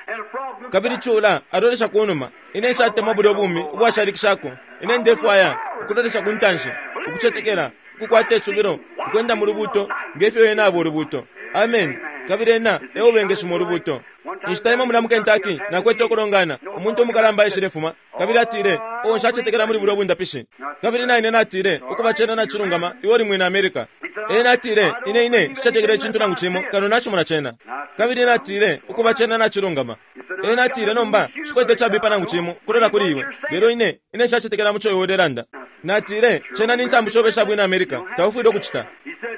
Kabili cula alolesha kunuma. Ine nshatemwa bulyo bumi ubwashalikishako. Ine ndefwaya ukulolesha ku ntanshi, ukucetekela, ukukwata isubilo, ukwenda mu lubuto ngefyo ena aba ulubuto. Amen. Kabili ena eubengeshima ulubuto. Inshita imo mulya mu Kentucky nakwete ukulongana. Umuntu umukalamba aishile fuma kabili atile, o nshacetekela muli bulyo bundapishi. Kabili naine natile, ukuba cena nacilungama, iwe uli mwina America. Ena atile, ine ine nshacetekela icintu nangu cimo kano nacimona cena. Kabili natile, ukuba cena nacilungama. Ena atile, nomba shikwete cabipa nangu cimo kulola kuli iwe, lelo ine ine nshacetekela muco iwe ulelanda. Natile, cena ni nsambu shobe sha bwina America, taufwile ukucita.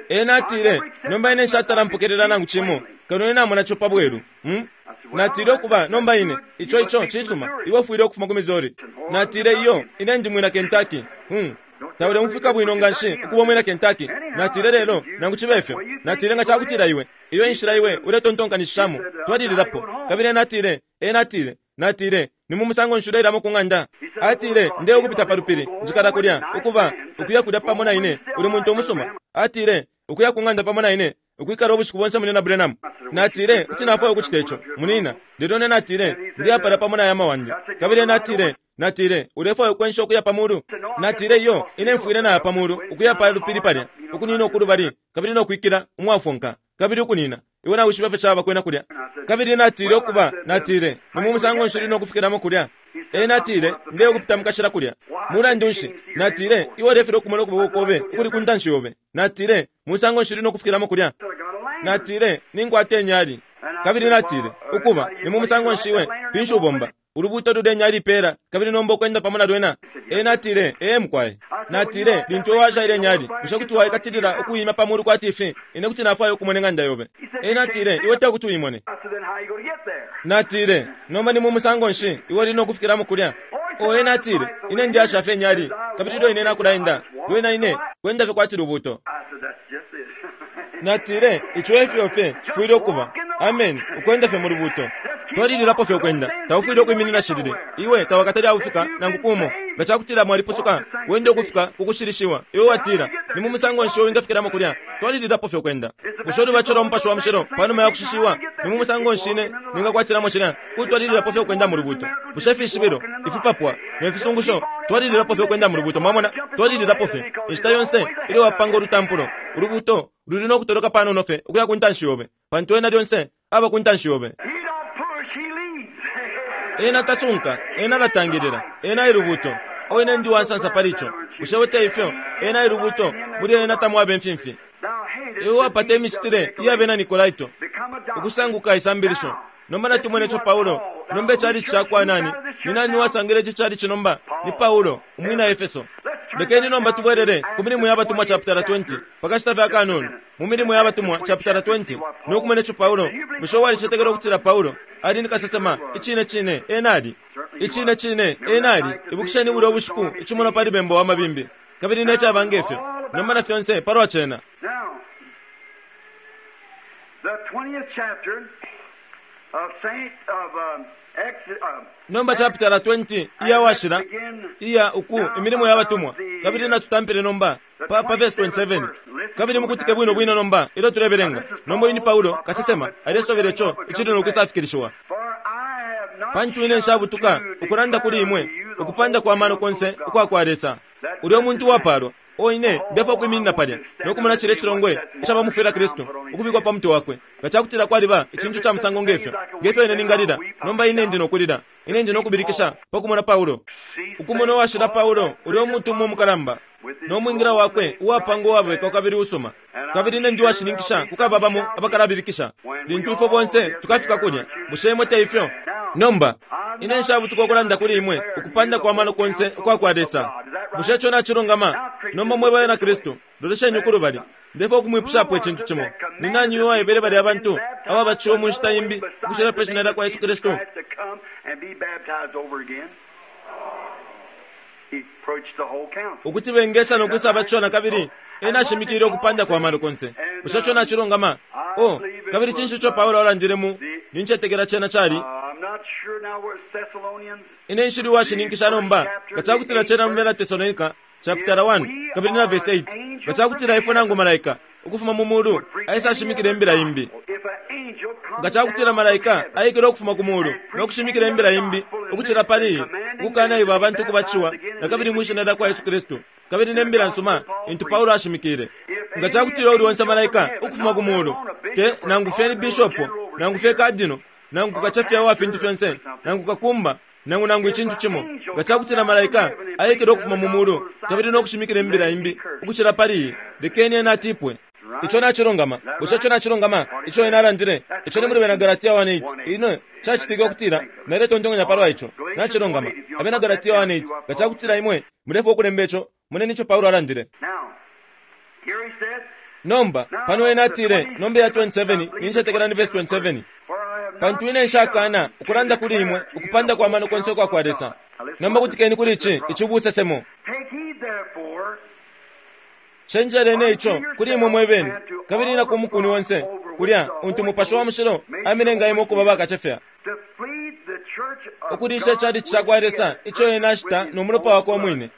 Ena atile, nomba ine nshatala mpokelela nangu cimo Kano ine namona ico pa bweru. Hmm? Natile ukuba nomba ine ico ico cisuma iwe ufwile ukufuma ku Missouri. Natile iyo ine ndi mwina Kentucky. Hmm. Tauleumfwika bwino nganshi ukuba mwina Kentucky. Natile lelo nangu cibe ifyo. Natile nga cakutila iwe iyo inshila iwe uletontonkanishishamo twalililapo. Kabili natile e natile natile ni mu musango nshuleilamo ku ng'anda. Atile nde ukupita pa lupili njikala kulya ukuba ukuya kulya pamo na ine uli muntu umusuma. Atile ukuya ku ng'anda pamo na ine ukwikala ubushiku bonse munina Branham. Natile kuti nafwaya ukucita ico munina lelo ne natile ndiyapala pamo na yama wandi. Kabili natile natile ulefwaya ukwensha ukuya pa mulu. Natile iyo ine mfwile naya pa mulu ukuya pa lupili palya ukunina ukulubali kabili nokwikila umwafonka kabili ukunina iwe nawishiba fye caba kwena kulya. Kabili natile ukuba natile ni mu musango nshili nokufikiramo kulya. E natile nde ukupita mukashila kulya. Mulandu nshi natile iwe ulefile ukumona ukuboko kobe ukuli ku ntanshi yobe. Natile musango nshili nokufikiramo kulya. Natile ninkwate nyali. Kabili natile ukuba ni mu musango nshiwe pinshi ubomba ulubuto lule nyali pera kabili nomba ukwenda pamo na lwena. E natile e mukwaye. Natile lintu washa ile nyali bushe kuti waikatilila ukuyima pa mulu kwati ifi ine kuti nafwaya ukumona ng'anda yobe. E natile iwe te kuti uyimone. Natile nomba ni mu musango nshi iwe uli nokufikiramo kulya. O e natile ine ndi asha fye nyali kabili lyo ine nakulaenda lwena ine kwenda fye kwati lubuto. Natile ico efyo fye cifwile ukuba. Amen. Ukwenda fye mu lubuto. Twalililapo fye ukwenda taufwile ukwiminina shilili iwe tawakatali aufika nangu kumo nga cakutila mwalipusuka wende ukufika kukushilishiwa iwe watila ni mu musango nshi wingafikiramo kulya. Twalililapo fye ukwenda bushe ulubacho lwa mupashi wa mushilo panuma ya kushishiwa ni mu musango nshi ine ningakwatilamo cilya kutwalililapo fye ukwenda mu lubuto. Bushe ifishibilo ifipapwa ne fisungusho twalililapo fye ukwenda mu lubuto. Mwamona twalililapo fye inshita yonse ilyo wapanga ulutampulo ulubuto luli nokutoloka panono fye ukuya ku ntanshi yobe pantu ena lyonse aba ku ntanshi yobe. Ena tasunka ena latangilila ena ilubuto o ine ndi wansansa pali ico bushe wete ifyo ena ilubuto muli ena tamwabe mfimfi. Iwe wapata imicitile iyabena Nikolaito ukusanguka isambilisho. Nomba natumwene ico Paulo nomba icali cakwa nani ni nani wasangile ici cali nomba ni Paulo umwina Efeso. Lekeni nomba tubwerere ku milimo y'abatumwa chapter twenty pakashita fya kanono mu milimo y'abatumwa chapter twenty nokumene ico Paulo bushe walishetekela ukutila Paulo ali ni kasesema icine cine enali icine cine enali. Ibukisheni buli obushiku icimono pali bembo wa mabimbi kabili nefyaba ngefyo nomba na fyonse palwa cena. Nomba chapter twenty iya washila iya uku imilimo y'abatumwa kabili natutampile nomba pa, pa verse twenty-seven kabili mukutike bwino bwino nomba ilyo tulebelenga. Nomba uyu ni Paulo kasesema alesobela ico icili nokwisafikilishiwa. Pantu ine nshabutuka ukulanda kuli imwe ukupanda kwa mano konse ukwa kwa Lesa. Ulyo muntu wapalwa o ine ndefwa kwiminina palya nokumona cile cilongwe icabamufwila Kristu ukubikwa pa mutwe wakwe. Nga cakutila kwaliba icintu ca musango ngefyo ngefyo ine ningalila nomba ine ndi nokulila ine ndi nokubilikisha pakumona Paulo ukumona washila Paulo ulyo muntu umwe mukalamba nomwingira wakwe uwapanga uwabeka kabili usuma kabili ine ndi washininkisha kukaba bamo abakalabilikisha lintu ifwe bonse tukafika kulya. Bushe imwe te ifyo? Nomba ine nshabutuka ukulanda kuli imwe ukupanda kwa mano konse ukwa kwa Lesa. Bushe ico nacilungama? Nomba mwe bana Kristu lolesheni ukulubali ndefwa ukumwipushapo icintu cimo. Ni nani uyo waebele balya abantu ababaciwe mu nshita imbi ukushila pe shina lya kwa Yesu Kristu ukuti bengesa nokwisa abaciwa na kabili ena ashimikile ukupanda kwa mano konse. Bushe ico nacilungama? O kabili cinshi ico Paulo alandile mu nincetekela cena cali ine nshili washininkisha nomba nga cakutila cena mu bena Tesalonika chapter one kabili na verse eight nga cakutila ifwe nangu malaika ukufuma mu mulu aisa ashimikile imbila imbi. Nga cakutila malaika aikile ukufuma ku mulu nokushimikila imbila imbi ukucila pali ukukana ibo abantu kubaciwa na kabili mwishina lya kwa Yesu Kristu kabili nembila nsuma intu Paulo ashimikile. Nga cakutila uli onse malaika ukufuma ku mulu te nangu fye ni bishopo nangu fye kadino nangu kachafya wa fintu fyonse nangu kakumba nangu nangu icintu cimo nga cakutila malaika aikile ukufuma mu mulu kabili nokushimikila imbila imbi ukucila pali lekeni ena atipwe. Ico nacilungama? Bushe ico nacilungama? Ico ena alandile ico ni muli bena Galatia one eight ino cacitike ukutila naletontonkanya palwa ico nacilungama. Abena Galatia one eight nga cakutila imwe mulefwa ukulemba ico moneni ico Paulo alandile. Nomba pano ena atile nomba ya twenty-seven, nincetekela ni verse twenty-seven. Pantu ine nshakana ukulanda kuli imwe ukupanda kwa mano konse kwa kwa Lesa. Nomba kutikeni kuli ici ici ubusesemo. Cenjeleni ico kuli imwe mwebene, kabili na ku mukuni onse kulya untu Mupashi wa Mushilo amilenga imwe ukuba bakacefya. Ukulisha icalici ca kwa Lesa ico ena ashita no mulopa wakwe umwine.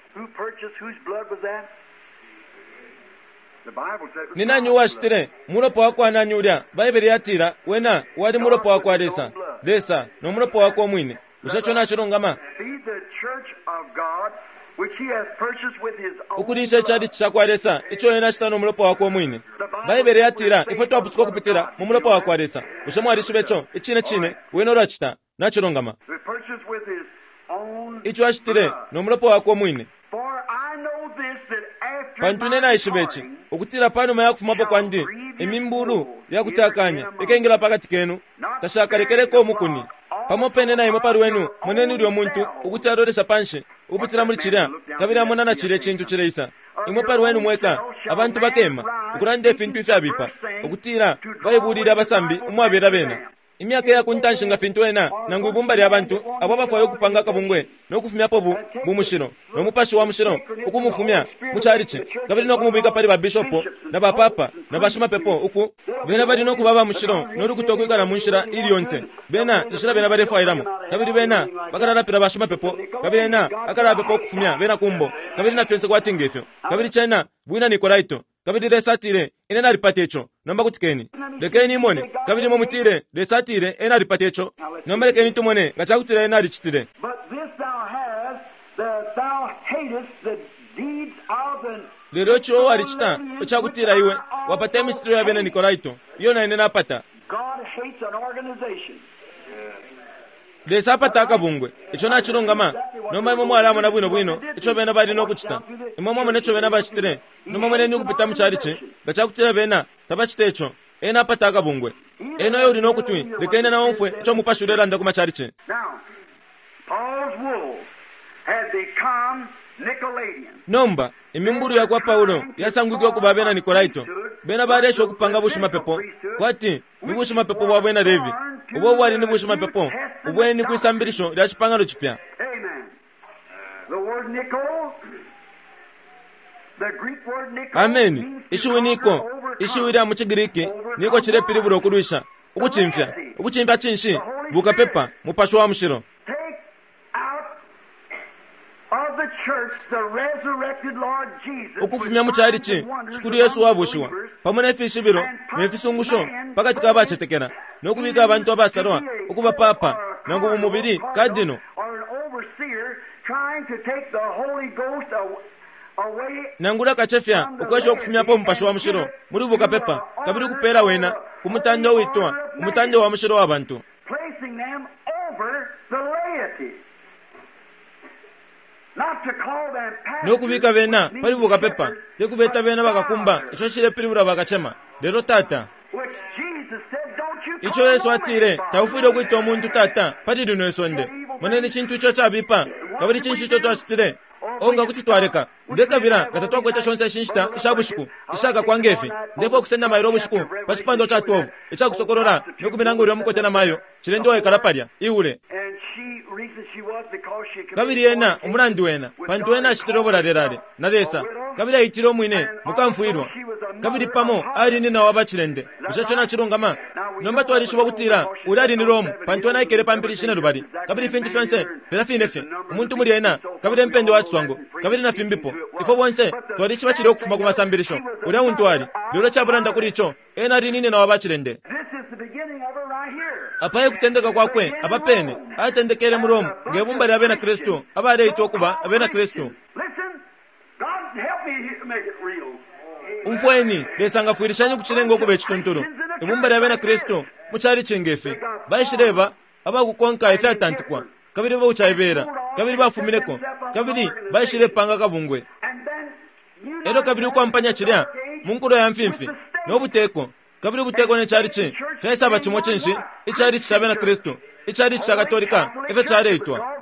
Ni nani uwashitile mulopa wakwa nani ulya? Baibele yatila wena wali mulopa wakwa Lesa. Lesa no mulopa wakwe umwine. Bushe ico nacilungama? Ukulisha icalici ca kwa Lesa ico ena ashita no mulopa wakwe umwine. Baibele yatila ifwe twapusuka ukupitila mu mulopa wakwa Lesa. Bushe mwalishiba ico? Icine cine wena ulacita. Nacilungama. Ico ashitile no mulopa wakwe umwine. Pantu ine naishiba ici, ukutila panuma ya kufumapo kwandi imimbulu yakutakanya ikengela pakati kenu, tashakalekeleko umukuni. Pamo pene na imwe pali wenu moneni ulyo muntu ukuti alolesha panshi ukupitila muli cilya, kabili amona na cilya icintu cileisa. Imwe pali wenu mweka abantu bakema ukulanda ifintu ifyabipa, ukutila baibulile abasambi umwabela bena. Imyaka ya kuntanshi nga fintu ena nangu ibumba lya bantu abo abafwayo ukupanga akabungwe no kufumyapo bu bumushilo no Mupashi wa Mushilo ukumufumya mu calici, kabili no kumubika pali ba bishopo na ba papa na bashimapepo uku bena bali no kuba ba mushilo no lukuta ukwikala mu nshila ili yonse bena inshila bena balefwailamo, kabili bena bakalalapila bashimapepo, kabili ena akalapepa ukufumya bena kumbo, kabili na fyonse kwati ngefyo. Kabili cena bwina Nikolaito. Kabili Lesa atile ine nalipata ico. Nomba kutikeni, lekeni imone. Kabili imwe mutile Lesa atile ena alipata ico. Nomba lekeni tumone nga cakutila ena alicitile. Lelo ico walicita icakutila iwe wapata imicitile ya bena Nikolaito iyo na ine napata. Lesa apata akabungwe. Ico nacilungama. Nomba imwe mwalamona bwino bwino ico bena bali no kucita. Imwe mwamona ico bena bacitile. Nomba mweneni ukupita mu calici nga cakutila bena tabacita ico. Ena apata akabungwe. Ena uyo uli no kutwi, lekeni na omfwe ico Mupashi ulelanda ku macalici. Nomba imimbulu ya kwa Paulo yasangwike ukuba bena Nikolaito. Bena balesha ukupanga bushimapepo kwati ni bushimapepo bwa bena Levi. Ubo bwali ni bushimapepo ubweni kwisambilisho lya cipangano cipya. Ameni. Ishiwi niko, ishiwi lya mu Cigiriki niko cilepilibula ukulwisha, ukucimfya. Ukucimfya cinshi? Bukapepa, Mupashi wa Mushilo. Ukufumya mu calici Shikulu Yesu wabushiwa pamo ne fishibilo ne fisungusho pakati ka bacetekela, no kubika abantu abasalwa ukuba papa nangu mu mubili kadino, nangula kacefya ukwesha ukufumyapo Mupashi wa Mushilo muli bukapepa, kabili ukupela wena ku mutande uitwa umutande wa mushilo wa bantu. Nokubika bena pali bukapepa tekubeta bena bakakumba ico cilepilibula bakacema. Lelo tata, ico Yesu atile taufwile ukwita umuntu tata pali lino isonde. Moneni cintu ico cabipa, kabili cinshi ico twacitile. Onga kuti twaleka ndekabila nga tatwakwete shonse ishinshita isha bushiku ishakakwa ngefi. Ndefwa ukusenda mailo ubushiku pa cipandwa ca twelve icakusokolola nokumina ulya mukote na mayo cilende waikala palya iule. Kabili ena umulandu wena pantu ena acitile ubulalelale na Lesa, kabili aitile umwine mukamfwilwa, kabili pamo ali nina wa bacilende. Bushe ico nacilungama? Nomba twalishiba ukutila ulya ali ni Romu, pantu ena aikele pa mpili shine lubali, kabili ifintu fyonse filya fine fye umuntu muli ena, kabili empendo wa ciswango, kabili na fimbipo. Ifwe bonse twalishiba cilya ukufuma ku masambilisho ulya untu ali. Lelo cabulanda kuli ico, ena ali nina wa bacilende. Apa ekutendeka kwakwe apa pene atendekele mu Rome ngebumba lya bena Kristu abaleitwa ukuba abena Kristu. Umfweni, Lesa ngafwilishanye ukucilenga ukuba icituntulu. Ibumba lya bena Kristu mu calici ngefi baishileba abakukonka ifyatantikwa, kabili baucaibela, kabili bafumineko, kabili baishilepanga kabungwe. Elyo kabili ukwampanya cilya mu nkulo ya mfimfi no buteko, kabili ubuteko ne calici fyaisaba cimo cinshi icalici ca bena Kristu, icalici ca Katolika efyo caleitwa.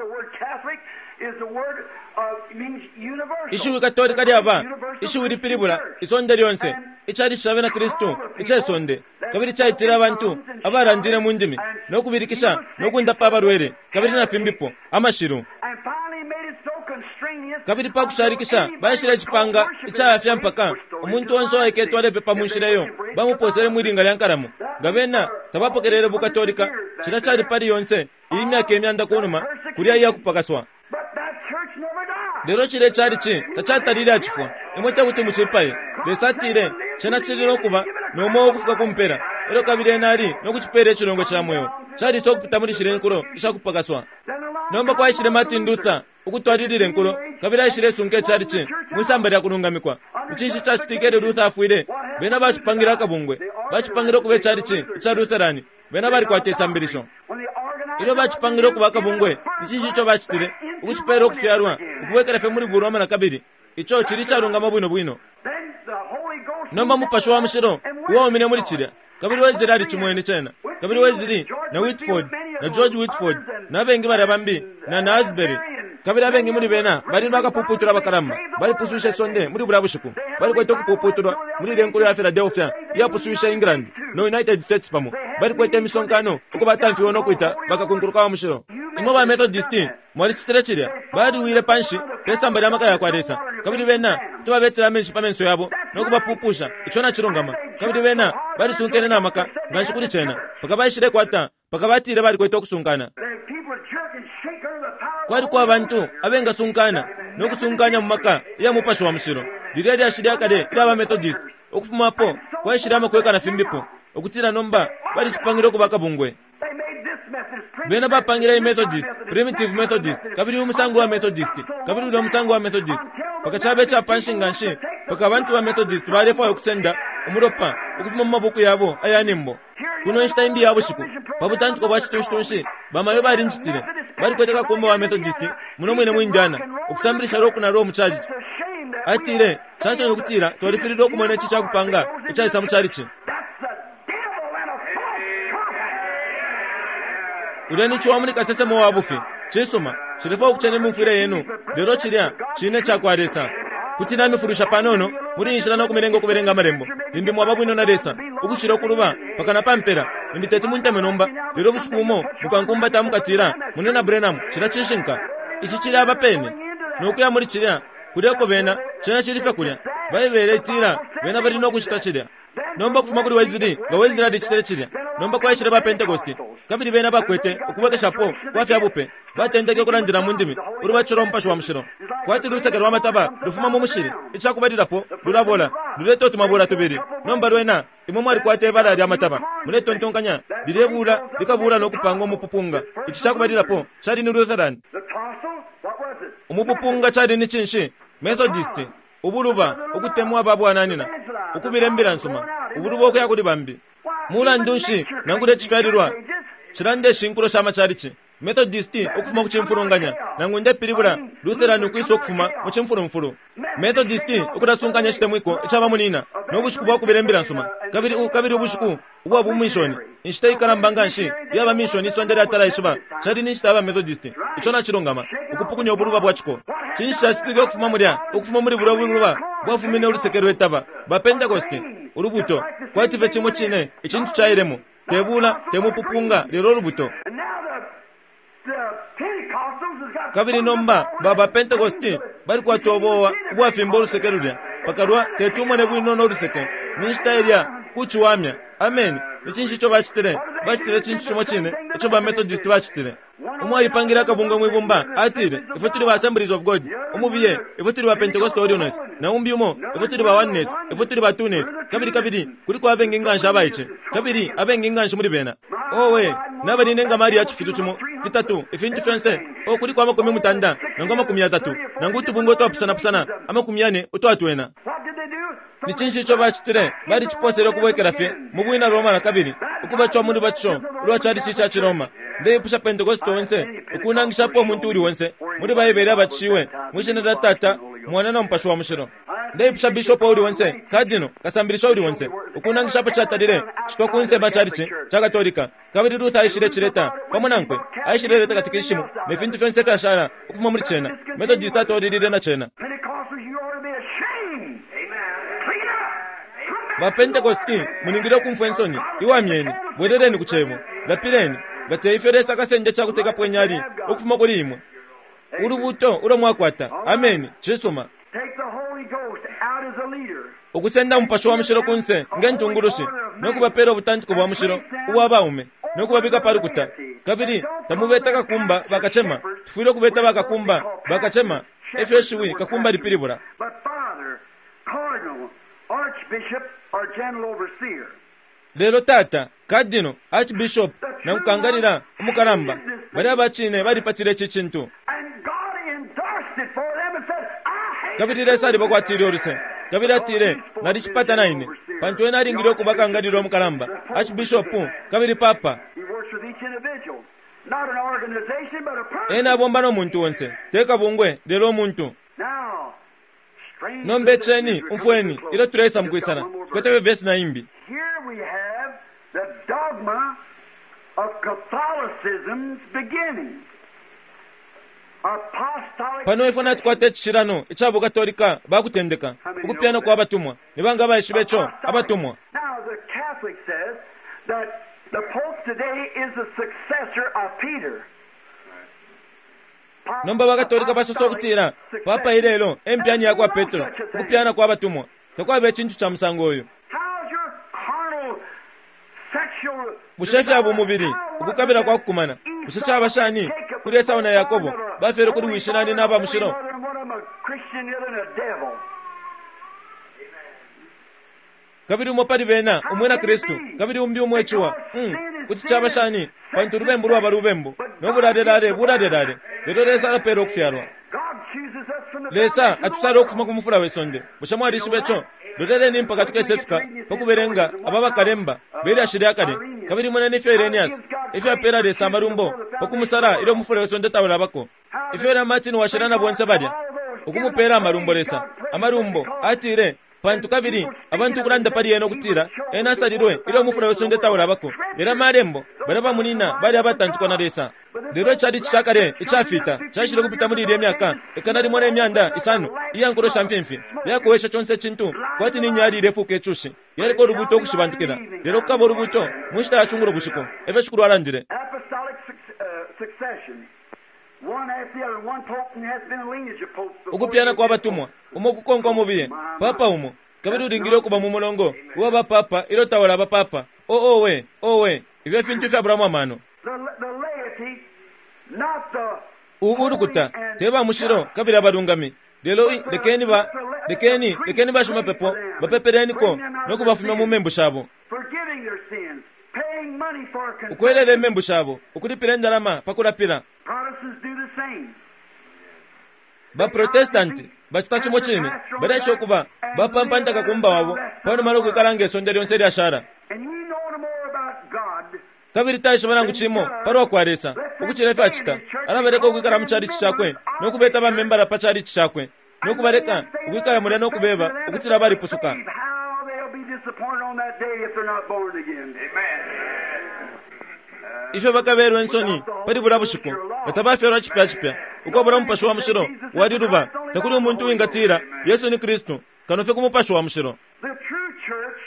Ishiwi Katolika lyaba ishiwi lipilibula isonde lyonse, icalici ca bena Kristu ice sonde, kabili caitile abantu abalandile mu ndimi no kubilikisha no kundapa abalwele kabili na fimbipo amashilu. Kabili pa kushalikisha baishile icipanga icayafya mpaka umuntu onse uwaiketwe alepepa mu nshila iyo bamuposele mwilinga lya nkalamo. Nga bena tabapokelele bukatolika, cilya cali pali yonse iyi myaka imyanda kunuma kulya iya kupakaswa. Lelo cilya calici tacatalile acifwa. Imwe tekuti mucipaye. Lesa atile cena cili nokuba no mweo ukufika ku mpela, elyo kabili ena ali nokucipela icilongwe ca mweo. Calisa ukupita muli shilya inkulo ishakupakaswa. Nomba kwaishile Martin Luther ukutwalilila inkulo, kabili aishile sunka icalici mwisamba lya kulungamikwa. Icinshi cacitike ilyo Luther afwile? Bena bacipangile akabungwe, bacipangile ukuba icalici ica Lutherani. Bena balikwata isambilisho. Ilyo bacipangile ukuba akabungwe, icinshi ico bacitile? Ukucipela ukufyalwa, ukubwekela fye muli Buroma na kabili. Ico cili icalungama bwino bwino. Nomba Mupashi wa Mushilo uwaumine muli cilya, kabili Wesley alicimwene cena, kabili Wesley na Whitford na George Whitford na abengi balya bambi na na Asbury, kabili abengi muli bena bali bakapuputula abakalamba, balipuswishe isonde muli bulya bushiku. Balikwete ukupuputulwa muli ilya nkulo ya Philadelphia iyapuswishe England no United States pamo. Balikwete imisonkano uko batamfiwe no kwita bakakunkuluka wa mushilo. Imwe ba Methodist mwalicitile cilya, baliwile panshi pe samba lya maka ya kwa Lesa, kabili bena kuti babetela amenshi pa menso yabo no kubapupusha. Ico nacilungama. Kabili bena balisunkene na maka nganshi kuli cena mpaka baishilekwata, mpaka batile balikwete ukusunkana. Kwaliko abantu abengasunkana no kusunkanya mu maka ya Mupashi wa Mushilo. Lilya lyashi lya kale ilya ba Methodist, ukufumapo kwaishile amakweka na fimbipo, ukutila nomba balicipangile ukuba akabungwe. Bena bapangile i Methodist, Primitive Methodist, kabili umusango wa Methodist, kabili ulya musango wa Methodist, mpaka cabe icapanshi nganshi mpaka abantu ba Methodist balefwaya ukusenda umulopa ukufuma mu mabuku yabo aya nimbo. Kuno inshita imbi ya bushiku, pa butantiko bwa citushitunshi, bamayo balincitile. Balikwete kakumba wa Methodist muno mwine mu Indiana, ukusambilisha rock na roll mu chalichi. Atile, cansoni ukutila twalifililwe ukumona ici cakupanga icaisa mu chalichi. Ulya ni ciwa muli kasesemo wa bufi. Cisuma, cilefwaya ukucena imumfwile yenu, lelo cilya cine cakwa Lesa. Kuti namifulusha panono muli inshila no kumilenga ukubelenga amalembo. Limbi mwaba bwino na Lesa ukucila ukuluba mpaka na pampela. Limbi teti munteme nomba, lelo bushiku bumo mukankumbata mukatila, Munina Branham, cilya cishinka. Ici cili aba pene nokuya muli cilya kulya uko bena, cena cili fye kulya. Baibele itila bena bali no kucita cilya. Nomba kufuma kuli Wesley, nga Wesley alicitile cilya. Nomba kwaishile ba Pentecost, kabili bena bakwete ukubwekeshapo kwa fya bupe. Batendeke ukulandila mu ndimi ulubatilo lwa Mupashi wa Mushilo. Kwati luseke lwa mataba lufuma mu mushili, icakubalilapo lulabola, luleta utumabula tubili. Nomba lwena imwe mwalikwata ibala lya mataba, muletontonkanya lilebula likabula no kupanga umupupunga. Ici cakubalilapo cali ni Lutheran. Umupupunga cali ni cinshi? Methodist, ubuluba, ukutemwa babwananina, ukubila imbila nsuma, ubuluba ukuya kuli bambi. Mulandu nshi nangula icifyalilwa cilanda ishinkulo sha macalici? Methodist ukufuma ku cimfulunganya, nangu ndepilibula Lutheran ukwisa ukufuma mu cimfulumfulu. Methodist ukulasunkanya icitemwiko icaba munina no bushiku bwa kubila imbila nsuma, kabili kabili ubushiku ubwa bumishoni, inshita ikalamba nganshi iyaba mishoni isonde lyatala ishiba cali ni nshita yaba Methodist. Ico nacilungama, ukupukunya ubuluba bwa ciko. Cinshi cacitike ukufuma mulya? Ukufuma muli bulya buluba bwafumine uluseke lwetaba ba Pentecost, ulubuto kwati fye cimo cine icintu cailemo, te bula te mupupunga, lelo ulubuto. Kabili nomba baba Pentecost balikwata ubowa ubwafimba uluseke lulya pakalwa teti umone bwino no luseke ni nshita ilya kuciwamya. Amen. Ni cinshi ico bacitile? Bacitile cintu cimo cine ico ba Methodist bacitile. Umo alipangile akabungwe mwibumba, atile, ifwe tuli ba Assemblies of God. Umubiye, ifwe tuli ba Pentecostal Holiness. Na umbi umo, ifwe tuli ba Oneness, ifwe tuli ba Twoness. Kabili kabili kuliko abengi nganshi abaice, kabili abengi nganshi muli bena. Owe, nabali nenga mali ya cifitu cimo, fitatu, ifintu fyonse. O kuliko amakumi mutanda, nangu amakumi yatatu, nangu utubungwe utwapusana-pusana, amakumi yane utwatwena. Ni cinshi ico bacitile? Baliciposele ukubwekela fye mu bwina Roma na kabili, ukubacwa mu lubatisho ulwa calici ca Ciroma. Ndeipusha Pentecost onse ukunangishapo umuntu uli onse muli Baibele abatishiwe mwi shina lya Tata, Mwana na Mupashi wa Mushilo. Ndeipusha bishopu uli onse, kadino, kasambilisha uli onse, ukunangisha apo catalile citwa kunse ba chalichi ca Katolika. Kabili Luther aishile cileta pamo nankwe, aishile leta katikishimu ne fintu fyonse fyashala ukufuma muli cena. Methodist atolilile na cena. Pentecostals, you ought to be ashamed. Clean up. Come back Ba Pentecosti mulingile ukumfwa insoni, iwamyeni, bweleleni ku cebo, lapileni, nga te ifyo Lesa akasende cakutekapo inyali ukufuma kuli imwe. Ulubuto ulo mwakwata. Ameni. Cisuma. Take the Holy Ghost out as a leader. Ukusenda umupashi wa mushilo kunse nge ntungulushi, no kubapela ubutantiko bwa mushilo ubwa baume, no kubabika pa lukuta. Kabili tamubeta kakumba bakacema, tufwile ukubeta bakakumba bakacema, efyo shiwi kakumba lipilibula. But father, cardinal, archbishop, or general overseer. Lelo tata, kadino, archbishop, na kukangalila umukalamba, bali abacine balipatile ici cintu. And God endorsed it for them and said, I hate Kabili Lesa alibakwatile uluse. Kabili atile, nalicipata naine, pantu ena alingile ukuba kangalila umukalamba, archbishop, kabili papa. He works with each individual, not an organization, but a person. Ena abomba no muntu onse, te kabungwe, lelo umuntu. Now, strange Nomba eceni, we're coming umfweni, to a close. ilyo tuleisa Just got mukwisala, one more verse. tukwete vesi na imbi. Here we have the dogma of Catholicism's beginning. Apostolic Pano ifwe natukwata icishilano ica bukatolika bakutendeka, ukupyana kwa batumwa. Ni banga baishibe ico abatumwa. Now the Catholic says that the Pope today is the successor of Peter. Nomba bakatolika basosa ukutila papa ilelo empyani ya kwa Petro, ukupyana kwa batumwa. Takwaba icintu ca musango uyu. How's your carnal sexual Bushe fya bumubili, ukukabila kwa kukumana, bushe caba shani kuli Esau na Yakobo bafere kuli wishi nani n'aba mushilo? Kabili umo pali bena umwina Kristu, kabili umbi umwe ciwa. Mm, kuti caba shani pantu ulubembu lwaba lubembu, no bulalelale bulalelale. Lelo Lesa alapela ukufyalwa. Lesa atusala ukufuma ku mufula we sonde. Bushe mwalishiba ico? Loleleni mpaka tukesefika pakubelenga aba bakalemba belyashi lya kale. Kabili moneni ifyo Irenaeus ifyo apela Lesa amalumbo pakumusala ilyo umufula we sonde taulabako. Ifyo na Martin washila na bonse balya ukumupela amalumbo Lesa amalumbo atile, pantu kabili abantu ukulanda pali ena ukutila ena asalilwe ilyo umufula we sonde taulabako. Lelo amalembo balya bamunina bali abatantikwa na Lesa. Lelo icali cakale icafita cashile kupita muli ilye myaka ikana limo ne myanda isano iya nkulo sha mfimfi yakowesha conse icintu kwati ni nyali ilefuka icushi yaliko ulubuto ukushibantukila. Lelo kukaba ulubuto mu nshita ya cungulo bushiku, efyo Shikulu alandile. Apostolic suc- uh, succession. One after the other, one pope and has been a lineage of popes before Ukupyana you kwa get batumwa umo kukonka umubiye papa umo, kabili ulingile ukuba mu mulongo uwa bapapa ilyo tawala bapapa. O owe owe, ifyo fintu ifyabulamo amano. The, the laity, not the Ubu ulukuta te ba mushilo kabili abalungami, lelo i- lekeni ba lekeni lekeni bashimapepo bapepeleniko no kubafumya mu membu shabo, forgiving their sins, paying money for confession. ukwelela imembu shabo, ukulipila indalama pakulapila. Protestants do the same. Baprotestanti bacita cimo cine, balesha ukuba bapampanta kakumba wabo panuma lokwikala nge sonde lyonse lyashala. And you know no more about God Kabili taishiba nangu cimo palwa kwa Lesa ukucila ifyo acita. Alabaleka ukwikala mu chalichi cakwe no kubeta bamembala pa chalichi cakwe no kubaleka ukwikala mulya no kubeba ukutila balipusuka. How they'll be disappointed on that day if they're not born again. Ifyo bakabelwa insoni pali bulya bushiku nga tabafyalwa cipya cipya ukwabula umupashi wa mushilo waliluba. Takuli umuntu uwingatila Yesu ni Kristu kano fye ku mupashi wa mushilo. The true church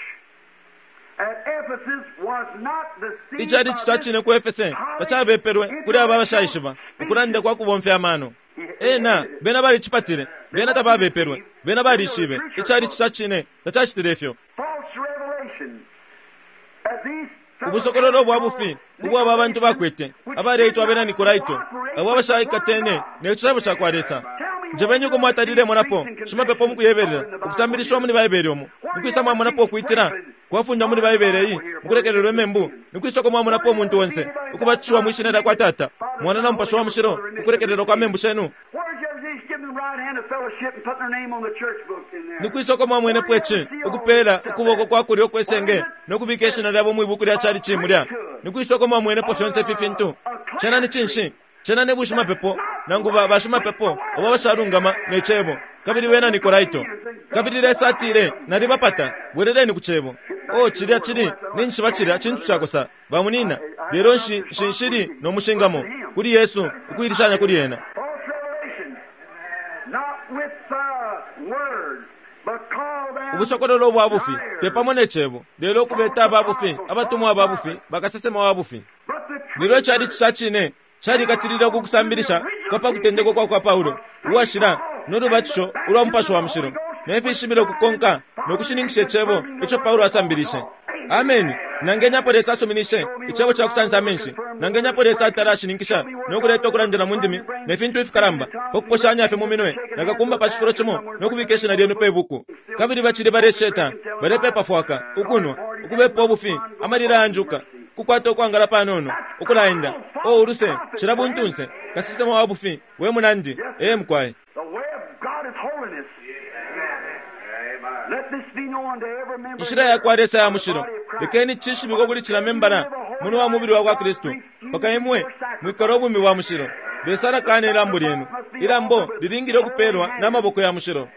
at Ephesus was not deceived Icalici by ca cine ku Efese tacabepelwe kuli aba abashaishiba ukulanda kwa kubomfya amano. Ena bena balicipatile, bena tababepelwe, bena balishibe. Icalici ca cine tacacitile ifyo. false revelation. That these Ubusokololo bwa bufi ubwaba abantu bakwete abaleitwa abena Nikolaito, abo abashaikatene ne citabo ca kwa Lesa. Njebeni uko mwatalile monapo shimapepo mukuyebelela ukusambilishiwa muli Baibele umo nikwisa mwamonapo ukwitila kwafundwa muli Baibele iyi mukulekelelwa imembu nikwisa uko mwamonapo umuntu onse ukubatishiwa mwishina lya kwa Tata, Mwana na Mupashi wa Mushilo ukulekelelwa kwa membu shenu. Where'd you ever see give them the right hand of fellowship and putting their name on the church book in there? Nikwisa uko mwamwenepo ici ukupela ukuboko kwa kulyo kwesenge nokubika ishina lyabo mwibuku lya chalichi mulya. Nikwisa uko mwamwenepo fyonse ifi fintu. Cena ni cinshi? Cena ni bushimapepo nangu ba bashimapepo oba bashalungama ne cebo. kabili bena Nikolaito. Kabili Lesa atile, nalibapata, bweleleni ku Cebo. O cilya cili, ninshi bacilya cintu cakosa, bamunina, lelo nshi shinshili no mushingamo, kuli Yesu, ukuilishanya kuli ena. Ubusokololo bwa bufi, te pamo ne Cebo, lelo ukubeta aba bufi, abatumwa aba bufi, bakasesema wa bufi. Lelo cali ca cine, calikatilile ukukusambilisha kwa pa kutendeka kwa kwa Paulo, uwashila no lubatisho ulwa Mupashi wa Mushilo, ne fishibilo kukonka no kushininkisha Icebo ico Paulo asambilishe. Ameni. Nangenyapo Lesa asuminishe icebo ca kusansa amenshi, nangenyapo Lesa atala ashininkisha no kuleta ukulandila mu ndimi ne fintu ifikalamba, pa kuposhanya fye mu minwe nakakumba pa cifulo cimo no kubika ishina lyenu pe buku. Kabili bacili balesheta, balepepa fwaka, ukunwa, ukubepa ubufi, amalila yanjuka, kukwata ukwangala panono, ukulaenda. O uluse, cila buntunse, kasesema wa bufi, we munandi, ee mukwaye. Inshila ya kwa Lesa ya mushilo, lekeni cishibikwe kuli cila membala muno wa mubili wa kwa Kristu, paka imwe mwikala ubumi bwa mushilo. Lesa alakana ilambo lyenu. Ilambo lilingile ukupelwa n'amaboko ya mushilo.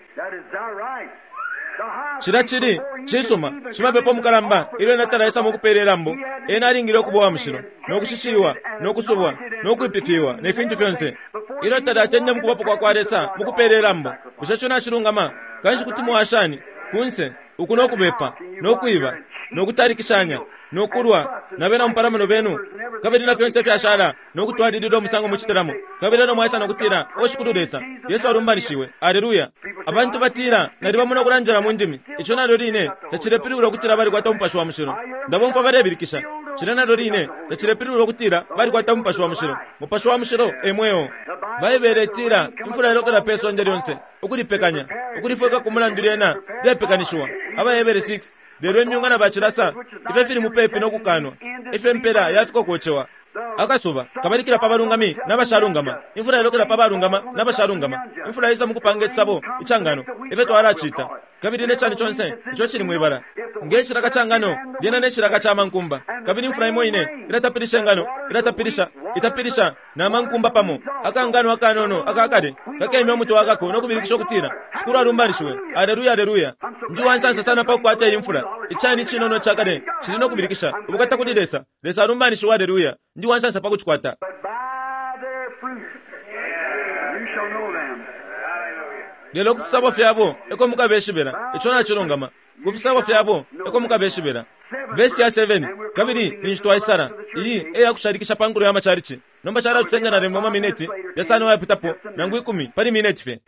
Cila cili cisuma, shimapepo mukalamba ilyo natalaisa mukupela ilambo, ena alingile ukuba wa mushilo, no kushishiwa, no kusubwa, no kwipifiwa, ne fintu fyonse. Ilyo talatende mukubapo kwa kwa Lesa mukupela ilambo, bushe co nacilungama? Kanshi kuti mwashani kunse uku no kubepa, no kwiba, no kutalikishanya, no kulwa na bena mupalamano benu, kabili na fyonse fyashala, no kutwalilila umusango mucitilamo. Kabili no mwaisa no kutila, o Shikulu Lesa, Yesu alumbanishiwe, aleluya. Abantu batila, nalibamona ukulandila mu ndimi, ico nalyo line tacilepilibula ukutila balikwata Umupashi wa Mushilo. Ndabomfwa balebilikisha, cila nalyo line tacilepilibula ukutila balikwata Umupashi wa Mushilo. Mupashi wa Mushilo e mweo. Baibele itila, imfula ilokela pe sonde lyonse, ukulipekanya, ukulifweka ku mulandu lyena lyapekanishiwa. Abahebere six, lelo imyunga na bacilasa, ifyo fili mupepi no kukanwa, ifyo impela yafiko kocewa. Akasuba kabalikila pa balungami n'abashalungama, imfula ilokela pa balungama n'abashalungama, imfula isa mukupanga icisabo icangano, ifyo twalacita. Kabili ne cani conse ico cili mwibala nge cilaka ca ngano lyena ne cilaka ca mankumba. Kabili imfula imo ine ilatapilisha ingano, ilatapilisha, itapilisha na mankumba pamo. Akangano akanono akakale kakemya umutwe wakako no kubilikisha ukutila, Shikulu alumbanishiwe, aleluya, aleluya. Ndi wansansa sana pa kukwata iyi mfula. Icani cinono cakale cili no kubilikisha ubukata kuli Lesa. Lesa alumbanishiwe, aleluya. Ndi wansansa pa kucikwata. Lelo kufisabo fyabo eko mukabeshibela, ico nacilungama. Kufisabo fyabo eko mukabeshibela. Vesi ya seven, kabili ninshi twaisala iyi eya kushalikisha pa nkulo ya machalichi. Nomba calatusenda na lembo mamineti yasano yapitapo nangu ikumi pali mineti fye.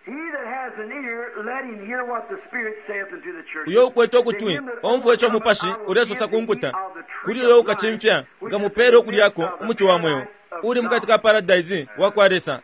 Uyo ukwete ukutwi omfwe ico Mupashi ulesosa ku nkuta, kuli uyo ukacimfya nkamupele ukulyako umuti wa mweo uli mukati ka paradise wa kwa Lesa.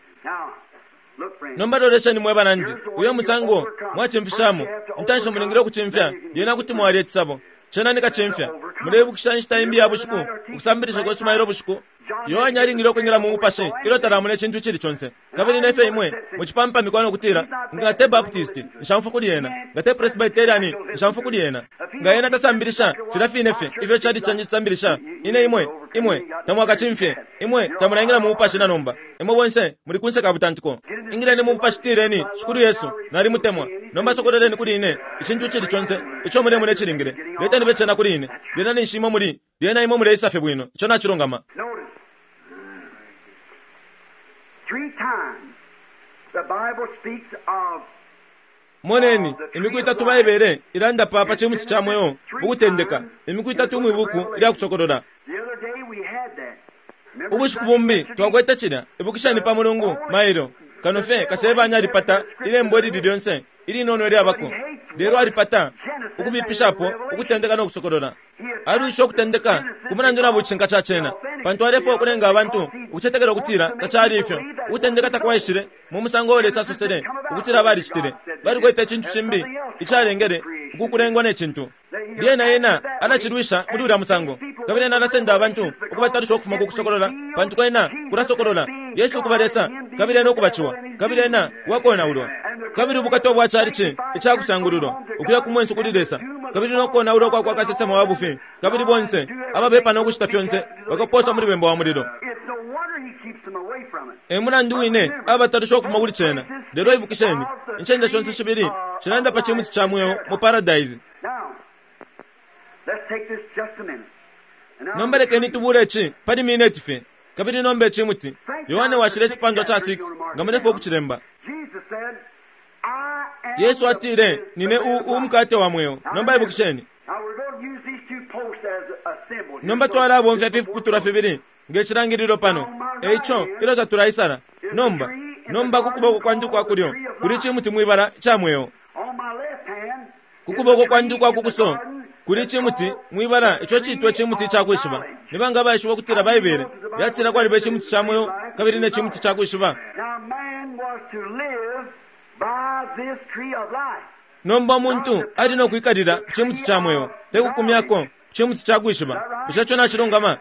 Nomba lolesheni mwe banandi, uyo musango mwacimfishamo intanshi mulingile ukucimfya, lyena kuti mwalya icisabo. Cena ni kacimfya. Mulebukisha inshita imbi ya bushiku, ukusambilisha kwesu mailo bushiku. Yohane alingile ukwingila mu Mupashi ilyo talamona icintu icili conse. Kabili nefe imwe mucipampamikwa no kutila, nga te Baptist, nshamfu kuli ena, nga te Presbyterian, nshamfu kuli ena. Nga ena tasambilisha filya fine fye ifyo cali canje cisambilisha, ine imwe, imwe tamwakacimfye, imwe tamulaingila mu Mupashi na nomba. Imwe bonse muli kunse ka butantiko. Ingileni mu Mupashi, tileni, Shikulu Yesu, nalimutemwa. Nomba sokoleleni kuli ine icintu icili conse ico mulemona icilingile. Leteni becena kuli ine. Lyena ninshi imwe muli, lyena imwe muleisa fye bwino. Ico nacilungama. Moneni, imiku itatu Baibele ilanda pa pa cimuti ca mweo ukutendeka, imiku itatu mwibuku ilya kusokolola. Ubushiku bumbi twakwete cilya, ibukisheni pa Mulungu mailo, kano fye kasebanya alipata ilembo ilili lyonse ilinono ilyabako, lelo alipata ukubipishapo ukutendeka no kusokolola. Alwisha ukutendeka ku mulandu na bucinka ca cena, pantu alefwaya ukulenga abantu ukucetekela ukutila tacali ifyo. Ukutendeka takwaishile mu musango Lesa asosele ukutila balicitile, balikwete icintu cimbi icalengele ukukulengwa ne cintu. Lyena ena alacilwisha muli ulya musango, kabili ena alasenda abantu ukubatalusha ukufuma ku kusokolola, pantu kwena kulasokolola Yesu ukuba Lesa, kabili ena ukubaciwa, kabili ena wakonaulwa. Kabili ubukata bwa chalichi icakusangululwa ukuya ku mwenso kuli Lesa, kabili nokonaulwa kwa kwa kasesema wa bufi, kabili bonse ababepa no kucita fyonse bakaposwa muli bemba wa mulilo. E mulandu wine abatalusha ukufuma kuli cena. Lelo ibukisheni, incende shonse shibili shilanda pa cimuti ca mweo mu paradise. Nomba lekeni tubule ici pali mineti fye. Kabili nomba icimuti Yohane washile icipandwa cha six, nga mulefwa ukucilemba. Yesu atile, nine umukate wa mweo. Nomba ibukisheni. Nomba twalabomfya fifiputulwa fibili nge cilangililo pano. Eico ilyo tatulaisala. Nomba, nomba ku kuboko kwandi kwa kulyo kuli cimuti mwibala ca mweo. Ku kuboko kwandi kwa kukuso kuli cimuti mwibala ico citwa cimuti ca kwishiba. Nibanga baishiba ukutila Baibele yatila kwaliba icimuti ca mweo kabili ne cimuti ca kwishiba. Nomba umuntu ali no kwikalila cimuti ca mweo, te kukumyako cimuti ca kwishiba. Bushe ico nacilungama?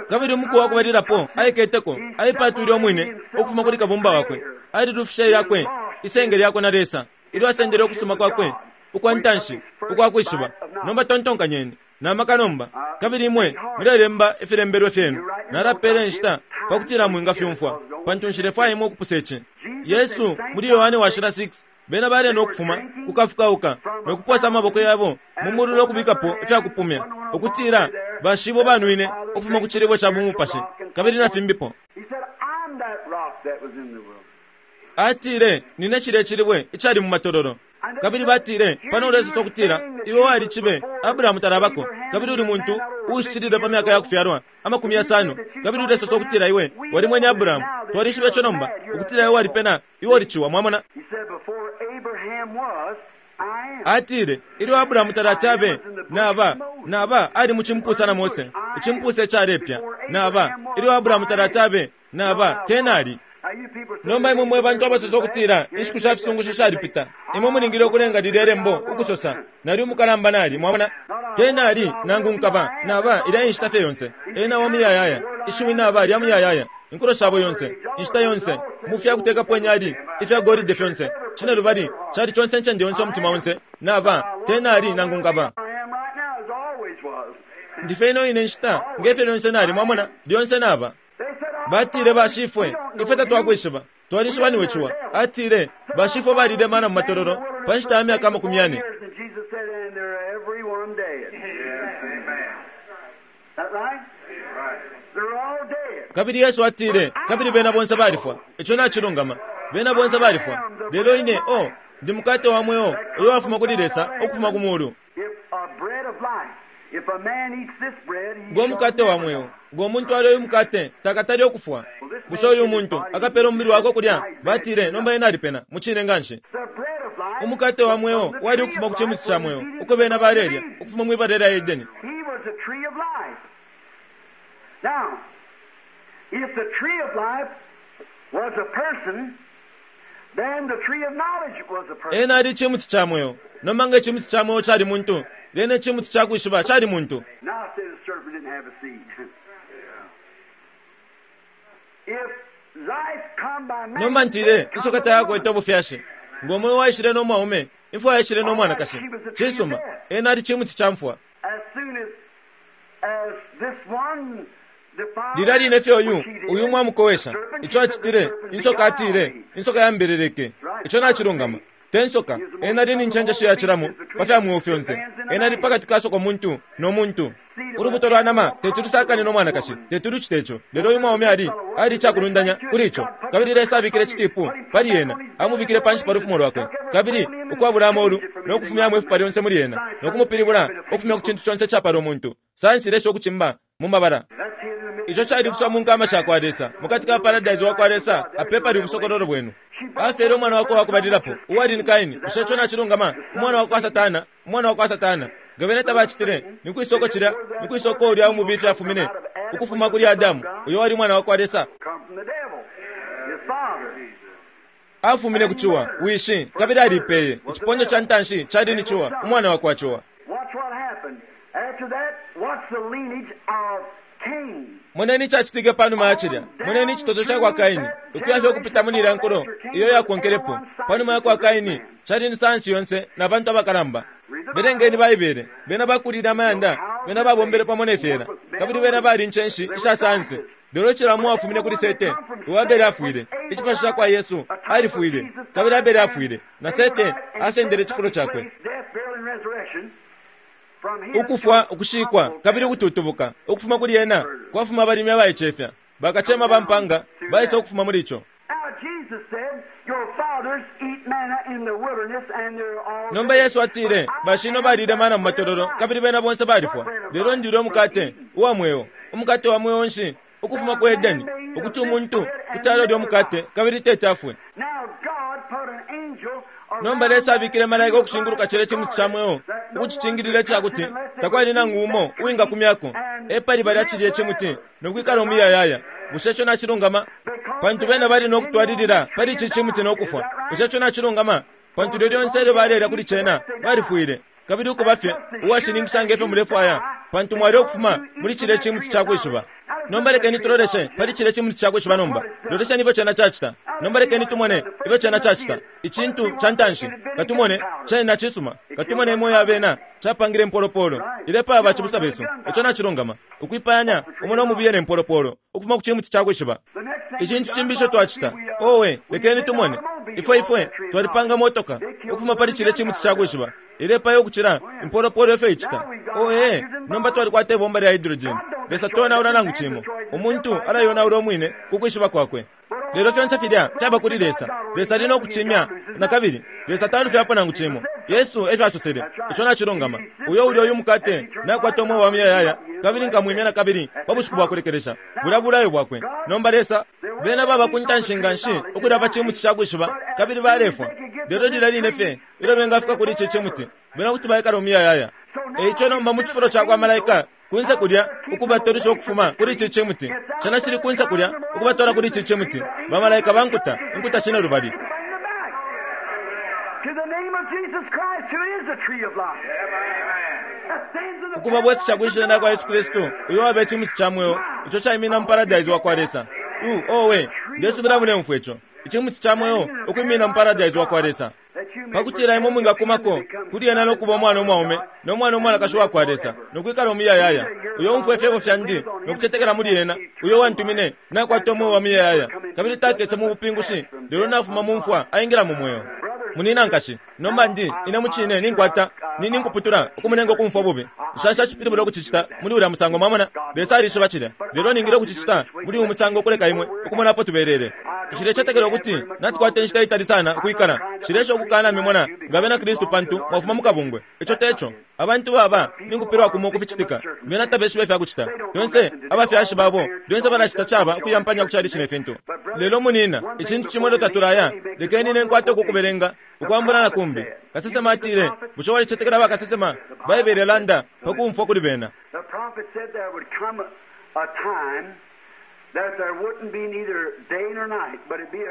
Kabili umuku wa kubalilapo aiketeko, aipatwile umwine ukufuma kuli kabumba wakwe. Alilufishe yakwe isenge lyakwe na Lesa, ilyo asendele ukusuma kwakwe ukwa ntanshi ukwa kwishiba. Nomba tontonkanyeni na maka nomba, kabili imwe mulelemba ifilembelwe fyenu. Nalapele nshita pakutila mwingafyumfwa, pantu nshilefwaya imwe ukupusa ici. Yesu muli Yohane washila six, bena bali no kufuma kukafukauka no kuposa amaboko yabo mu mulu no kubikapo ifyakupumya, ukutila bashibo banwine ukufuma ku cilibwe ca bumupashi kabili na fimbipo. Atile, nine cilya cilibwe icali mu matololo. Kabili batile, pano ulesosa ukutila iwe wali cibe Abrahamu talabako, kabili uli muntu uushicilile pa myaka ya kufyalwa amakumi yasano, kabili ulesosa ukutila iwe wali mwene Abrahamu. Twalishiba ico nomba, ukutila iwe walipena, iwe uliciwa. Mwamona? Atile, ilyo Abrahamu talatabe naba naba ali mu cimpusa na Mose, icimpusa icalepya naba. Ilyo Abrahamu talatabe naba tenali. Nomba imwe mwe bantu abasosa ukutila inshiku sha fisungusho shalipita, imwe mulingile ukulenga lilya lembo ukusosa nali umukalamba nali. Mwamona? Tenali nangu nkaba naba ilya inshita fye yonse. Ena wa muyayaya, ishiwi naba lya muyayaya, inkulo shabo yonse, inshita yonse, mu fya kutekapo inyali, ifya golide fyonse, cine lubali cali conse ncende yonse umutima onse naba tenali nangu nkaba. Ndife ino ine nshita ngefyo lyonse nali. Mwamona? Lyonse naba. Batile bashifwe, ifwe tatwakwishiba, twalishiba niwe ciwa. Atile bashifwe balile mana mu matololo pa nshita ya myaka amakumi yane. Kabili Yesu atile, kabili bena bonse balifwa. Ico nacilungama, bena bonse balifwa. Lelo ine o ndi mukate wa mweo uyo wafuma kuli Lesa ukufuma ku mulu. Ngo mukate wa mweo, ngo muntu alyo uyu mukate takatali okufwa. Bushe uyu muntu akapela umubili wakwe kulya? Batile nomba ena alipena mucine nganshi. Umukate wa mweo wali ukufuma ku cimuti ca mweo uko bena balelya ukufuma mwibala lya Edeni. Ena ali icimuti ca mweo. Nomba nga icimuti ca mweo cali muntu, lyena icimuti ca kwishiba cali muntu. Nomba ntile insoka tayakwete ubufyashi. Ngo mweo waishile no mwaume, imfwa yaishile no mwanakashi. Cisuma, ena ali cimuti ca mfwa. Lilya line fye uyu uyu mwamukowesha ico acitile, insoka atile, insoka yambeleleke. Ico nacilungama. Te nsoka, ena ali ni ncenjeshi yacilamo pa fya mweo fyonse. Ena ali pakati ka soko muntu no muntu. Ulubuto lwa nama teti lusakane no mwanakashi, teti lucite ico. Lelo uyu mwaume ali ali icakulundanya kuli ico. Kabili Lesa abikile citipu pali ena, amubikile panshi pa lufumo lwakwe, kabili ukwabula amolu no kufumyamo ifupa lyonse muli ena, no kumupilibula ukufumya ku cintu conse icapala umuntu. Sayansi ilesha ukucimba mu mabala. Ico califiswa mu nkama sha kwa Lesa, mukati ka paradise wa kwa Lesa, apepali ubusokololo bwenu. Afyele umwana wakwe wakubalilapo uwali ni Kaini. Bushe ico nacilungama? Umwana wakwa Satana, umwana wakwa Satana. Nga bene tabacitile, ni kwisoko cilya, ni kwisoko ulya umubifi afumine ukufuma kuli Adamu, uyo wali umwana wakwa Lesa. Afumine ku ciwa, wishi, kabili alipeye. Iciponyo ca ntanshi cali ni ciwa, umwana wakwa ciwa. Moneni icacitike panuma ya cilya. Moneni icitoto ca kwa Kaini, ukuya fye ukupita muli ilya nkulo iyo yakonkelepo. Panuma ya kwa Kaini cali ni sayansi yonse na bantu abakalamba. Belengeni Baibele, bena bakulile amayanda, bena babombele pamo ne fyela, kabili bena bali incenshi isha sayansi. Lelo cila umo afumine kuli Sete, uo Abele afwile. Icipasho cakwa Yesu alifwile, kabili Abele afwile, na Sete asendele icifulo cakwe. Ukufwa, ukushikwa, kabili ukututubuka ukufuma kuli ena kwafuma abalimi abaicefya, bakacema ba mpanga baisa ukufuma muli ico. Nomba Yesu atile, bashino balile mana mu matololo, kabili bena bonse balifwa. Lelo ndile umukate uwa mweo. Umukate wa mweo nshi? Ukufuma ku Edeni, ukuti umuntu kuti alolya umukate kabili tete afwe. Nomba Lesa abikile malaika ukushinguluka cile cimuti ca mweo, ukucicingilila icakuti takwali nangu umo uwingakumyako. Epali balya cilye cimuti nokwikala umuyayaya. Bushe ico nacilungama? Pantu bena bali nokutwalilila pali ici cimuti nokufwa. Bushe ico nacilungama? Pantu lyo lyonse ilyo balelya kuli cena balifwile. Kabili ukuba fye uwashininkisha ngefyo mulefwaya, pantu mwali ukufuma muli cile cimuti ca kwishiba. Nomba lekeni tuloleshe pali cile cimuti ca kwishiba nomba. Lolesheni ifyo cena cacita. Nomba lekeni tumone ifyo cena cacita. Icintu ca ntanshi katumone cena cisuma. Katumone imo ya bena capangile impolopolo ilepaya bacibusa besu. Ico nacilungama. Ukwipayanya umo nomubiye ne mpolopolo ukufuma ku cimuti ca kwishiba. Icintu cimbi ico twacita, owe, lekeni tumone ifwe ifwe twalipanga motoka ukufuma pali cile cimuti ca kwishiba ilepaya ukucila impolopolo ifyo icita. Oe, nomba twalikwata ibomba lya hydrogen. Lesa tonaula nangu cimo. Umuntu alayonaula umwine ku kwishiba kwakwe. Lelo fyonse filya caba kuli Lesa. Lesa ali nokucimya na kabili. Lesa talufyapo nangu cimo. Yesu efyo asosele. Ico nacilungama. Uyo ulya uyu mukate nakwata umweo wa muyayaya, kabili nkamwimya na kabili pa bushiku bwa kulekelesha. Bulya bulayo bwakwe. Nomba Lesa bena baba ku ntanshi nga nshi ukulya pa cimuti ca kwishiba, kabili balefwa. Lelo lilya line fye ilyo bengafika kuli ici cimuti, bena kuti baikala umuyayaya. Eico nomba mu cifulo ca kwa malaika kunse kulya ukubatolisha ukufuma kuli ici cimuti, cena cili kunse kulya ukubatola kuli ici cimuti. Bamalaika bankuta inkuta cine lubali. Ukuba bwesesha kwishina kwa Yesu Kristu, uyo wabe cimuti ca mweo ico caimina mu paradise wa kwa Lesa. U owe, ndesubila mulemfwa ico. Icimuti ca mweo ukwimina mu paradise wa kwa Lesa, pakutila imwe mwingakumako kuli ena nokuba umwana umwaume no mwana umwanakashi wa kwa Lesa, nokwikala umuyayaya. Uyo umfwa ifyebo fyandi nokucetekela muli ena uyo wantumine nakwata umweo wa muyayaya, kabili takese mu bupingushi, lelo nafuma mu mfwa aingila mu mweo. Munina nkashi, nomba ndi ine mucine ninkwata nini nkuputula ukumunenga ukumfwa bubi. Nshansha cipilibula ukucicita muli ulya musango, mwamona. Lesa alishiba cilya, lelo ningile ukucicita muli uyu musango ukuleka imwe ukumona apo tubelele. Nshilecetekela ukuti natukwata inshita itali sana ukwikala. Nshilesha ukukana mimona nga bena Kristu pantu mwafuma mu kabungwe. Ico teco. Abantu baba ninkupilwa kumo kuficitika. Bena tabeshiba ifya kucita. Lyonse abafyashi babo lyonse balacita caba ukuyampanya kucali cine fintu. Lelo munina, icintu cimo lyo tatulaya, lekeni nenkwate ukukubelenga ukwambula na kumbi. Kasesema atile, bushe walicetekela bakasesema? Baibele landa pakumfwa kuli bena.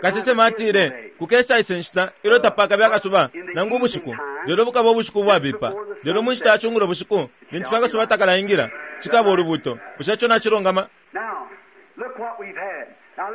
Kasesema atile, kukesa ise nshita ilyo tapakabe akasuba nangu ubushiku, lelo bukaba ubushiku bwabipa. Lelo mu nshita ya cungulo bushiku lintu fye akasuba takalaingila, cikaba ulubuto. Bushe ico nacilungama?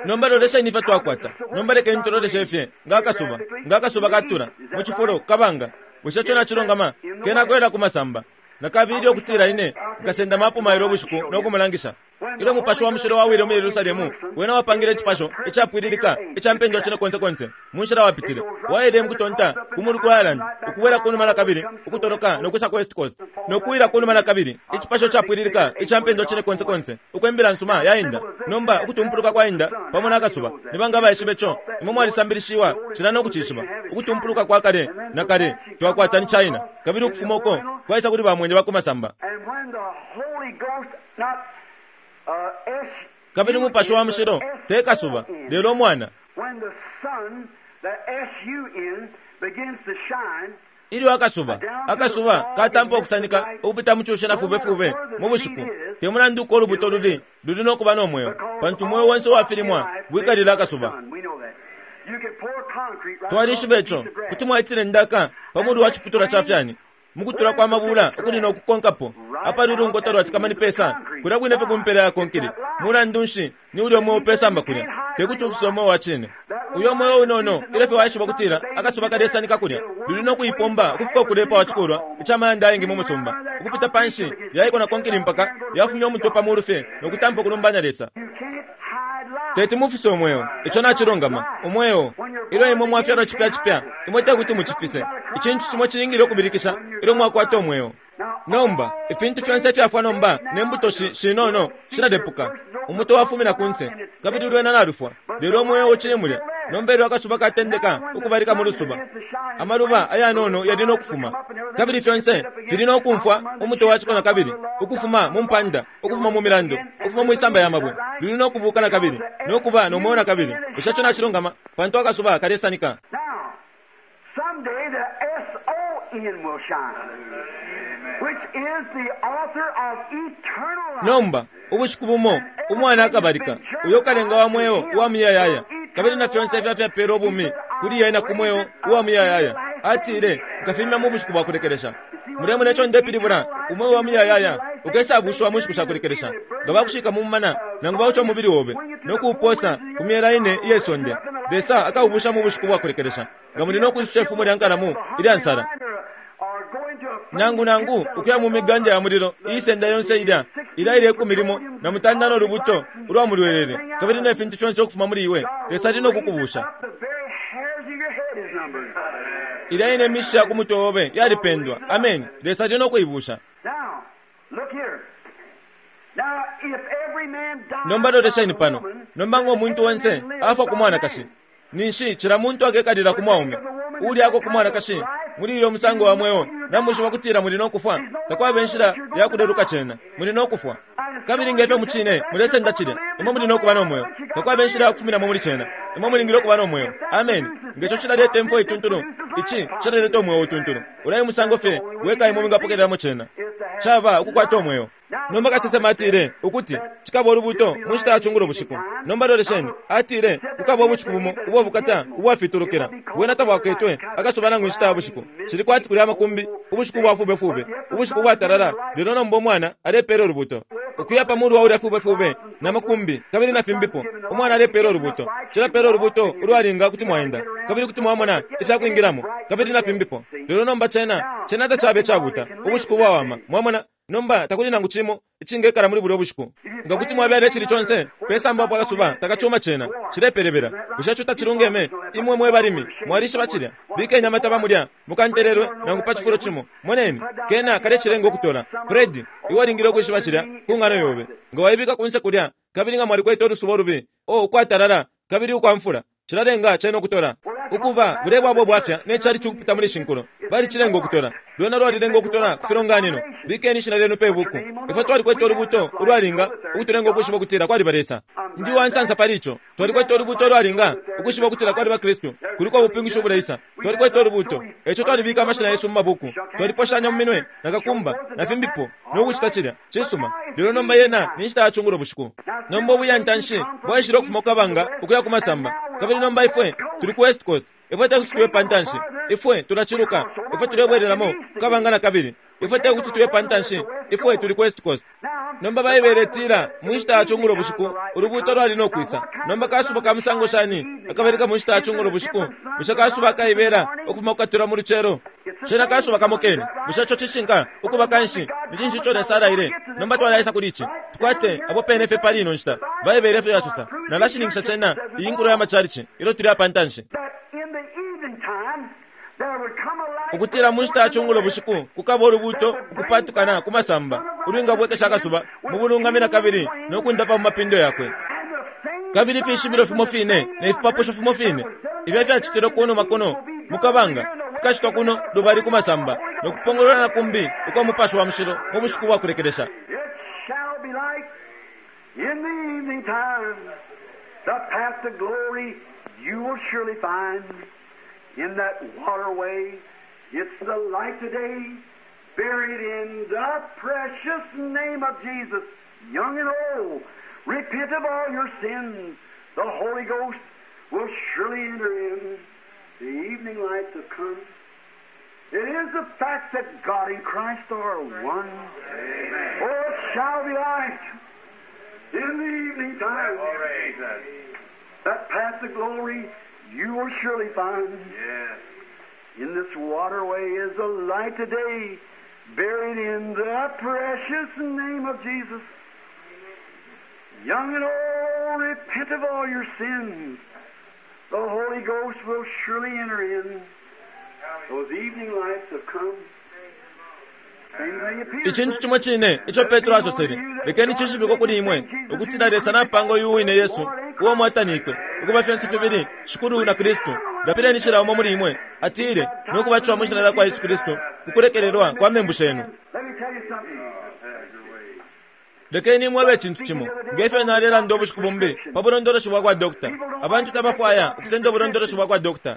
Nomba lolesheni ifyo twakwata. Nomba lekeni tuloleshe fye nga akasuba, nga akasuba katula mu cifulo kabanga. Bushe ico nacilungama? Kena kwela ku masamba. Nakabili okutila ine nkasenda mapo mailo ubushiku nokumulangisha. Ilyo mupashi wa mushilo wawile mu Yerusalemu, wena wapangile icipasho icapwililika ica mpendwa cine konse konse mu nshila wapitile. Waile mukutonta ku mulu ku Ireland, ukubwela kunuma na kabili, ukutoloka nokwisa ku West Coast, nokuwila kunuma na kabili. Icipasho capwililika ica mpendwa cine konse konse, ukwembela nsuma yainda. Nomba ukutumpuluka kwa inda pamo na kasuba, ni banga baishibe co? Imwe mwalisambilishiwa cila nokucishiba. Ukutumpuluka kwa kale na kale twakwata ni China, kabili ukufuma uko kwaisa kuli bamwenye ba ku masamba. Kabili umupashi wa mushilo te kasuba, lelo umwana. Ilyo akasuba akasuba katampa okusanika ukupita mu cushe na fubefube mu bushiku, te mulandu uko ulubuto luli luli nokuba no mweo, pantu umweo wonse uwafilimwa wikalila akasuba. Twalishiba ico. Kuti mwaitile ndaka pa mulu wa ciputulwa ca fyani mukutula kwa mabula ukuli nokukonkapo apali ulungoto lwatikama ni pesa kulya kwine fye kumpela ya konkili. Mulandu nshi ni ulya umweo pesamba kulya tekuti ufise umweo wa cine. Uyo mweo unono ilyo fye waishiba kutila akasuba kalesanika kulya luli nokuipomba ukufika ukulepa wacikulwa icamayanda ayengi mu musumba, ukupita panshi yaiko na konkili mpaka yafumya umutwe pa mulu fye nokutampa ukulumbanya Lesa. Teti mufise umweo. Ico nacilungama. Umweo, ilyo imwe mwafyalwa cipya cipya, imwe tekuti mucifise. Icintu cimo cilingile ukubilikisha ilyo mwakwata umweo. Nomba ifintu fyonse fyafwa nomba ne mbuto shinono shiladepuka. Umuto wafumina kunse kabili lwena nalufwa, lelo umweo ucili mulya. Nomba ilyo akasuba katendeka ukubalika mu lusuba, amaluba ayanono yali no kufuma, kabili fyonse fili no kumfwa umuto waciko na kabili, ukufuma mu mpanda, ukufuma mu milando, ukufuma mu isamba ya mabwe, luli no kubuka na kabili no kuba no mweo na kabili. Bushe ico nacilungama? Pantu akasuba kalesanika. Someday the S O N will shine, which is the author of eternal life. Nomba ubushiku bumo umwana akabalika, uyo kalenga wa mweo uwa muyayaya, kabili na fyonse ifya fyapela ubumi kuli yena ku mweo uwa muyayaya. Atile, nkafimya mu bushiku bwa kulekelesha. Mulemona ico ndepilibula? Umweo wa muyayaya ukesabushiwa mu nshiku sha kulekelesha. Nga bakushika mu mumana nangu bauca umubili obe no kuuposa ku myela ine iye sonde, Lesa akaubusha mu bushiku bwa kulekelesha. Nga muli no kwisusha ifumo lya nkalamu ilya nsala, nangu nangu ukuya mu miganda ya mulilo iisenda yonse ilya ilya ile ikumi limo na mutanda no lubuto ulwa mulwelele, kabili ne fintu fyonse ukufuma muli iwe, Lesa ali no kukubusha. The very hairs of your head is numbered. Ilya ine misha ku mutwe obe yalipendwa. Amen. Lesa ali no kuibusha. Now, look here. Now, if every man dies Nomba lolesheni by pano. the woman, Nomba ngo muntu onse afwa ku mwanakashi, ninshi cila muntu akekalila ku mwaume ulyako ku mwanakashi muli iyo musango wa mweo, namushiba kutila muli no kufwa. Takwaba inshila ya kuleluka cena, muli no kufwa. Kabili ngefyo mucine mulesenda cilya, imwe muli no kuba no mweo. Takwaba inshila ya kufuminamo muli cena, imwe mulingile ukuba no mweo. Amen. Ngeco cilaleta imfwa ituntulu, ici cilaleta umweo utuntulu. Ulayi musango fye weka imwe mwingapokelelamo cena, caba ukukwata umweo. Nomba kasesema atile ukuti cikaba ulubuto mu nshita ya cungulo bushiku. Nomba lolesheni, atile kukaba ubushiku bumo ubwa bukata ubwafitulukila, bwena tabwaketwe akasuba nangu inshita ya bushiku. Cili kwati kuli amakumbi, ubushiku bwa fubefube, ubushiku bwatalala. Lelo nomba umwana alepela ulubuto ukuya pa mulu wa ulya fubefube na makumbi kabili na fimbipo. Umwana alepela ulubuto, cilapela ulubuto ulwalinga kuti mwaenda kabili kuti mwamona ifya kwingilamo kabili na fimbipo. Lelo nomba cena cena tacabe cabuta, ubushiku bwawama. Mwamona? Nomba takuli nangu cimo icingekala muli bulyo bushiku. Nga kuti mwabyala icili conse pesamba apo akasuba takacuma, cena cilepelebela. Bushe ico tacilungeme? Imwe mwe balimi mwalishiba cilya. Bikeni amataba mulya mukantelelwe nangu pa cifulo cimo. Moneni, kena kalecilenga ukutola. Fred, iwe alingile ukwishiba cilya ku ng'ano yobe. Nga waibika kunse kulya kabili nga mwalikwete ulusuba ulubi o ukwatalala kabili ukwamfula, cilalenga cena ukutola. Ukuba bule bwabo bwafya ne cali cikupita muli shinkulo balicilenga ukutola. Lwena lwalilenga ukutola ku filonganino. Bikeni ishina lyenu pe buku. Ifwe twalikwete ulubuto ulwalinga ukutulenga ukwishiba ukutila kwaliba Lesa. Ndi wansansa pali ico. Twalikwete ulubuto ulwalinga ukwishiba ukutila kwaliba Kristu. Kuliko ubupingushi ubuleisa. Twalikwete ulubuto, eco twalibika amashina yesu mu mabuku, twaliposhanya mu minwe na kakumba na fimbipo no kucita cilya cisuma. Lelo nomba yena ni nshita ya cungulo bushiku. Nomba ubuyantanshi bwaishile ukufuma ku kabanga ukuya ku masamba, kabili nomba ifwe tuli ku West Coast. Ifwe tekuti tuye pantanshi, ifwe tulaciluka, ifwe tulebwelelamo ku kabanga na kabili. Ifwe tekuti tuye pantanshi, ifwe tuli ku West Coast. Nomba Baibele itila mu nshita ya cungulo bushiku ulubuto lwali no kwisa. Nomba kasuba ka musango shani akabalika mu nshita ya cungulo bushiku? Bushe kasuba kaibela ukufuma kukatula mu lucelo? Cena kasuba kamo kene. Bushe ico cishinka? Ukuba kanshi ni cinshi ico Lesa alaile? Nomba twalaisa kuli ici tukwate apo pene fye pali ino nshita. Baibele efyo yasosa. Nalashininkisha cena iyi nkulo ya macalici ilyo tuli apa ntanshi, that in the evening time there would come a light ukutila mu nshita ya cungulo bushiku kukaba ulubuto ukupatukana ku masamba ulwingabwekesha akasuba mu bulungami na kabili no kundapa mu mapindo yakwe. and the same Kabili ifishibilo fimo fine ne fipapusho fimo fine ifyo fyacitilwe kunuma kuno mukabanga fikacitwa kuno lubali ku masamba no kupongolola na kumbi ukwa Mupashi wa Mushilo mu bushiku bwa kulekelesha. It shall be light in the evening time. The path to glory you will surely find in that waterway. It's the light today, buried in the precious name of Jesus. Young and old, repent of all your sins. The Holy Ghost will surely enter in. The evening lights have come. It is the fact that God and Christ are one. Oh, it shall be light in the evening time. That path to glory you will surely find. Yes. In this waterway is the light today, buried in the precious name of Jesus. Young and old, Oh, repent of all your sins. The Holy Ghost will surely enter in. Those evening lights have come. Same thing appears. Icintu cimo cine ico Petro asosele, lekeni cishibikwe kuli imwe ukutila Lesa napanga uyu wine Yesu uo mwatanikwe ukuba fyonse fibili Shikulu na Kristu. Lapileni cila umo muli imwe, atile, no kubatishiwa mwi shina lya kwa Yesu Kristu kukulekelelwa kwa membu shenu. Let me tell you something. Lekeni imwebe icintu cimo, ngefyo nalelanda ubushiku bumbi pa bulondoloshi bwa kwa dokta. Abantu tabafwaya ukusenda ubulondoloshi bwa kwa dokta.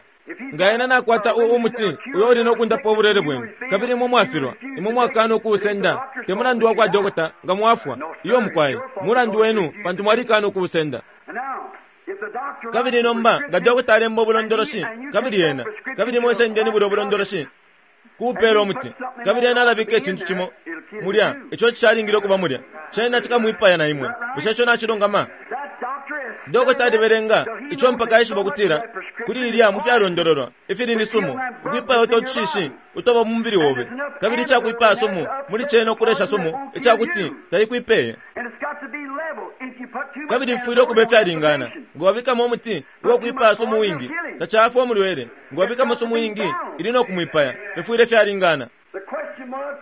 Nga ena nakwata u umuti uyo uli nokundapa ubulwele bwenu, kabili imwe mwafilwa, imwe mwakana ukuusenda, te mulandu wa kwa dokta nga mwafwa, iyo mukwai, mulandu wenu pantu mwalikana ukuusenda. And now, if the doctor Kabili nomba nga dokta alemba ubulondoloshi, kabili ena, kabili mwesendeni bulya ubulondoloshi kuupela umuti, kabili ena alabika icintu cimo mulya ico cishalingile ukuba mulya, cena cikamwipaya na imwe. Bushe ico nacilungama? That doctor is Dokota alibelenga ico mpaka aishiba ukutila kuli ilya mu fyalondololwa ifili ni sumu ukwipaya uto tushishi utoba mu mubili obe, kabili icakwipaya sumu muli cena ukulesha sumu icakuti taikwipeye. And it's got to be level. If you put too much Kabili mfwile ukuba ifyalingana. Nga wabikamo umuti uwakwipaya sumu wingi tacafwa umulwele, nga wabikamo sumu wingi ili no kumwipaya. Fifwile fyalingana. The question was,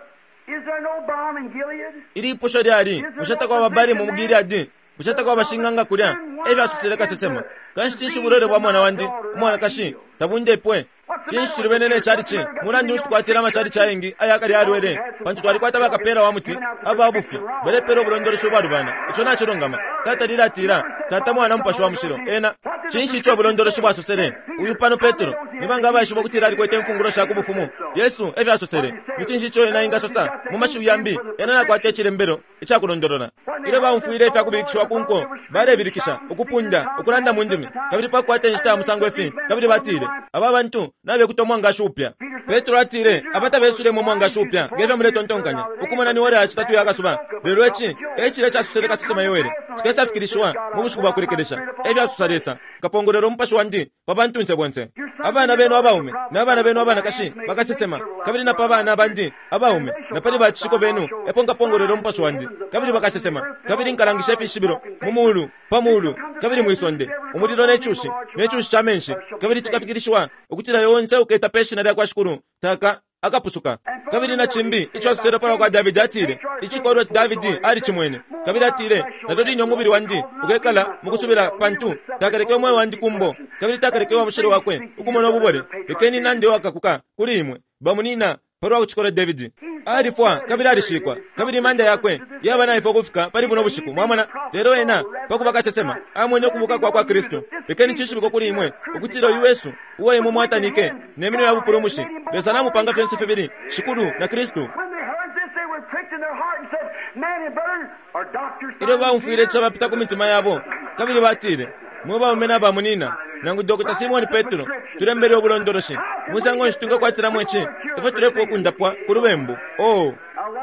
is there no balm in Gilead? Ilipusho lyali, bushe takwaba balimu mu Gileadi? Bushe takwaba bashing'anga kulya? Efyo asosele kasesema. Kanshi cinshi ubulwele bwa mwana wandi umwanakashi tabundepwe? Cinshi cilubene ne calici? Mulandu nshi tukwatila amacalici ayengi ayakali alwele? Pantu twalikwata bakapela wa muti aba bufi balepela ubulondoloshi ubwalubana. Ico nacilungama. Tata lilatila Tata, Mwana, Mupashi wa Mushilo. Ena cinshi ico ubulondoloshi bwasosele? Uyu pano Petro nibanga abaishiba ukutila alikwete imfungulo sha ku bufumu? Yesu efyo asosele. Ni cinshi ico ena ingasosa mu mashiwi yambi? Ena nakwata icilembelo icakulondolola. Ilyo baumfwile ifyakubilikishiwa ku nko, balebilikisha, ukupunda, ukulanda mu ndimi, kabili pakukwata inshita ya musango ifi, kabili batile, aba bantu nabekuta umwangashi upya. Petro atile, aba tabesulemo umwangashi upya ngefyo muletontonkanya, ukumona ni ora ya citatu ya kasuba. Lelo ici e cilya casosele kasesema Yoele, cikesafikilishiwa mu bushiku bwa kulekelesha. Efyo asosa Lesa, nkapongolwela umupashi wandi pa bantunse bonse. Abana benu abaume n'abana benu abanakashi bakasesema, kabili na pa bana bandi abaume na pali bacishiko benu epo nkapongolwela umupashi wandi, kabili bakasesema. Kabili nkalangisha ifishibilo mu mulu, pa mulu, kabili mwisonde, umulilo ne cushi, ne cushi ca menshi, kabili cikafikilishiwa ukutila yonse uketa pe shina lya kwa Shikulu taka akapusuka. Kabili na cimbi ico asosele palwa kwa Davidi, atile icikolwe Davidi alicimwene, kabili atile nalyo line umubili wandi ukekala mukusubila, pantu takaleke umweo wandi kumbo, kabili takaleke wa mushilo wakwe ukumona ububole. Lekeni nande wakakuka kuli imwe bamunina palwa kucikolwe Davidi. Alifwa kabili alishikwa, kabili imanda yakwe yaba naifwe ukufika pali buno bushiku. Mwamona? Lelo ena pakuba kasesema amwene ukubuka kwa kwa Kristu. Lekeni cishibikwe kuli imwe ukutila uyu Yesu uo imwe mwatanike ne minwe ya bupulumushi, Lesa namupanga fyonse fibili Shikulu na Kristu. When they heard this, they were pricked in their heart and said, Man and brethren, are doctors. Ilyo baumfwile ico bapita ku mitima yabo, kabili batile, mwe baume na bamunina, nangu Dokota Simoni Petro, tulembele ubulondoloshi musango nshi tungakwatilamo ici ifyo tulefwa ukundapwa ku lubembu? Oh,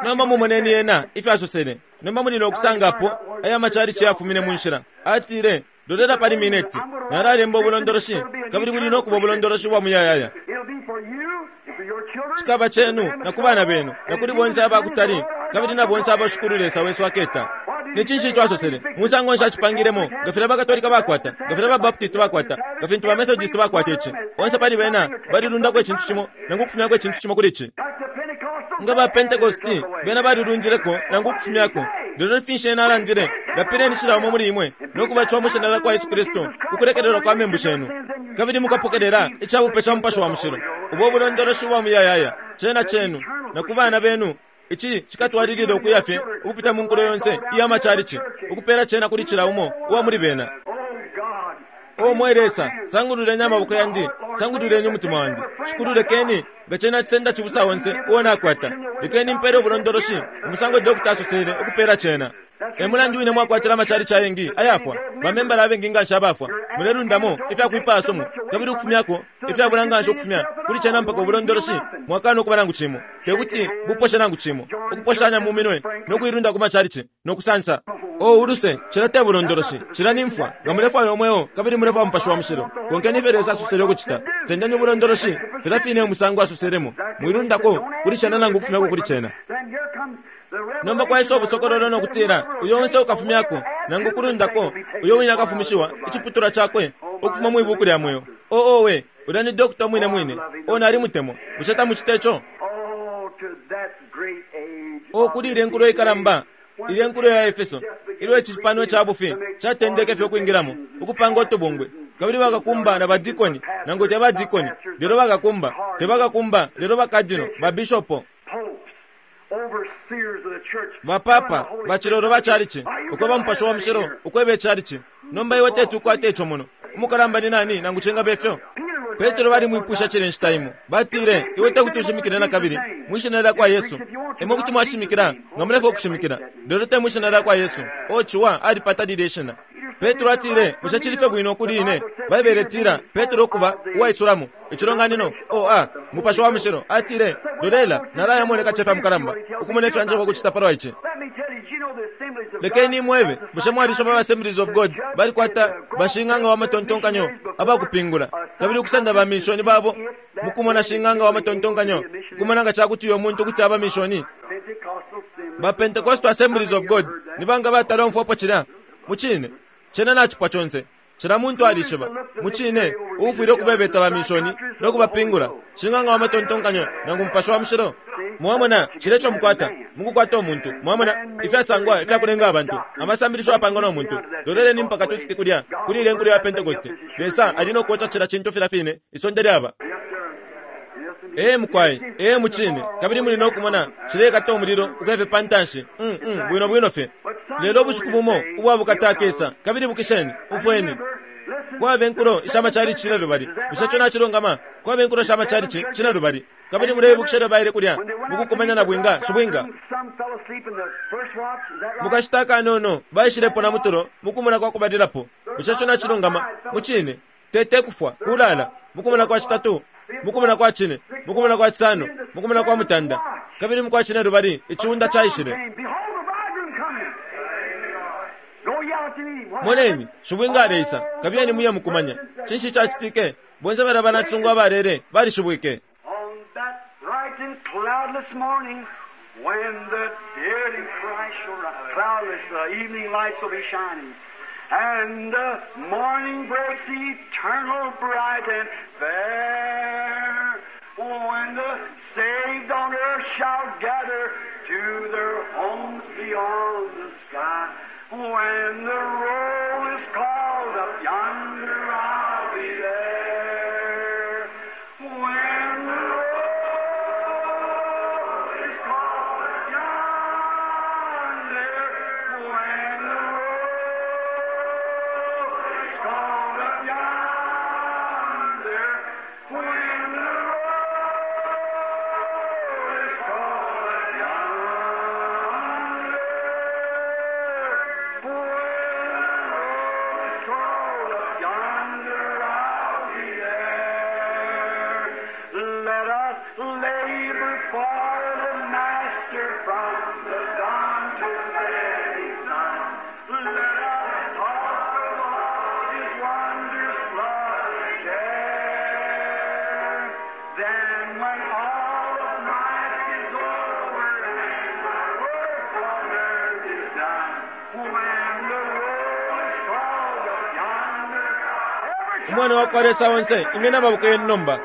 nomba mumoneni ena ifyo asosele. Nomba muli nokusangapo aya macalici yafumine mu nshila. Atile, lolela pali mineti, nalalemba ubulondoloshi, kabili buli nokuba ubulondoloshi bwa muyayaya. It'll be for you and for your children. Cikaba cenu na ku bana benu na kuli bonse abakutali, kabili na bonse abashukulu Lesa wesu aketa. Ni cinshi ico asosele? Musango nshi acipangilemo? Nga filya bakatolika bakwata, nga filya babaptisti bakwata, nga fintu bamethodist bakwata ici, bonse pali bena balilundako icintu cimo nangu ukufumyako icintu cimo kuli ici. Like the Pentecostals, Nga ba Pentecosti bena balilundileko nangu ukufumyako. Lelo finshi ena alandile? Lapileni cila umo muli imwe no kubatishiwa mwi shina lya kwa Yesu Kristu kukulekelelwa kwa membu shenu, kabili mukapokelela icabupe ca Mupashi wa Mushilo, ubo bulondoloshi bwa muyayaya, cena cenu na ku bana benu. Ici cikatwalilila ukuya fye ukupita mu nkulo yonse iya macalici, ukupela cena kuli cila umo uwa muli bena. Oh God. O mwe Lesa, sangululeni amaboko yandi, sangululeni umutima wandi. Shikulu, lekeni nga cena cisenda cibusa onse uo nakwata. Lekeni mpele ubulondoloshi umusango dokta asosele ukupela cena. E mulandu wine mwakwatila amacalici ayengi ayafwa, bamembala abengi nganshi abafwa. Mulelundamo ifyakwipaya sumu, kabili ukufumyako ifyabula nganshi ukufumya kuli cena mpaka ubulondoloshi mwakana ukuba nangu cimo, tekuti buposhe nangu cimo, ukuposhanya mu minwe no kuilunda ku macalici no kusansa. O uluse, cila te bulondoloshi, cila ni mfwa. Nga mulefwaya umweo kabili mulefwaya Mupashi wa Mushilo, konkeni ifyo Lesa asosele ukucita. Sendeni ubulondoloshi filya fine umusango asoselemo, mwilundako kuli cena nangu ukufumyako kuli cena. Then here comes Nomba kwaisa ubusokololo nokutila uyo onse ukafumyako nangu kulundako uyo wine akafumishiwa iciputulwa chakwe ukufuma mwibuku lya mweo. Oo we, ulya ni dokota mwine mwine. O nalimutemwa. Bushe tamucita ico? O kuli ile nkulo ikalamba, ile nkulo ya Efeso, ilyo icipano ca bufi catendeke fye ukwingilamo ukupanga utubungwe, kabili bakakumba na badikoni, nangu te badikoni lelo bakakumba, te bakakumba lelo bakadino, babishopo, bapapa, bacilolo ba chalichi, ukweba Mupashi wa Mushilo, ukweba echalichi. Nomba iwe teti ukwate ico muno. Umukalamba ni nani nangu cingaba ifyo? Petro balimwipusha cile nshita imo. Batile, iwe tekuti ushimikile nakabili mwishina lya kwa Yesu. Imwe kuti mwashimikila nga mulefwaya ukushimikila, lelo te mwishina lya kwa Yesu. O ciwa alipata lilya ishina. Petro atile, bushe cili fye bwino kuli ine? Baibele itila, Petro ukuba uwaisulamo icilonganino, o a Mupashi wa Mushilo atile, lolela, nalayamoneka cefa mukalamba ukumona ifyo anjeba ukucita palwa ici. Lekeni imwebe, bushe mwalisoma ba Assemblies of God balikwata bashing'anga wa matontonkanyo abakupingula, kabili ukusenda ba mishoni babo mukumona shing'anga wa matontonkanyo kumona nga cakuti uyo muntu kuti aba mishoni? Ba Pentecostal Assemblies of God ni banga batala umfwapo cilya? Mucine cena nacipwa conse, cila muntu alishiba mucine uufwile ukubebeta ba mishoni no kubapingula shing'anga wa matontonkanyo nangu Mupashi wa Mushilo. Mwamona cile ico mukwata mukukwata umuntu. Mwamona ifyasangwa ifyakulenga abantu amasambilisho apangwa no muntu. Loleleni mpaka tufike kulya kuli ile nkulo ya Pentecost. Lesa ali no kuoca cila cintu filya fine isonde lyaba. Ee mukwai, ee mucine, kabili muli no kumona cilekata umulilo ukwefe pa ntanshi. Mm, mm, bwino bwino fye. Lelo ubushiku bumo ubwa bukata akesa, kabili bukisheni, umfweni. Kwaba inkulo isha machalichi cine lubali. Bushe ico nacilungama? Kwaba inkulo sha machalichi cine lubali. Kabili muleibukisha ilyo baile kulya mukukumanya na bwinga, shibwinga. Mukashita akanono baishilepo na mutulo mukumona kwa kubalilapo. Bushe ico nacilungama? Mucine, tete kufwa, kulala, mukumona kwa citatu, mukumona kwa cine, mukumona kwa cisano, mukumona kwa mutanda. Kabili mukwa cine lubali iciunda caishile. Moneni, shibwinga aleisa, kabiyeni muye mukumanya. Cinshi cacitike? Bonse bali abanacisungu abalele balishibwike. On that bright and cloudless morning, when the dead in Christ shall rise, cloudless, the evening lights will be shining, and the morning breaks eternal, bright and fair. When the saved on earth shall gather to their homes beyond the sky, when the roll is called up yonder, I'll be there. When the roll is called up yonder, when the roll is called up yonder, when the roll is called up yonder, when the roll is called up yonder, I'll be there. Let us labor for the Master from the dawn to setting sun. Let us talk of all His wondrous love and care. Then when all of life is over and my work on earth is done, when the roll is called up yonder, every Umwana wa kwa Lesa onse, imyeni amaboko yenu nomba.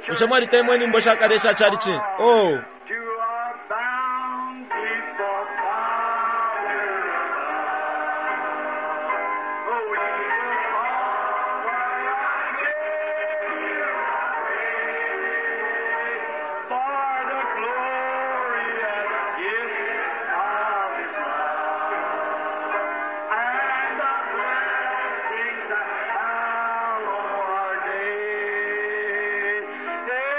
Bushe mwalitemwa inyimbo shakale isha chalichi? Oh, To our bountiful Father above. Oh, we will offer our praise for the glorious gift of His love and the blessings that hallow our days. In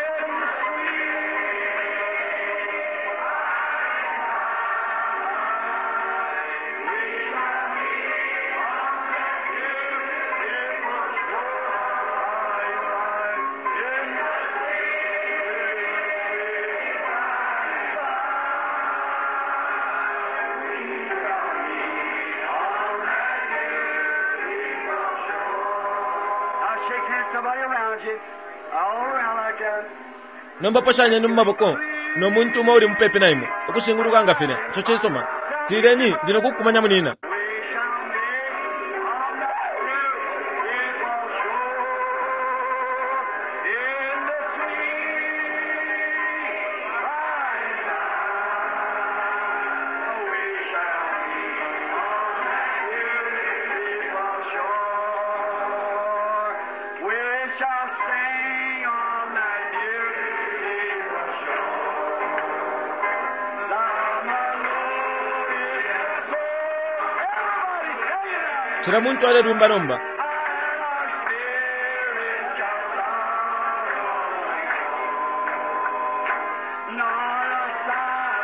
Now shake hands somebody around you, all around like that. nomba poshanyeni mu maboko no muntu umo uli mupepi na imwe ukushinguluka nga filya ico cisuma. Tileni ndi nokukumanya munina. We shall meet on that beautiful shore in the sweet by and by. We shall meet on that beautiful shore. We shall sing on that beautiful shore. The melodious soul. Everybody sing it out. Cila muntu alelwimba nomba. And our spirit shall sorrow nor a sigh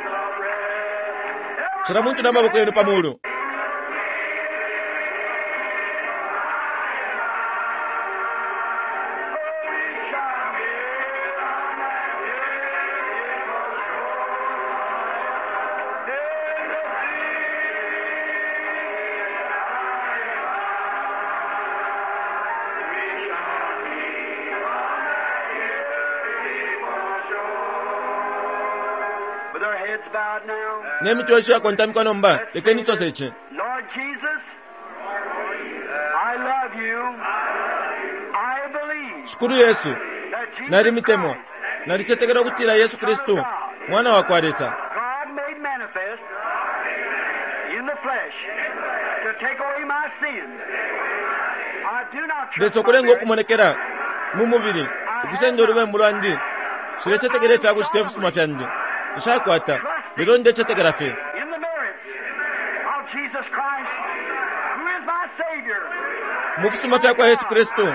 for a breath. Cila muntu na maboko yenu pamulu. With our heads bowed now. Ne mitwe yesu yakontamikwa nomba lekeni tusose ici. Lord Jesus, I love you. I believe Shikulu Yesu, that Jesus nalimitemwa. Christ, Nalicetekela ukutila Yesu Kristu mwana wa kwa Lesa, God made manifest in the flesh to take away my sins. I do not trust Lesa my okulenga merit. okumonekera mu mubili ukusenda olubembu lwandi. Nshilecetekela ifyakucita ifisuma fyandi. Nshakwata, lelo ndecetekela fye in the merits of Jesus Christ, who is my Savior. mu fisuma fya kwa Yesu Kristu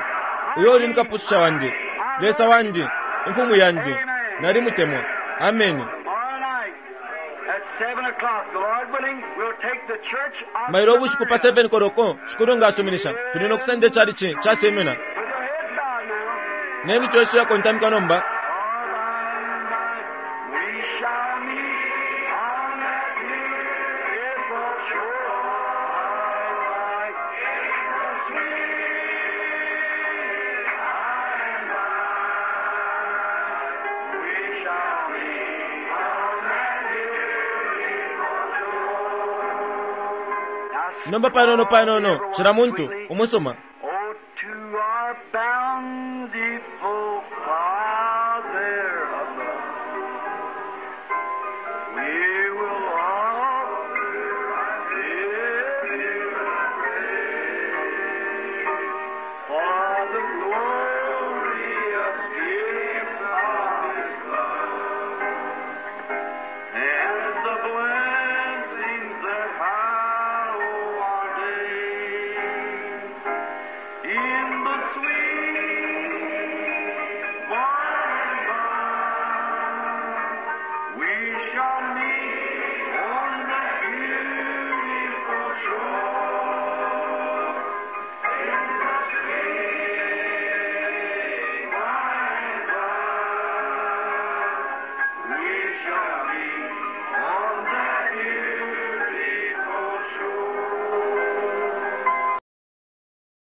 uyo uli mukapususha wandi, Lesa wandi, imfumu yandi. Nalimutemwa. Ameni. Tomorrow night at seven o'clock, the Lord willing, we'll take the church of Mailo ubushiku pa Smyrna. seven koloko shikulu nga asuminisha tuli nokusenda echalichi cha Semina. With your heads bowed now. Ne mitwe yesu yakontamikwa nomba. All by and by we shall meet on that beautiful shore. The sweet by and by we shall meet on that beautiful shore. Now, Nomba panono panono cila muntu umusuma. Oh, to our bountiful